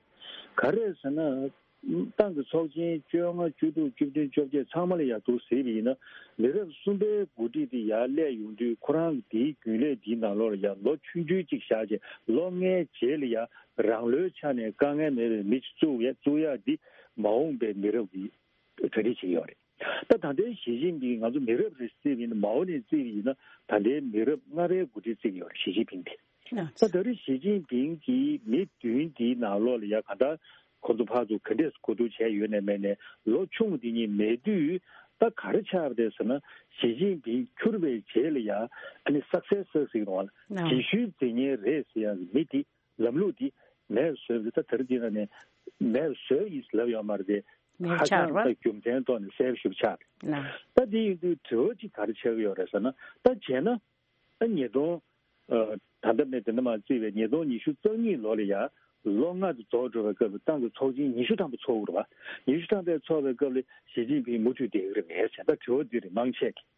ག་རེ་ཟེར་ན་ ཏང་གི་ཚོགས་ཆེན་བཅོ་ལྔ། བཅུ་དྲུག་བཅུ་བདུན། བཅོ་བརྒྱད། ཚང་མ་ལ་ཡར་འདུག་ཟེར་བ་ཡིན་ན། མི་རབས་གསུམ་པའི་འགོ་ཁྲིད་དེ་ཡར་སླེབས་ཡོང་དུས། ཁོ་རང་གི་དེའི་རྒྱུན་ལས་འདིའི་ནང་ལོགས་ལ་ཡར་ལོ་ཆུང་ཆུང་ཅིག་བཞག་བྱས། ལོ་ལྔའི་རྗེས་ལ་ཡར་རང་ལོའི་ཆ་ནས་དཀའ་ངལ་མེད་པའི་མི་ཅིག་བཙུགས་ཡ། བཙུགས་ཡ་འདི་མ་འོངས་པའི་མི་རབས་ཀྱིས་གྲ་སྒྲིག་བྱེད་ཀྱི་ཡོད་རེད། ད་ད་ལྟའི་ཞི་ཅིན་ཕིང་ང་ཚོ་མི་རབས་རེ་བརྩིས་པ་ཡིན་ན། མའོ་ནས་བརྩིས་པ་ཡིན་ན། ད་ལྟའི་མི་རབས་ལྔ་པའི་འགོ་ཁྲིད་བརྩི་གི་ཡོད་རེད། ཞི་ཅིན་ཕིང་དེ། ད་ད་རེས་ཞི་ཅིན་ཕིང་གིས་མི་བདུན་འདིའི་ནང་ལོགས་ལ་ཡ་གང་ལྟར་ཁོ་ཚོ་ཕར་ཚུར་ག་འདྲས་གོ་བསྡུར་བྱས་ཡོད་ནའི་མེད་ནའི། ལོ་ཆུང་འདི་གཉིས་མེད་དུས། ད་ག་རེ་ཆགས་པ་རེད་ཟེར་ན། ཞི་ཅིན་ཕིང་འཁྱུར་བའི་རྗེས་ལ་ཡ། ཨ་ནི་སག་སེ་སར་ཟེར་གི་རེད་བ། རྗེས་ཤུལ་འཛིན་མཁན་རེད་ཟེར་ཡ་གི་མི་འདི། ལམ་ལུགས་འདི་མེད་པ་བཟོས་པ་རེད། ད་དེ་རིང་འདི་ནང་ནས་མེད་པ་བཟོས་ཡིན་ལབ་ཡོད་མ་རེད་དེ། མེད་པ་ཧ་ཅང་ཆགས་རེད་པ། ད་རྒྱུ་མཚན་ཐོག་ནས་གསལ་པོ་ཞེ་པོ་ཆགས་རེད། ལགས། ད་འདི་ཡིན་དུས་དྲི་བ་གཅིག་ག་རེ་ཆགས་ཀྱི་ཡོད་རེད་ཟེར་ན། ད་བྱས་ན། ཨ། ཉིས་སྟོང་། ཨ། ད་ལྟ་ནས་དེ་འདྲ་མ་བརྩིས་པའི་ཉིས་སྟོང་ཉི་ཤུ་རྩ་གཉིས་ལོ་ལ་ཡ། ལོ་ལྔ་དེ་རྫོགས་འགྲོ་བའི་སྐབས་ལ་ཏང་གི་ཚོགས་ཆེན་ཉི་ཤུ་ཐམ་པ་ཚོགས་ཀྱི་རེད་པ། ཉི་ཤུ་ཐམ་པ་ཚོགས་པའི་སྐབས་ལ་ཞི་ཅིན་ཕིང་མུ་མཐུད་བསྡད་ཀྱི་རེད་མེད་ཟེར། ད་དྲི་བ་འདི་རེད། མང་ཆེ་གིས།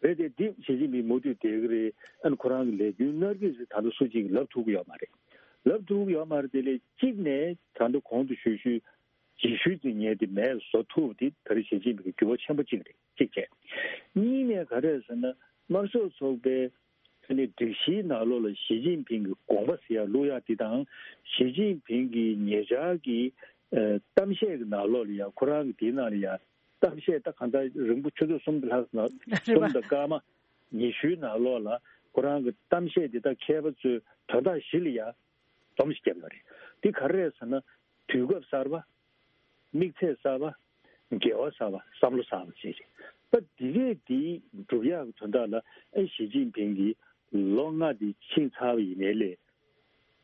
རེད་དེ། འདི་ཞི་ཅིན་ཕིང་མུ་མཐུད་བསྡད་ཀྱི་རེད། ཨ་ནི་ཁོ་རང་གི་ལས་རྒྱུན་གནང་གི་རེད། ད་ལྟ་སུ་གཅིག་གིས་ལབ་ཐུབ་ཀྱི་ཡོད་མ་རེད། ལབ་ཐུབ་ཀྱི་ཡོད་མ་རེད། དེ་ལས་གཅིག་ནས་ད་ལྟ་གོང་དུ་ཞུས་ཞུས་རྗེས་ཤུལ་འཛིན་མཁན་དེ་མེད་པ་བཟོ་ཐུབ་པ་དེ་ད་རེས་ཞི་ཅིན་ཕིང་གི་འགྱུར་བ་ཆེན་པོ་གཅིག་རེད། གཅིག་བྱས། གཉིས་ནས་ག་རེ་རེད་ཟེར་ན། དམར་ཤོག་ཚོགས་པའི་ཨ་ནི་སྒྲིག་གཞིའི་ནང་ལོགས་ལ་ཞི་ཅིན་ཕིང་གི་དགོངས་པ་ཟེར་ཡ་བླུག་ཡ་དེ་དང་། ཞི་ཅིན་ཕིང་གི་ཉེ་ཆར་གྱི་ཨ་གཏམ་བཤད་ཀྱི་ནང་ལོགས་ལ་ཡ། ཁོ་རང་གི་དེའི་ནང་ལ་ཡ། གཏམ་བཤད་ད་གང་ལྟར་རིང་པོ་ཆུ་ཚོད་གསུམ་ལྷག་ཙམ། རེད་པ། གསུམ་དང་སྐར་མ་ཉི་ཤུའི་ནང་ལོགས་ལ་ཁོ་རང་གི་གཏམ་བཤད་དེ་དག་མཁས་པ་ཚོས་དོན་དག་བཞི་ལ་ཡ་སྡོམ་ཞིག་བརྒྱབ་ཡོད་རེད། དེ་ག་རེ་རེད་ཟེར་ན། དུས་སྐབས་གསར་པ། དམིགས་ཚད་གསར་པ། འགལ་བ་གསར་པ། བསམ་བློ་གསར་པ་བཅས་རེད། ད་འདི་གས་འདི་སྒྲུབ་ཡག་གི་དོན་དག་ལ། ཨེ། ཞི་ཅིན་ཕིང་གིས་ལོ་ལྔ་འདི་ཕྱིན་ཚར་བ་ཡིན་ནའི་ལས།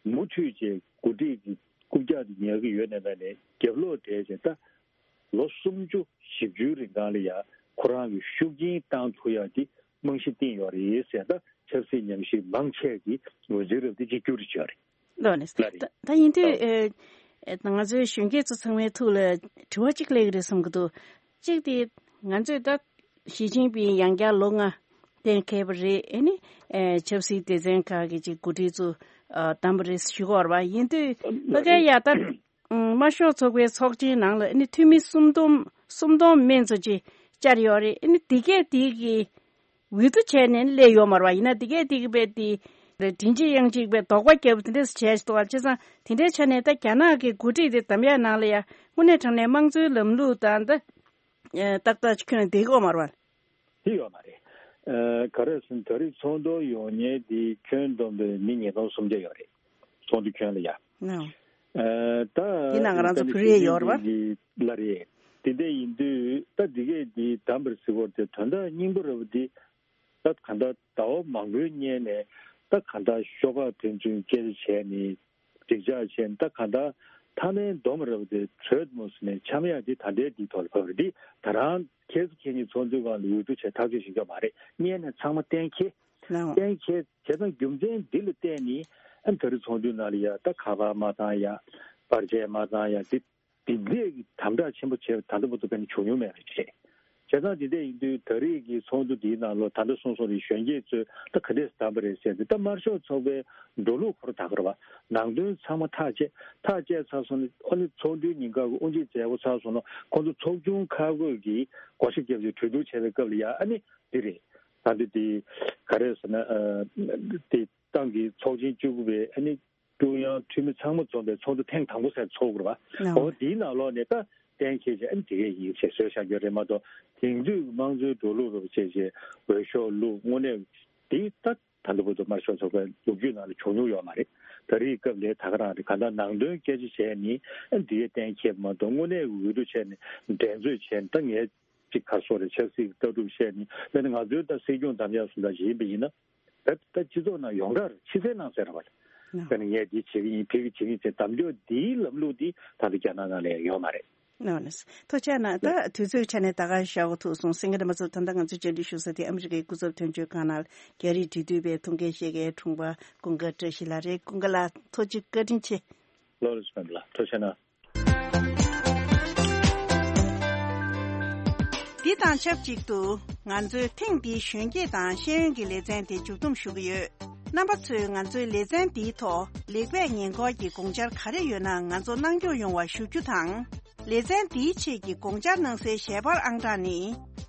མུ་མཐུད་བྱས་འགོ་ཁྲིད་ཀྱི་རྐུབ་བཀྱག་དེ་ཉར་གྱི་ཡོད་ནའི་མེད་ནའི། རྒྱབ་ལོགས་བསྡད་བྱས། ད་ལོ་སུམ་ཅུ་བཞི་བཅུའི་རིང་གང་ལ་ཡ་ཁོ་རང་གི་ཤུགས་རྐྱེན་བཏང་ཐུབ་ཡག་དེ་རྨང་གཞི་བཏིང་ཡོད་རེད་ཟེར། ད་ཆབ་སྲིད་ཉམས་ཞིབ་མང་ཆེ་གིས་ངོས་འཛིན་རབ་དེ་གཅིག་གྱུར་རེ་བྱས་ཡོད་རེད། ལགས་ནས། ལགས་རེད། ད་ད་ཡིན་དུས། ཨོ། ཨེ། ཨེ། ང་ཚོའི་གཞོན་སྐྱེས་ཚོ་ཚང་མའི་ཐུགས་ལ་དྲི་བ་གཅིག་སླེབས་ཀྱི་རེད་བསམ་གྱི་འདུག་གཅིག་དེ། ང་ཚོས་ད་ཞི་ཅིན་ཕིང་ཡང་བསྐྱར་ལོ་ལྔ་གཏན་འཁེལ་བ་རེད། ཨེ་ནི། ཨེ། ཆབ་སྲིད་སྡེ་ཚན་ཁག་གི་ཅིག་འགོ་ཁྲིད་ཚོ་ཨ་བདམས་པ་རེད་ཞུ་གི་ཡོད་རེད་པ། ཡིན་དུས་ཕ་གིར་ཡ་ད་དམར་ཤོག་ཚོགས་པའི་ཚོགས་ཆེན་ནང་ལ། ཨེ་ནི། འཐུས་མི་སུམ་སྟོང་། སུམ་སྟོང་མན་ཙམ་ཅིག་བཅར་ཡོད་རེད། ཨེ་ནི། དེ་གས་དེ་གི་འོས་བསྡུ་བྱས་ནས་སླེབས་ཡོད་མ་རེད་པ། ཡིན་ན་དེ་གས་དེ་གི་དཔེ་དེ་མགྲིན་གཅིག་དབྱངས་གཅིག་དཔེ་དོགས་པ་བརྒྱབ་པ་དེ་འདྲས་བྱས་འདུག་པ། བྱས་ཙང་དེ་འདྲའི་ཆ་ནས་ད་རྒྱ་ནག་གི་འགོ་ཁྲིད་དེ་བདམས་ཡག་ནང་ལ་ཡ་དངོས་གནས་དྲང་གནས་དམངས་གཙོའི་ལམ་ལུགས་དང་ད་ཨེ་ཏག་ཏག་ཅིག་ཁྱོན་ནས་འགྲིག་གི་ཡོད་མ་རེད་པ། དེ་ཡོད་མ་རེད། ཨ། ག་རེ་ཟེར་ན། ད་རེས་ཚོགས་འདུར་ཡོང་མཁན་དེ་ཁྱོན་བསྡོམས་པའི་མི་ཉིས་སྟོང་སུམ་བརྒྱ་ཡོད་རེད། ཚོགས་འདུ་ཁྱོན་ལ་ཡ། ནའོ། ཨ། ད་དེ་ནང་ང་རང་ཚོ་བོད་རིགས་ཡོད་རེད་པ། ལགས་རེད། དེ་འདྲ་ཡིན་དུས་ད་འདི་གས་འདི་བདམས་པ་རེད་ཟེར་གྱི་ཡོད་རེད་དེ། དོན་དག་སྙིང་པོ་རེད་པ་འདི། ད་གང་ལྟར་ཟླ་བ་མང་པོའི་སྔོན་ནས་ད་གང་ལྟར་ཤོག་ཁག་ཕན་ཚུན་སྐད་ཆ་བྱས་ནས། འགྲིག་འཇགས་བྱས་ནས། ད་གང་ལྟར་མཐའ་མའི་སྡོམ་རེད་པ་དེ་གྲོལ་སོང་ཟེར་ནས་འཆམ་ཡག་དེ་ད་ལྟའི་འདིའི་ཐོག་ལ་བབས་རེད། དེ་ད་རང་ཁྱེད་ཚོ་ཁྱེད་གཉིས་ཚོགས་འདུའི་སྒང་ལ་འོས་བསྡུ་བྱས་ཐག་གཅོད་བྱེད་རྒྱུ་མ་རེད། སྔོན་ནས་ཚང་མ་གཏན་འཁེལ། ལགས། གཏན་འཁེལ་བྱས་ཙང་རྒྱུ་མཚན་འདི་ལ་བརྟེན་ནས། ཨ། ད་རེས་ཚོགས་འདུའི་ནང་ལ་ཡ་ད་ཁ་པར་མ་བཏང་ཡག་བར་ཆད་མ་བཏང་ཡག་འདི། འདི་འདྲས་ཀྱི་དམ་དྲག་ཆེན་པོ་བྱས་པ་ད་ལྟ་བར་དུ་དཔེར་ན་བྱུང་མྱོང་མེད་པ་རེད། བྱས་ཙང་འདི་འདྲས་ཡིན་དུས་ད་རེས་ཀྱི་ཚོགས་འདུ་འདིའི་ནང་ལོགས་ད་ལྟ་གསུངས་སོང་རེད། གཞོན་སྐྱེས་ཚོས་ད་ག་འདྲས་བདམས་པ་རེད་ཟེར་ཏེ། ད་དམར་ཤོག་ཚོགས་པའི་འགྲོ་ལུགས་ཁོ་རང་ད་ག་རེད་པ། ནང་དོན་ཚང་མ་ཐག་བཅད། ཐག་བཅད་ཚར་སོང་ནས། ཨ་ནི་ཚོགས་འདུའི་ཉིན་ཁ་གི་དབུ་འབྱེད་མཛད་སྒོ་ཚར་སོང་ན། ཁོང་ཚོ་ཚོགས་ཆུང་ཁག་བགོས་ཀྱིས་བགོ་བཤའ་བརྒྱབ་བྱས་གྲོས་བསྡུར་བྱས་པའི་སྐབས་ལ་ཡ། ཨ་ནི་འདི་རེད། ད་འདི་འདི་ག་རེ་ཟེར་ན། ཨ། འདི་ཏང་གི་ཚོགས་ཆེན་བཅུ་དགུ་པའི། ཨ་ནི། ཀྲུང་དབྱང་འཐུས་མི་ཚང་མ་འཛོམས་པའི་ཚོགས་འདུ་ཐེངས་དང་པོ་ཟེར་ཚོགས་དགོས་རེད་པ། ཨོ། འོ། འདིའི་ནང་ལོགས་ནས་ད་གཏན་འཁེལ་བྱས། ཨ་ནི་དེ་གས་ཡིན་ཟེར་བཟོས་བཞག་རྒྱུ་རེད་མ་གཏོགས། དེང་དུས་དམངས་གཙོའི་འགྲོ་ལུགས་རེད་པ་བྱས་བྱས་འོས་ཤོག་བླུགས། དངོས་གནས་འདི་ད་ད་ལྟ་བར་དུ་དམར་ཤོག་ཚོགས་པའི་ལོ་རྒྱུས་ནང་ལ་བྱུང་མྱོང་ཡོད་མ་རེད། ད་རེས་སྐབས་ལ་ད་ག་རང་རེད། གང་ལྟར་ནང་དོན་སྐད་ཆ་བྱས་ནས། ཨ་ནི་དེ་གས་གཏན་འཁེལ་མ་གཏོགས། དངོས་གནས་འོས་བསྡུ་བྱས་ནས་འགྲན་རྩོད་བྱས་ནས། ད་ངས་ཅིག་ག་རེ་ཟེར་དགོས་རེད། ཆབ་སྲིད་ཀྱི་ལྟ་གྲུབ་བཤད་ནས། དཔེར་ན་ང་ཚོའི་ད་སྲིད་སྐྱོང་འདེམས་ཡག་སུ་འདྲ་ཞིག་ཡིན་པ་ཡིན་ན། ད་ད་སྤྱི་ཚོགས་ནང་ཡོངས་གྲགས་རེད། ཕྱི་གསལ་ནང་གསལ་རེད་པ། ནོ། དཔེར་ན་ངས་འདི་བྱེད་ཀྱི་ཡིན། ཕ་གི་བྱེད་ཀྱི་ཡིན་ཟེར་གདམ་རྒྱག་འདིའི་ལམ་ལུགས་འདི་ད་ལྟ་རྒྱ་ནག་ནང་ལ་ཡོད་མ་རེད། ནོ། ནོ། ཐུགས་རྗེ་གནང་། ད་དུས་ཚོད་ཆ་ནས་ད་ག་བཞག་གོ་ཐུག་སོང་། སེང་གེ་སྒྲོལ་མ་ཚོ། ད་ལྟ་ང་ཚོའི་བཅར་འདྲི་ཞུ་ས་དེ་ཨ་མི་རི་ཀའི་སྐུ་ཚབ་དོན་གཅོད་ཁང་ནང་རྒྱ་རིགས་འབྲེལ་མཐུད་པའི་ཐུགས་འགན་བཞེས་མཁན་དྲུང་པ་ཀུན་དགའ་བཀྲ་ཤིས་ལགས་རེད། ཀུན་དགའ་ལགས། ཐུགས་རྗེ་བཀའ་དྲིན་ཆེ། ལགས་རེད། ལགས་རེད། ཐུགས་རྗེ་གནང་། འདི་དང་ཆབས་ཅིག་ཏུ་ང་ཚོའི་ཐེངས་འདིའི་གཞོན་སྐྱེས་དང་ཤེས་ཡོན་གྱི་ལེ་ཚན་དེ་མཇུག་བསྡོམས་ཞུ་གི་ཡོད། རྣམ་པ་ཚོས་ང་ཚོའི་ལེ་ཚན་འདིའི་ཐོག་ལེགས་སྤེལ་ཉེས་འཁོར་གྱི་དགོངས་འཆར་ག་རེ་ཡོད་ན་ང་ཚོར་གནང་སྐྱོང་ཡོང་བ་ཞུ་རྒྱུ་དང་། ལེ་ཚན་འདིའི་ཆེད་ཀྱི་དགོངས་འཆར་གནང་སའི་ཞལ་པར་ཨང་གྲངས་ནི།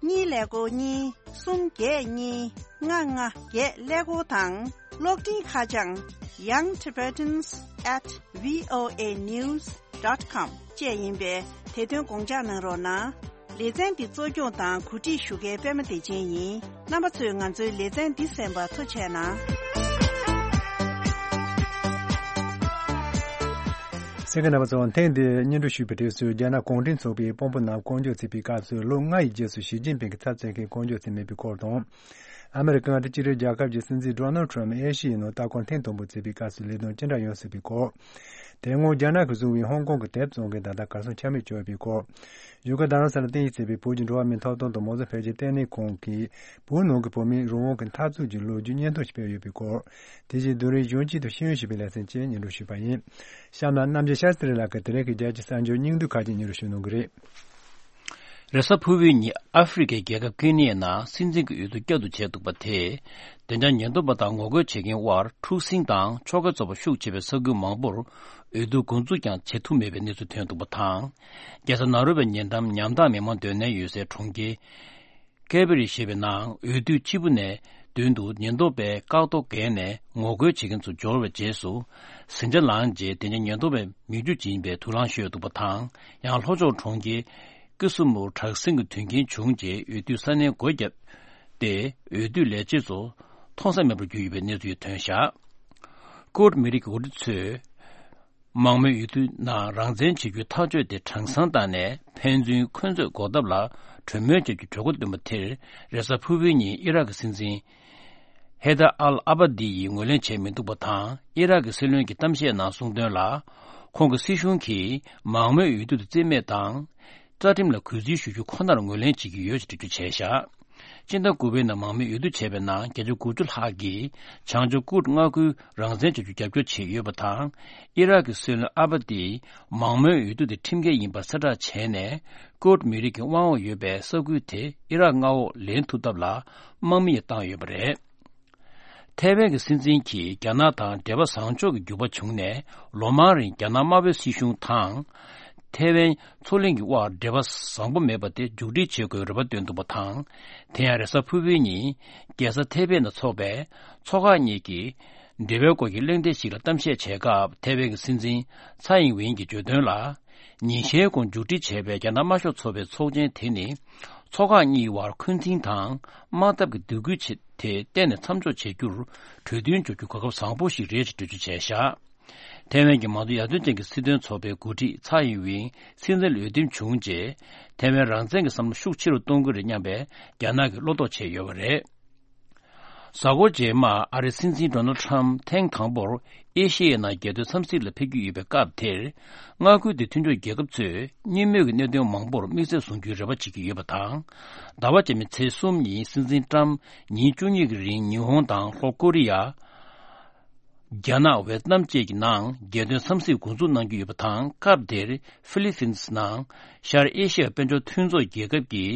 གཉིས་ཀླད་ཀོར་གཉིས། གསུམ་བརྒྱད་གཉིས། ལྔ་ལྔ་བརྒྱད་ཀླད་ཀོར་དང་། གློག་འཕྲིན་ཁ་བྱང་young tibetans at voa news dot com བཅས་ཡིན་པས། དེ་དོན་དགོངས་འཇགས་གནང་རོགས་གནང་། ལེ་ཚན་འདི་གཙོ་སྐྱོང་དང་གོ་སྒྲིག་ཞུ་མཁན་པད་མ་བདེ་ཆེན་ཡིན། རྣམ་པ་ཚོས་ང་ཚོའི་ལེ་ཚན་འདི་གསན་པར་ཐུགས་རྗེ་གནང་། གསན་མཁན་རྣམ་པ་ཚོ། ཐེངས་འདིའི་སྙན་སྒྲོན་ཞུས་པའི་དུས་སུ། རྒྱ་ནག་གུང་ཁྲན་ཚོགས་པའི་དཔོན་པོ་རྣམས་བསྐོ་འཇོག་བྱས་པའི་སྐབས་སུ། ལོ་ལྔ་ཡི་རྗེས་སུ་ཞི་ཅིན་ཕིང་གི་ཚབ་མཚོན་མཁན་བསྐོ་འཇོག་བྱས་མེད་པའི་སྐོར་དང་། ཨ་མེ་རི་ཀའི་ཨ་རི་སྤྱི་མཐུན་རྒྱལ་ཁབ་ཀྱི་སྲིད་འཛིན་ཌོ་ནལ་ཊམ་ཨེ་ཤི་ཡའི་ནང་ལྟ་སྐོར་ཐེངས་དང་པོ་བྱས་པའི་སྐབས་སུ་ལས་དོན་ཅི་འདྲ་ཡོང་སྲིད་པའི་སྐོར། དེ་སྔོན་རྒྱ་ནག་གིས་བཟུང་བའི་ཧོང་ཀོང་གི་དེབ་བཙོང་མཁན་དག་དང་གར་སོང་ཆ་མེད་བྱུང་ཡོད་པའི་སྐོར། ཡུལ་གྲུ་རྡ་རམ་ས་ལར་རྟེན་གཞི་བྱས་པའི་བོད་ཀྱི་འགྲོ་བ་མིའི་ཐོབ་ཐང་དང་མང་གཙོ་འཕེལ་རྒྱས་ལྟེ་གནས་ཁང་གིས་བོད་ནང་གི་བོད་མིའི་རང་དབང་གི་འཐབ་རྩོད་ཀྱི་ལོ་རྒྱུས་སྙན་ཐོ་ཞིག་སྤེལ་ཡོད་པའི་སྐོར། དེ་བཞིན་བདུན་རེའི་གཞོན་སྐྱེས་དང་ཤེས་ཡོན་ཞེས་པའི་ལེ་ཚན་བཅས་སྙན་སྒྲོན་ཞུས་པ་ཡིན། གཤམ་ལ་རྣམ་རྒྱལ་ཤཱསྟྲི་ལགས་ཀྱིས་དེ་རིང་གི་རྒྱལ་སྤྱིའི་གསར་འགྱུར་སྙིང་བསྡུས་ཁག་ཅིག་སྙན་སྒྲོན་ཞུ་གནང་གི་རེད། རེས་གཟའ་ཕུར་བུའི་ཉིན་ཨ་ཧྥེ་རི་ཁའི་རྒྱལ་ཁབ་ཀེ་ནི་ཡའི་ནང་སྲིད་འཛིན་གྱི་འོས་བསྡུ་བསྐྱར་དུ་བྱས་འདུག་པ་དེས། བདེ་འཇགས་ཉེན་རྟོག་པ་དང་ངོ་རྒོལ་བྱེད་མཁན་དབར་འཁྲུག་ཟིང་དང་ཕྱོགས་འགལ་ཚོགས་པ་ཤུགས་ཆེ་བའི་ས་ཁུལ་མང་པོར་འོས་བསྡུ་འགོ་འཛུགས་ཀྱང་བྱེད་ཐུབ་མེད་པའི་གནས་ཚུལ་ཐོན་འདུག་པ་དང་། རྒྱལ་ས་ནཱ་རོ་པའི་ཉེ་འགྲམ་ཉམ་ཐག་མི་མང་སྡོད་གནས་ཡོད་སའི་གྲོང་ཁྱེར་ཀེ་བི་རི་ཞེས་པའི་ནང་འོས་བསྡུ་སྤྱིལ་བུ་ནས་མདུན་དུ་ཉེན་རྟོག་པས་བཀག་རྡོ་བརྒལ་ནས་ངོ་རྒོལ་བྱེད་མཁན་ཚོ་འབྱོར་བའི་རྗེས་སུ། ཟིང་ཆ་ལངས་རྗེས་དེ་ཉིད་ཉེན་རྟོག་པས་མིག་ཆུ་འབྱིན་པའི་དུག་རླངས་གཞུས་འདུག་པ་དང་། ཡང་ལྷོ་ཕྱོགས་གྲོང་ཁྱེར་ཀི་སུ་མུར་དྲག་ཟིང་གི་དོན་རྐྱེན་བྱུང་རྗེས་འོས་བསྡུ་ས་གནས་སྒོ་བརྒྱབ་སྟེ། འོས་བསྡུ་ལས་བྱེད་ཚོ་མཐོང་ས་མེད་པར་གྱུར་ཡོད་པའི་གནས་ཚུལ་ཐོན་བཞག་ཀུར་ཌ་མི་རིགས་ཀྱི་འགོ་ཁྲིད་ཚོས། མང་མོས་འོས་བསྡུ་ནང་རང་བཙན་བྱེད་རྒྱུའི་ཐག་གཅོད་དེ་གྲངས་ཚང་བཏང་ནས། ཕན་ཚུན་འཁོན་རྩོད་འགོག་ཐབས་ལ་གྲོས་མོལ་བྱ་རྒྱུའི་གྲོས་འགོ་བཏོན་པ་དེར། རེས་གཟའ་ཕུར་བུའི་ཉིན་ཨི་རག་གི་སྲིད་འཛིན་ཧེ་ད་ཨལ་ཨ་བྷ་དི་ཡིས་ངོས་ལེན་བྱས་མི་འདུག་པ་དང་། ཨི་རག་གི་སྲིད་བློན་གྱིས་གཏམ་བཤད་ནང་གསུངས་དོན་ལ། ཁོང་གི་སྲིད་གཞུང་གིས་མང་མོས་འོས་བསྡུ་དེ་རྩིས་མེད་དང་། རྩ་ཁྲིམས་ལ་གུས་བརྩི་ཞུ་རྒྱུ་ཁོ་ནར་ངོས་ལེན་བྱེད་ཀྱི་ཡོད་ཅེས་འགྲེལ་བརྗོད་བྱས་བཞག་སྤྱི་ཟླ་དགུ་པའི་ནང་མང་མོས་འོས་བསྡུ་བྱས་པའི་ནང་བརྒྱ་ཆ་དགུ་བཅུ་ལྷག་གིས་བྱང་ཕྱོགས་ཀུར་མངའ་ཁུལ་རང་བཙན་བྱ་རྒྱུ་རྒྱབ་སྐྱོར་བྱས་ཡོད་པ་དང་། ཨི་རག་གི་སྲིད་བློན་ཨ་བྷ་དིས་མང་མོས་འོས་བསྡུ་དེ་ཁྲིམས་འགལ་ཡིན་པ་གསལ་བསྒྲགས་བྱས་ནས། ཀུར་མི་རིགས་ཀྱི་དབང་འོག་ཡོད་པའི་ས་ཁུལ་དེ་ཨི་རག་མངའ་འོག་ལེན་ཐུབ་ཐབས་ལ་དམག་མི་ཡང་བཏང་ཡོད་པ་རེད། ཐའེ་ཝན་གྱི་སྲིད་འཛིན་གྱིས་རྒྱ་ནག་དང་འབྲེལ་བ་བཟང་ཕྱོགས་ཀྱི་འགྱུར་བ་བྱུང་ནས། ལོ་མང་རིང་རྒྱ་ནག་དམར་པོའི་སྲིད་གཞུང་དང་། ཐའེ་ཝན་མཚོ་གླིང་གི་དབར་འབྲེལ་བ་བཟང་པོ་མེད་པ་དེ་མཇུག་སྒྲིལ་བྱེད་དགོས་རེ་བ་བཏོན་འདུག་པ་དང་། དེ་ཡང་རེས་གཟའ་ཕུར་བུའི་ཉིན་རྒྱལ་ས་ཐའེ་པེ་ནང་འཚོགས་པའི་ཚོགས་ཁག་གཉིས་ཀྱི་འབྲེལ་བའི་སྐོར་གྱི་གླེང་སྟེགས་ཤིག་ལ་གཏམ་བཤད་བྱས་སྐབས། ཐའེ་ཝན་གྱི་སྲིད་འཛིན་ཚའེ་ཨིང་ཝེན་གྱིས་བརྗོད་དོན་ལ། ཉིན་ཤས་གོང་མཇུག་སྒྲིལ་བྱས་པའི་རྒྱ་ནག་དམར་ཤོག་ཚོགས་པའི་ཚོགས་ཆེན་དེ་ནི། ཚོགས་ཁག་གཉིས་བར་འཁོན་འཛིན་དང་དམག་འཐབ་ཀྱི་སྡིགས་སྐུལ་བྱེད། དེ་གཏན་ནས་མཚམས་འཇོག་བྱེད་རྒྱུར་གྲོས་མཐུན་འཇོག་རྒྱུ་གོ་སྐབས་བཟང་པོ་ཞིག་རེད་ཅེས་འགྲེལ་བརྗོད་བྱས་བཞག་ཐའེ་ཝན་གྱི་མང་གཙོ་ཡར་ཐོན་ཅན་གྱི་སྲིད་དོན་ཚོགས་པའི་འགོ་ཁྲིད་ཚའེ་ཨིན་ཝེན་སྲིད་འཛིན་ལ་འོས་འདེམས་བྱུང་རྗེས། ཐའེ་ཝན་རང་བཙན་གྱི་བསམ་བློ་ཤུགས་ཆེ་རུ་གཏོང་གི་རེད་སྙམ་པའི་རྒྱ་ནག་གིས་བློ་དོགས་བྱས་ཡོད་པ་རེད། གཟའ་འཁོར་རྗེས་མ་ཨ་རིའི་སྲིད་འཛིན་ཌོ་ནལ་ཁྲམ་ཐེངས་དང་པོར་ཨེ་ཤེ་ཡའི་ནང་རྒྱལ་དོན་འཚམས་གཟིགས་ལ་ཕེབས་ཀྱི་ཡོད་པའི་སྐབས་དེར། མངའ་ཁུལ་དེའི་མཐུན་ཕྱོགས་རྒྱལ་ཁབ་ཚོས་གཉིས་མོས་ཀྱི་གནད་དོན་མང་པོར་དམིགས་བསལ་བཟུང་རྒྱུའི་རེ་བ་བྱེད་ཀྱི་ཡོད་པ་དང་། ཟླ་བ་རྗེས་མའི་ཚེས་གསུམ་ཉིན་སྲིད་འཛིན་ཀྲམ་ཉིན་བཅུ་གཉིས་ཀྱི་རིང་ཉི་ཧོང་དང་ལྷོ་ཀོ་རི་ཡ། རྒྱ་ནག་ཝེ་ཏི་ནམ་བཅས་ཀྱི་ནང་རྒྱལ་དོན་འཚམས་གཟིགས་འགོ་འཛུགས་གནང་རྒྱུ་ཡོད་པ་དང་། སྐབས་དེར་ཧྥི་ལི་ཕིན་སི་ནང་ཤར་ཨེ་ཤི་ཡ་དཔལ་འབྱོར་མཐུན་ཚོགས་རྒྱལ་ཁབ་ཀྱི་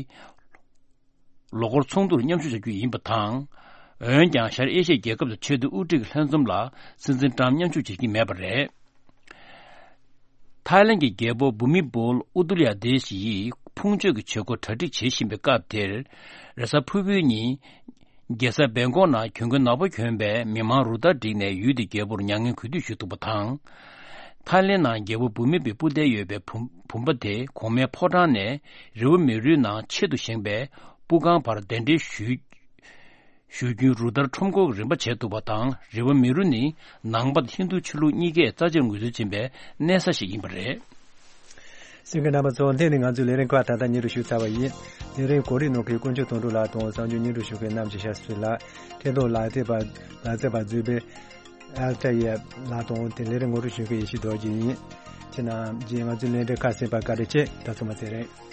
ལོ་འཁོར་ཚོགས་འདུར་མཉམ་ཞུགས་བྱ་རྒྱུ་ཡིན་པ་དང་། འོན་ཀྱང་ཤར་ཨེ་ཤི་ཡའི་རྒྱལ་ཁབ་དང་ཆེས་མཐོའི་དབུ་ཁྲིད་ཀྱི་ལྷན་འཛོམས་ལ་སྲིད་འཛིན་ཀྲམ་མཉམ་ཞུགས་བྱེད་ཀྱི་མེད་པ་རེད། ཐའི་ལན་གྱི་རྒྱལ་པོ་བྷུ་མི་བོལ་ཨུ་དུ་ལ་ཡ་དེ་ཤི་ཡིས་ཕུང་མཆོད་ཀྱི་བྱེད་སྒོ་གྲ་སྒྲིག་བྱེད་བཞིན་པའི་སྐབས་དེར། རེས་གཟའ་ཕུར་བུའི་ཉིན། རྒྱལ་ས་བེང་ཀོག་ནང་གྱོན་གོས་ནག་པོ་གྱོན་པའི་མི་མང་རུ་སྟར་བསྒྲིགས་ནས་ཡུལ་དེའི་རྒྱལ་པོར་མྱ་ངན་གུས་འདུད་ཞུས་འདུག་པ་དང་། ཐའི་ལེན་ནང་རྒྱལ་པོ་བྷུ་མི་པའི་སྤུ་རྡེ་ཡོད་པའི་བུམ་བུམ་པ་དེ་གོང་མའི་ཕོ་བྲང་ནས་རི་བོ་མེ་རུའི་ནང་ཆེད་དུ་བཞེངས་པའི་སྤུ་ཁང་བར་གདན་འདྲེན་ཞུས། ཞུ་རྒྱུའི་རུ་སྟར་ཁྲོམ་སྐོར་གྱི་རིམ་པ་བྱས་འདུག་པ་དང་། རི་བོ་མེ་རུ་ནི་ནང་པ་དང་ཧིན་རྡུ་ཆོས་ལུགས་གཉིས་ཀས་རྩ་ཆེར་ངོས་འཛིན་བྱེད་པའི་གནས་ས་ཞིག་ཡིན་པ་རེད། གསན་མཁན་རྣམ་པ་ཚོ། དེ་ནི་ང་ཚོའི་ལས་རིམ་ཁག་ད་ལྟ་སྙན་སྒྲོན་ཞུས་ཚར་བ་ཡིན། ལས་རིམ་གོ་སྒྲིག་གནང་མཁན་དཀོན་མཆོག་དོན་གྲུབ་ལགས་དང་གསར་འགྱུར་སྙན་སྒྲོན་ཞུ་མཁན་རྣམ་རྒྱལ་ཤཱསྟྲི་ལགས། འཕྲིན་གཏོང་ལག་རྩལ་པ་ལག་རྩལ་པ་མཛོད་པའི་ཨལ་ཏ་ཡེ་ལགས་དང་དེ་ལས་རིམ་ངོ་སྤྲོད་ཞུ་མཁན་ཡེ་ཤེས་རྡོ་རྗེ་ཡིན། ཁྱེད་རྣམས་ཀྱིས་ང་ཚོའི་ལས་རིམ་ཁག་གསན་པར་བཀའ་དྲིན་ཆེ། ད་སོ་མ་ཚེ་རིང་།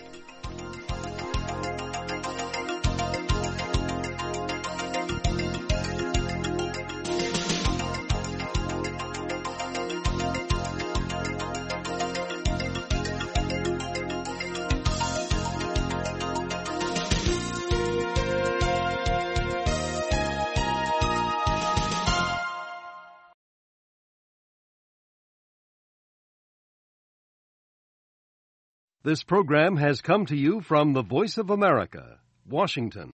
This program has come to you from the Voice of America, Washington.